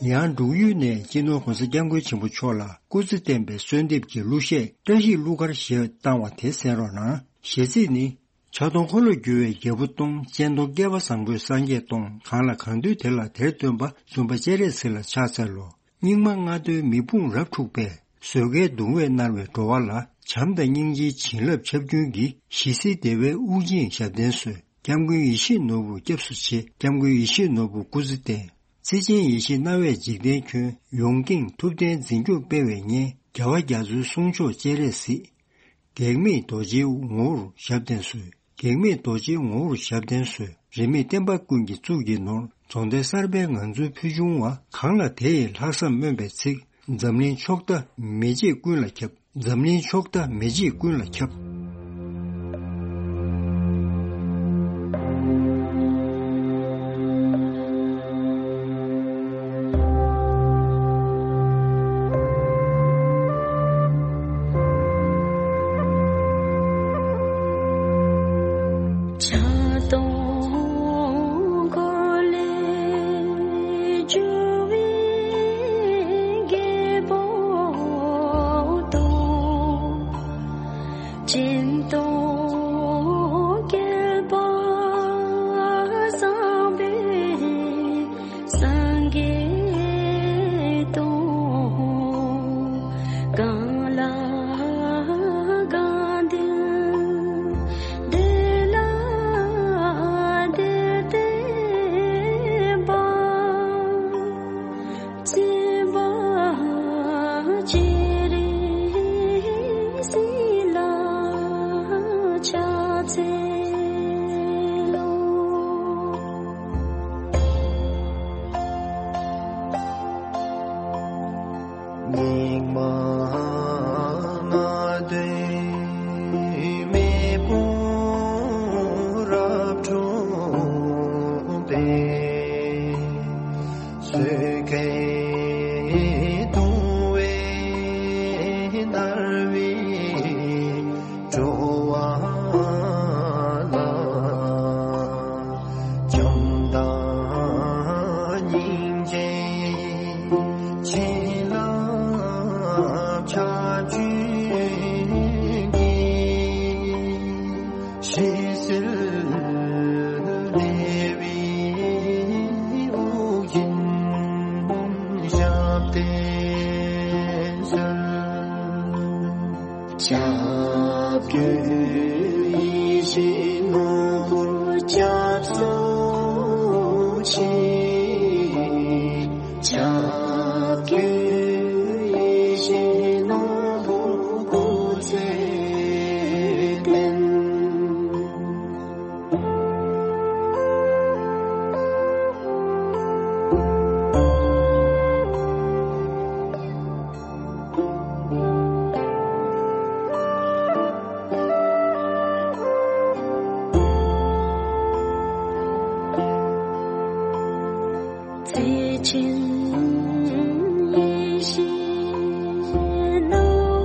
ཡང་འབྲུག་ཡུལ་ནས་སྤྱི་ནོར་༸གོང་ས་༸སྐྱབས་མགོན་ཆེན་པོ་མཆོག་ལ་སྐུ་ཚེ་བརྟན་པའི་གསོལ་འདེབས་ཀྱི་གླུ་གཞས་བཀྲ་ཤིས་གླུ་གར་ཞེས་བཏང་བ་དེ་གསན་རོགས་གནང་། གཞས་ཚིག་ནི། ཕྱག་སྟོང་འཁོར་ལོ་བསྒྱུར་བའི་རྒྱལ་པོ་སྟོང་། སྤྱན་སྟོང་བསྐལ་པ་བཟང་པོའི་སངས་རྒྱས་སྟོང་། གང་ལ་གང་འདུལ་དེ་ལ་དེར་སྟོན་པ། འཛུམ་པ་སྤྱན་རས་གཟིགས་ལ་ཕྱག་འཚལ་ལོ། སྙིགས་མ་ལྔ་བདོའི་མེ་དཔུང་རབ་འཁྲུགས་པས། བཟོད་དཀའི་གདུང་བས་མནར་བའི་འགྲོ་བ་ལ། བྱམས་དང་སྙིང་རྗེའི་བྱིན་རླབས་ཁྱབ་མགོན་གྱིས། ཞི་བསིལ་བདེ་བའི་དབུགས་འབྱིན་ཞབས་བརྟན་གསོལ། སྐྱབས་མགོན་ཡིད་བཞིན་ནོར་བུ་སྐྱབས་སུ་མཆི། སྐྱབས་མགོན་ཡིད་བཞིན་ནོར་བུ་སྐུ་ཚེ་བརྟན། བརྩེ་ཆེན་ཡེ་ཤེས་སྣང་བས་འཇིག་རྟེན་ཁྱོན། ཡོངས་ཀྱིས་ཐུབ་བསྟན་འཛིན་སྐྱོང་སྤེལ་བའི་གཉེན། རྒྱལ་བ་རྒྱ་མཚོའི་གསུང་མཆོག་སྤྱན་རས་གཟིགས། གེགས་མེད་རྡོ་རྗེའི་ངོ་བོར་ཞབས་བརྟན་གསོལ། གེགས་མེད་རྡོ་རྗེའི་ངོ་བོར་ཞབས་བརྟན་གསོལ། རིས་མེད་བསྟན་པ་ཀུན་གྱི་གཙུག་གི་ནོར། རྫོང་དེ་གསར་པའི་ངང་ཚུལ་ཕུལ་བྱུང་བ། གང་ལ་དེ་ཡི་ལྷག་བསམ་སྨོན་པའི་ཚིག། འཛམ་གླིང་ཕྱོགས་མཐའ་མེ་ལྕེ་ཀུན་ལ་ཁྱབ། འཛམ་གླིང་ཕྱོགས་མཐའ་མེ་ལྕེ་ཀུན་ལ་ཁྱབ། སྤྱན་སྟོང་བསྐལ་པ་བཟང་པོའི་སངས་རྒྱས་སྟོང་། གང་ལ་གང་འདུལ་དེ་ལ་དེར་སྟོན་པ། བརྩེ་བ་སྤྱན་རས་གཟིགས་ལ་ཕྱག་འཚལ་ལོ། སྙིགས་མ་ལྔ་བདོའི་མེ་དཔུང་རབ་འཁྲུགས་པས། བཟོད་དཀའི་གདུང་བས་མནར་བའི་འགྲོ་བ་ལ། བྱམས་དང་སྙིང་རྗེའི་བྱིན་རླབས་ཁྱབ་བྱུང་། ཡིད་བཞིན་ནོར་བུར་སྐྱབས་སུ་མཆི། ཕྱག་གི་ཡིད་བཞིན་ནོར་བུ་སྐུ་ཚེ་བརྟན། བརྩེ་ཆེན་ཡེ་ཤེས་སྣང་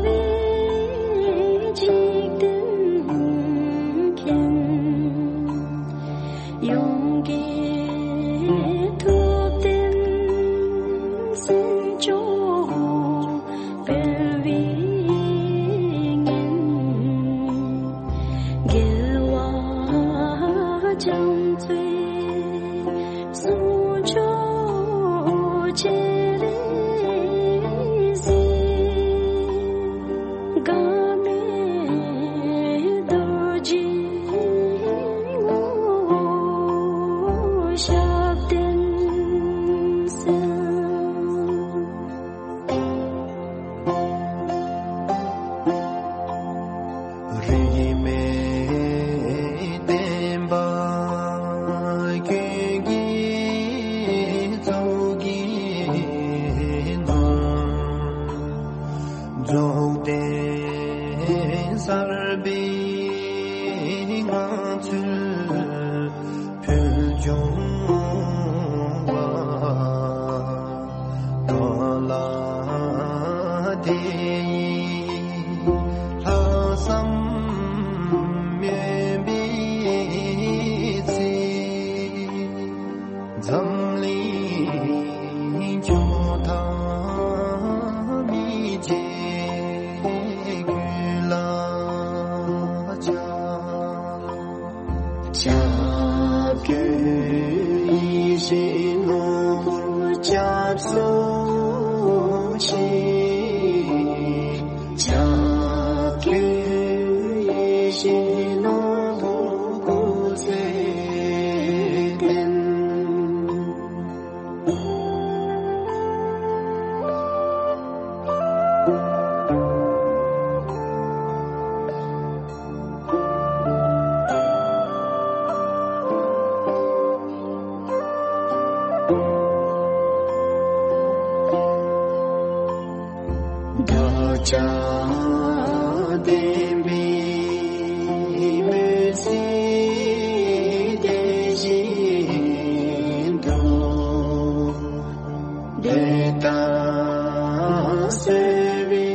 བས་འཇིག་རྟེན་མཁྱེན། ཡོངས་ཀྱི་ཐུབ་བསྟན་སེམས་མཆོག་སྤེལ་བའི་ཉིན། རྒྱལ་བ་རྒྱ་མཚོའི་གསུང་མཆོག་བཅས་ལེགས་གཟིགས། འགག་མེད་རྡོ་རྗེའི་ངོ་བོ་ཞབས་བརྟན་གསལ། རིས་མེད་བསྟན་པ་ཀུན་གྱི་གཙུག་གི་ནོར། རྫོགས་ལྡན་གསར་པའི་ངང་ཚུལ་ཕུལ་བྱུང་བ། གང་ལ་དེ་ཡི་ལྷག་བསམ་སྨོན་པའི་ཚེ། འཛམ་གླིང་ཁྱོན་མཐའ་མི་མཇེད་ཀུན་ལ་ཕྱག། ཕྱག་གི་ཡིད་བཞིན་ནོར་བུར་སྐྱབས་སུ་མཆི། ཕྱག་གི་ཡིད་བཞིན་ནོར་བུ་སྐུ་ཚེ་བརྟན། བདག་ཅག་བདེན་པའི་མུན་སེལ་དེ་བཞིན་དུ། དེ་ལྟར་གསོལ་བའི་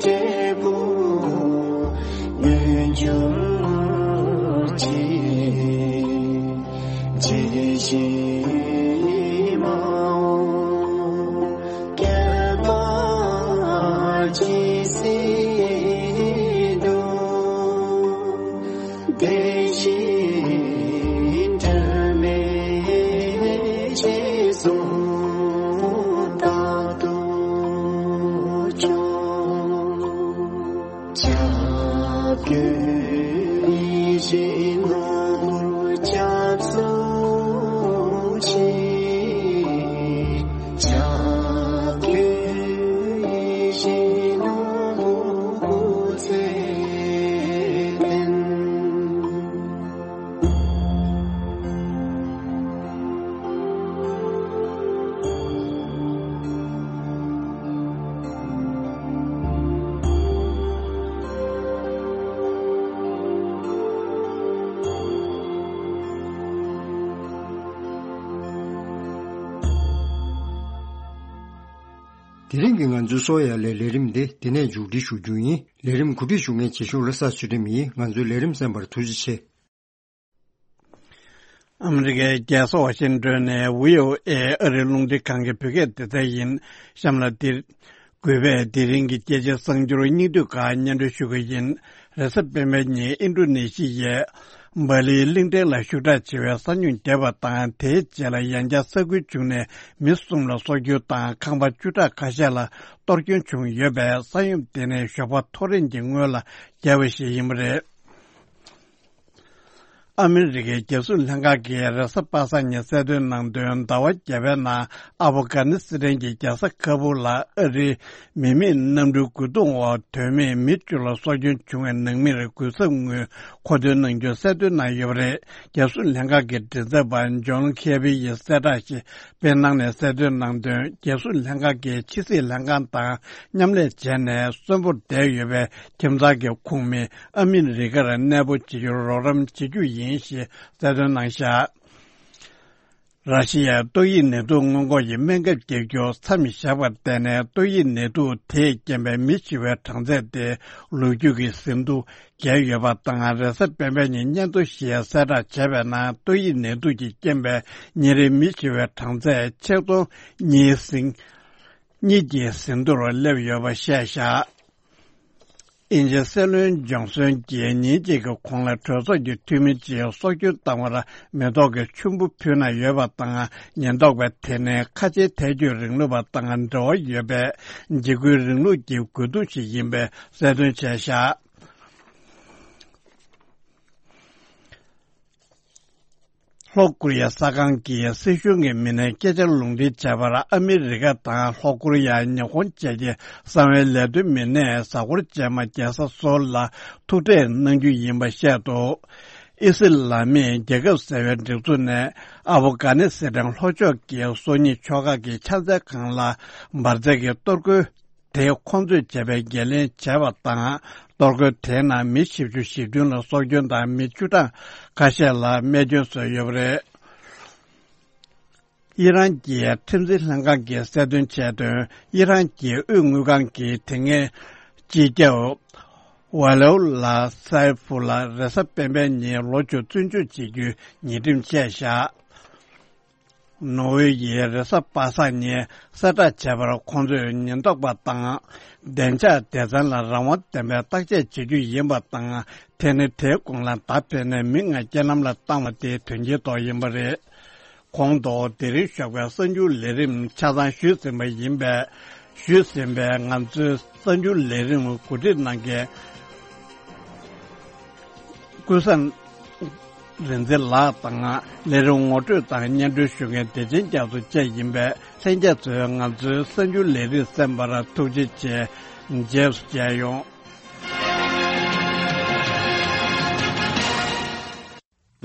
འབྲས་བུ་མངོན་གྱུར་ཅིག། ཇི་བཞིན་མ་འོངས་བསྐལ་པ་ཇི་སྲིད་དུ། བདེ་གཤེགས་དྲི་མེད་རྗེས་སུ་རྟག་ཏུ་སྐྱོང་། ཕྱག་གི་ཡིད་བཞིན་ནོར་བུར་སྐྱབས་སུ་མཆི། ཕྱག་གི་ཡིད་བཞིན་ནོར་བུ་སྐུ་ཚེ་བརྟན། དེ་རིང་གི་ང་ཚོའི་སོ་ཡ་ལའི་ལས་རིམ་འདི་འདི་ནས་མཇུག་སྒྲིལ་ཞུ་རྒྱུ་ཡིན། ལས་རིམ་གོ་སྒྲིག་ཞུ་མཁན་རྗེ་ཤོག་བློ་བཟང་ཚུལ་ཁྲིམས་ཡིན། ང་ཚོའི་ལས་རིམ་གསན་པར་ཐུགས་རྗེ་ཆེ། ཨ་མི་རི་ཀའི་རྒྱལ་ས་ཝ་ཤིང་ཏོན་ནས་བྷི་ཨོ་ཨེ་ཨ་རིའི་རླུང་འཕྲིན་ཁང་གི་བོད་སྐད་སྡེ་ཚན་ཡིན། གཤམ་ལ་འདིར། གུས་པས་དེ་རིང་གི་རྒྱལ་སྤྱིའི་གསར་འགྱུར་སྙིང་བསྡུས་ཁག་སྙན་སྒྲོན་ཞུ་གི་ཡིན། རེས་གཟའ་སྤེན་པའི་ཉིན་ཨིན་ཌོ་ནེ་ཤི་ཡའི་ སྦ་ལིའི་གླིང་ཕྲན་ལ་ཤུགས་དྲག་ཆེ་བའི་ས་སྨྱུག་བརྒྱབ་པ་དང་། དེའི་རྗེས་ལ་ཡང་བསྐྱར་ས་ཁུལ་བྱུང་ནས་མི་གསུམ་ལ་སྲོག་སྐྱོན་དང་། ཁང་པ་བཅུ་ཕྲག་ཁ་ཤས་ལ་གཏོར་སྐྱོན་བྱུང་ཡོད་པས། ས་ཡོམ་དེ་ནི་ཞོགས་པ་ཐོ་རེངས་ཀྱི་སྔོན་ལ་བརྒྱབ་པ་ཞིག་ཡིན་པ་རེད། ཨ་མི་རི་ཀའི་རྒྱལ་སྲུང་ལྷན་ཁང་གིས་རེས་གཟའ་པ་སངས་ཉིན་གསལ་སྟོན་གནང་དོན། ཟླ་བ་བརྒྱད་པའི་ནང་ཨ་ཕོ་གྷ་ནི་སི་ཐན་གྱི་རྒྱལ་ས་ཁ་བུ་ལ་ཨ་རིའི་མི་མེད་གནམ་གྲུའི་རྒོལ་རྡུང་འོག་དོན་མེད་མི་བཅུ་ལ་སྲོག་སྐྱོན་བྱུང་བའི་ནང་མིར་གུས་ཞབས་དངོས་མཁོ་འདོན་གནང་རྒྱུ་གསལ་སྟོན་གནང་ཡོད་པ་རེད། རྒྱལ་སྲུང་ལྷན་ཁང་གི་མགྲིན་ཚབ་པ་ཇོན་ཁེ་བི་ཡིས་གསལ་བསྒྲགས་ཤིག་སྤེལ་གནང་ནས་གསལ་སྟོན་གནང་དོན། རྒྱལ་སྲུང་ལྷན་ཁང་གིས་ཕྱི་སྲིད་ལྷན་ཁང་དང་མཉམ་ལས་བྱས་ནས་གསོན་པོར་བསྡད་ཡོད་པའི་ཁྱིམ་ཚང་གི་ཁོངས་མི་ཨ་མི་རི་ཀར་གནས་སྤོ་བྱེད་རྒྱུར་རོགས་རམ་བྱེད་རྒྱུ་ཡིན་ཞེས་གསལ་སྟོན་གནང་བཞག་ར་ཤི་ཡའི་ཏོག་དབྱིབས་ནད་དུག་སྔོན་འགོག་གི་སྨན་ཁབ་བརྒྱབ་རྒྱུ་མཚམས་བཞག་པར་བརྟེན་ནས། ཏོག་དབྱིབས་ནད་དུག་དེས་རྐྱེན་པས་མི་ཤི་བའི་གྲངས་ཚད་དེ་ལོ་རྒྱུས་ཀྱི་ཟིན་ཐོ་བརྒལ་ཡོད་པ་དང་། རེས་གཟའ་སྤེན་པའི་ཉིན་སྙན་ཐོ་ཞིག་གསལ་བསྒྲགས་བྱས་པའི་ནང་། ཏོག་དབྱིབས་ནད་དུག་གི་རྐྱེན་པས་ཉིན་རེའི་མི་ཤི་བའི་གྲངས་ཚད་ཆིག་སྟོང་གཉིས་ཟིན་གཉིས་ཀྱི་ཟིན་ཐོར་སླེབས་ཡོད་པ་བཤད་བཞག་དབྱིན་ཇིའི་སྲིད་བློན་ཇོན་སོན་གྱིས་ཉིན་གཅིག་གི་གོང་ལ་གྲོས་ཚོགས་ཀྱི་འཐུས་མི་གཅིག་སྲོག་སྐྱོན་བཏང་བར་མེ་ཏོག་གི་ཆུན་པོ་ཕུལ་གནང་ཡོད་པ་དང་། ཉེན་རྟོག་པས་དེ་ནི་ཁ་ཆེའི་ཐལ་སྐྱོད་རིང་ལུགས་པ་དང་འབྲེལ་བ་ཡོད་པའི་འཇིགས་སྐུལ་རིང་ལུགས་ཀྱི་རྒོལ་རྡུང་ཞིག་ཡིན་པའི་གསལ་སྟོན་བྱས་བཞག་ལྷོ་ཀོ་རི་ཡ་གསར་ཁང་གིས་སྲིད་གཞུང་གི་མི་སྣས་སྐད་ཆ་ལུང་འདྲེན་བྱས་པར། ཨ་མི་རི་ཀ་དང་ལྷོ་ཀོ་རི་ཡ། ཉི་ཧོང་བཅས་ཀྱི་གསང་བའི་ལས་དོན་མི་སྣས་གཟའ་འཁོར་རྗེས་མ་རྒྱལ་ས་སོལ་ལ་ཐུག་འཕྲད་གནང་རྒྱུ་ཡིན་པ་བཤད་འདུག་ཨི་སི་ལ་མིའི་རྒྱལ་ཁབ་ཟེར་བའི་སྒྲིག་འཛུགས་ནས་ཨ་བོ་གྷ་ནི་སི་ཐན་ལྷོ་ཕྱོགས་ཀྱི་སོ་གཉིས་ཕྱོགས་ཁག་གི་ཕྱག་འཚལ་ཁང་ལ་འབར་རྫས་ཀྱི་གཏོར་རྒོལ་དེ་ཁོང་ཚོས་བྱས་པའི་འགན་ལེན་བྱས་པ་དང་། གཏོར་རྒོལ་དེའི་ནང་མི་བཞི་བཅུ་ཞེ་བདུན་ལ་སྲོག་སྐྱོན་དང་། མི་བཅུ་ཕྲག་ཁ་ཤས་ལ་རྨས་སྐྱོན་བཟོས་ཡོད་པ་རེད། ཨི་རན་གྱི་ཁྲིམས་འཛིན་ལྷན་ཁང་གིས་གསལ་སྟོན་བྱས་དོན། ཨི་རན་གྱི་དབུས་དངུལ་ཁང་གིས་དེ་སྔའི་སྤྱི་ཁྱབ་ཝ་ལེའུ་ལ་སའེ་ཕུ་ལ་རེས་གཟའ་སྤེན་པའི་ཉིན་ལོ་བཅུ་བཙོན་འཇུག་བྱེད་རྒྱུའི་ཉེས་ཁྲིམས་བཅད་བཞག་ནོར་ཝེ་ཡིས་རེས་གཟའ་པ་སངས་ཉིན་གསལ་བསྒྲགས་བྱས་པར། ཁོང་ཚོས་ཉེན་རྟོག་པ་དང་བདེ་འཇགས་སྡེ་ཚན་ལ་རང་དབང་ལྡན་པའི་བརྟག་དཔྱད་བྱེད་རྒྱུ་ཡིན་པ་དང་། དེ་ནི་དེའི་གོང་ལ་བརྡ་སྤྲད་ནས་མི་ལྔ་རྐྱེན་ལམ་ལ་བཏང་བ་དེ་དོན་རྐྱེན་ཐོག་ཡིན་པ་རེད། གོང་དུ་དེ་རིང་ཞོགས་པའི་གསར་འགྱུར་ལས་རིམ་ཆ་ཚང་ཞུས་ཟིན་པ་ཡིན་པས། ཞུས་ཟིན་པའི་ང་ཚོའི་གསར་འགྱུར་ལས་རིམ་གོ་སྒྲིག་གནང་མཁན་ཀུན་བཟང་རིག་འཛིན་ལགས་དང་། ལས་རིམ་ངོ་སྤྲོད་དང་སྙན་སྒྲོན་ཞུ་མཁན་བདེ་ཆེན་རྒྱ་མཚོ་བཅས་ཡིན་པས། ལྷན་རྒྱས་ཚོས་ང་ཚོའི་གསར་འགྱུར་ལས་རིམ་གསན་པར་ཐུགས་རྗེ་ཆེ། རྗེས་སུ་མཇལ་ཡོང་།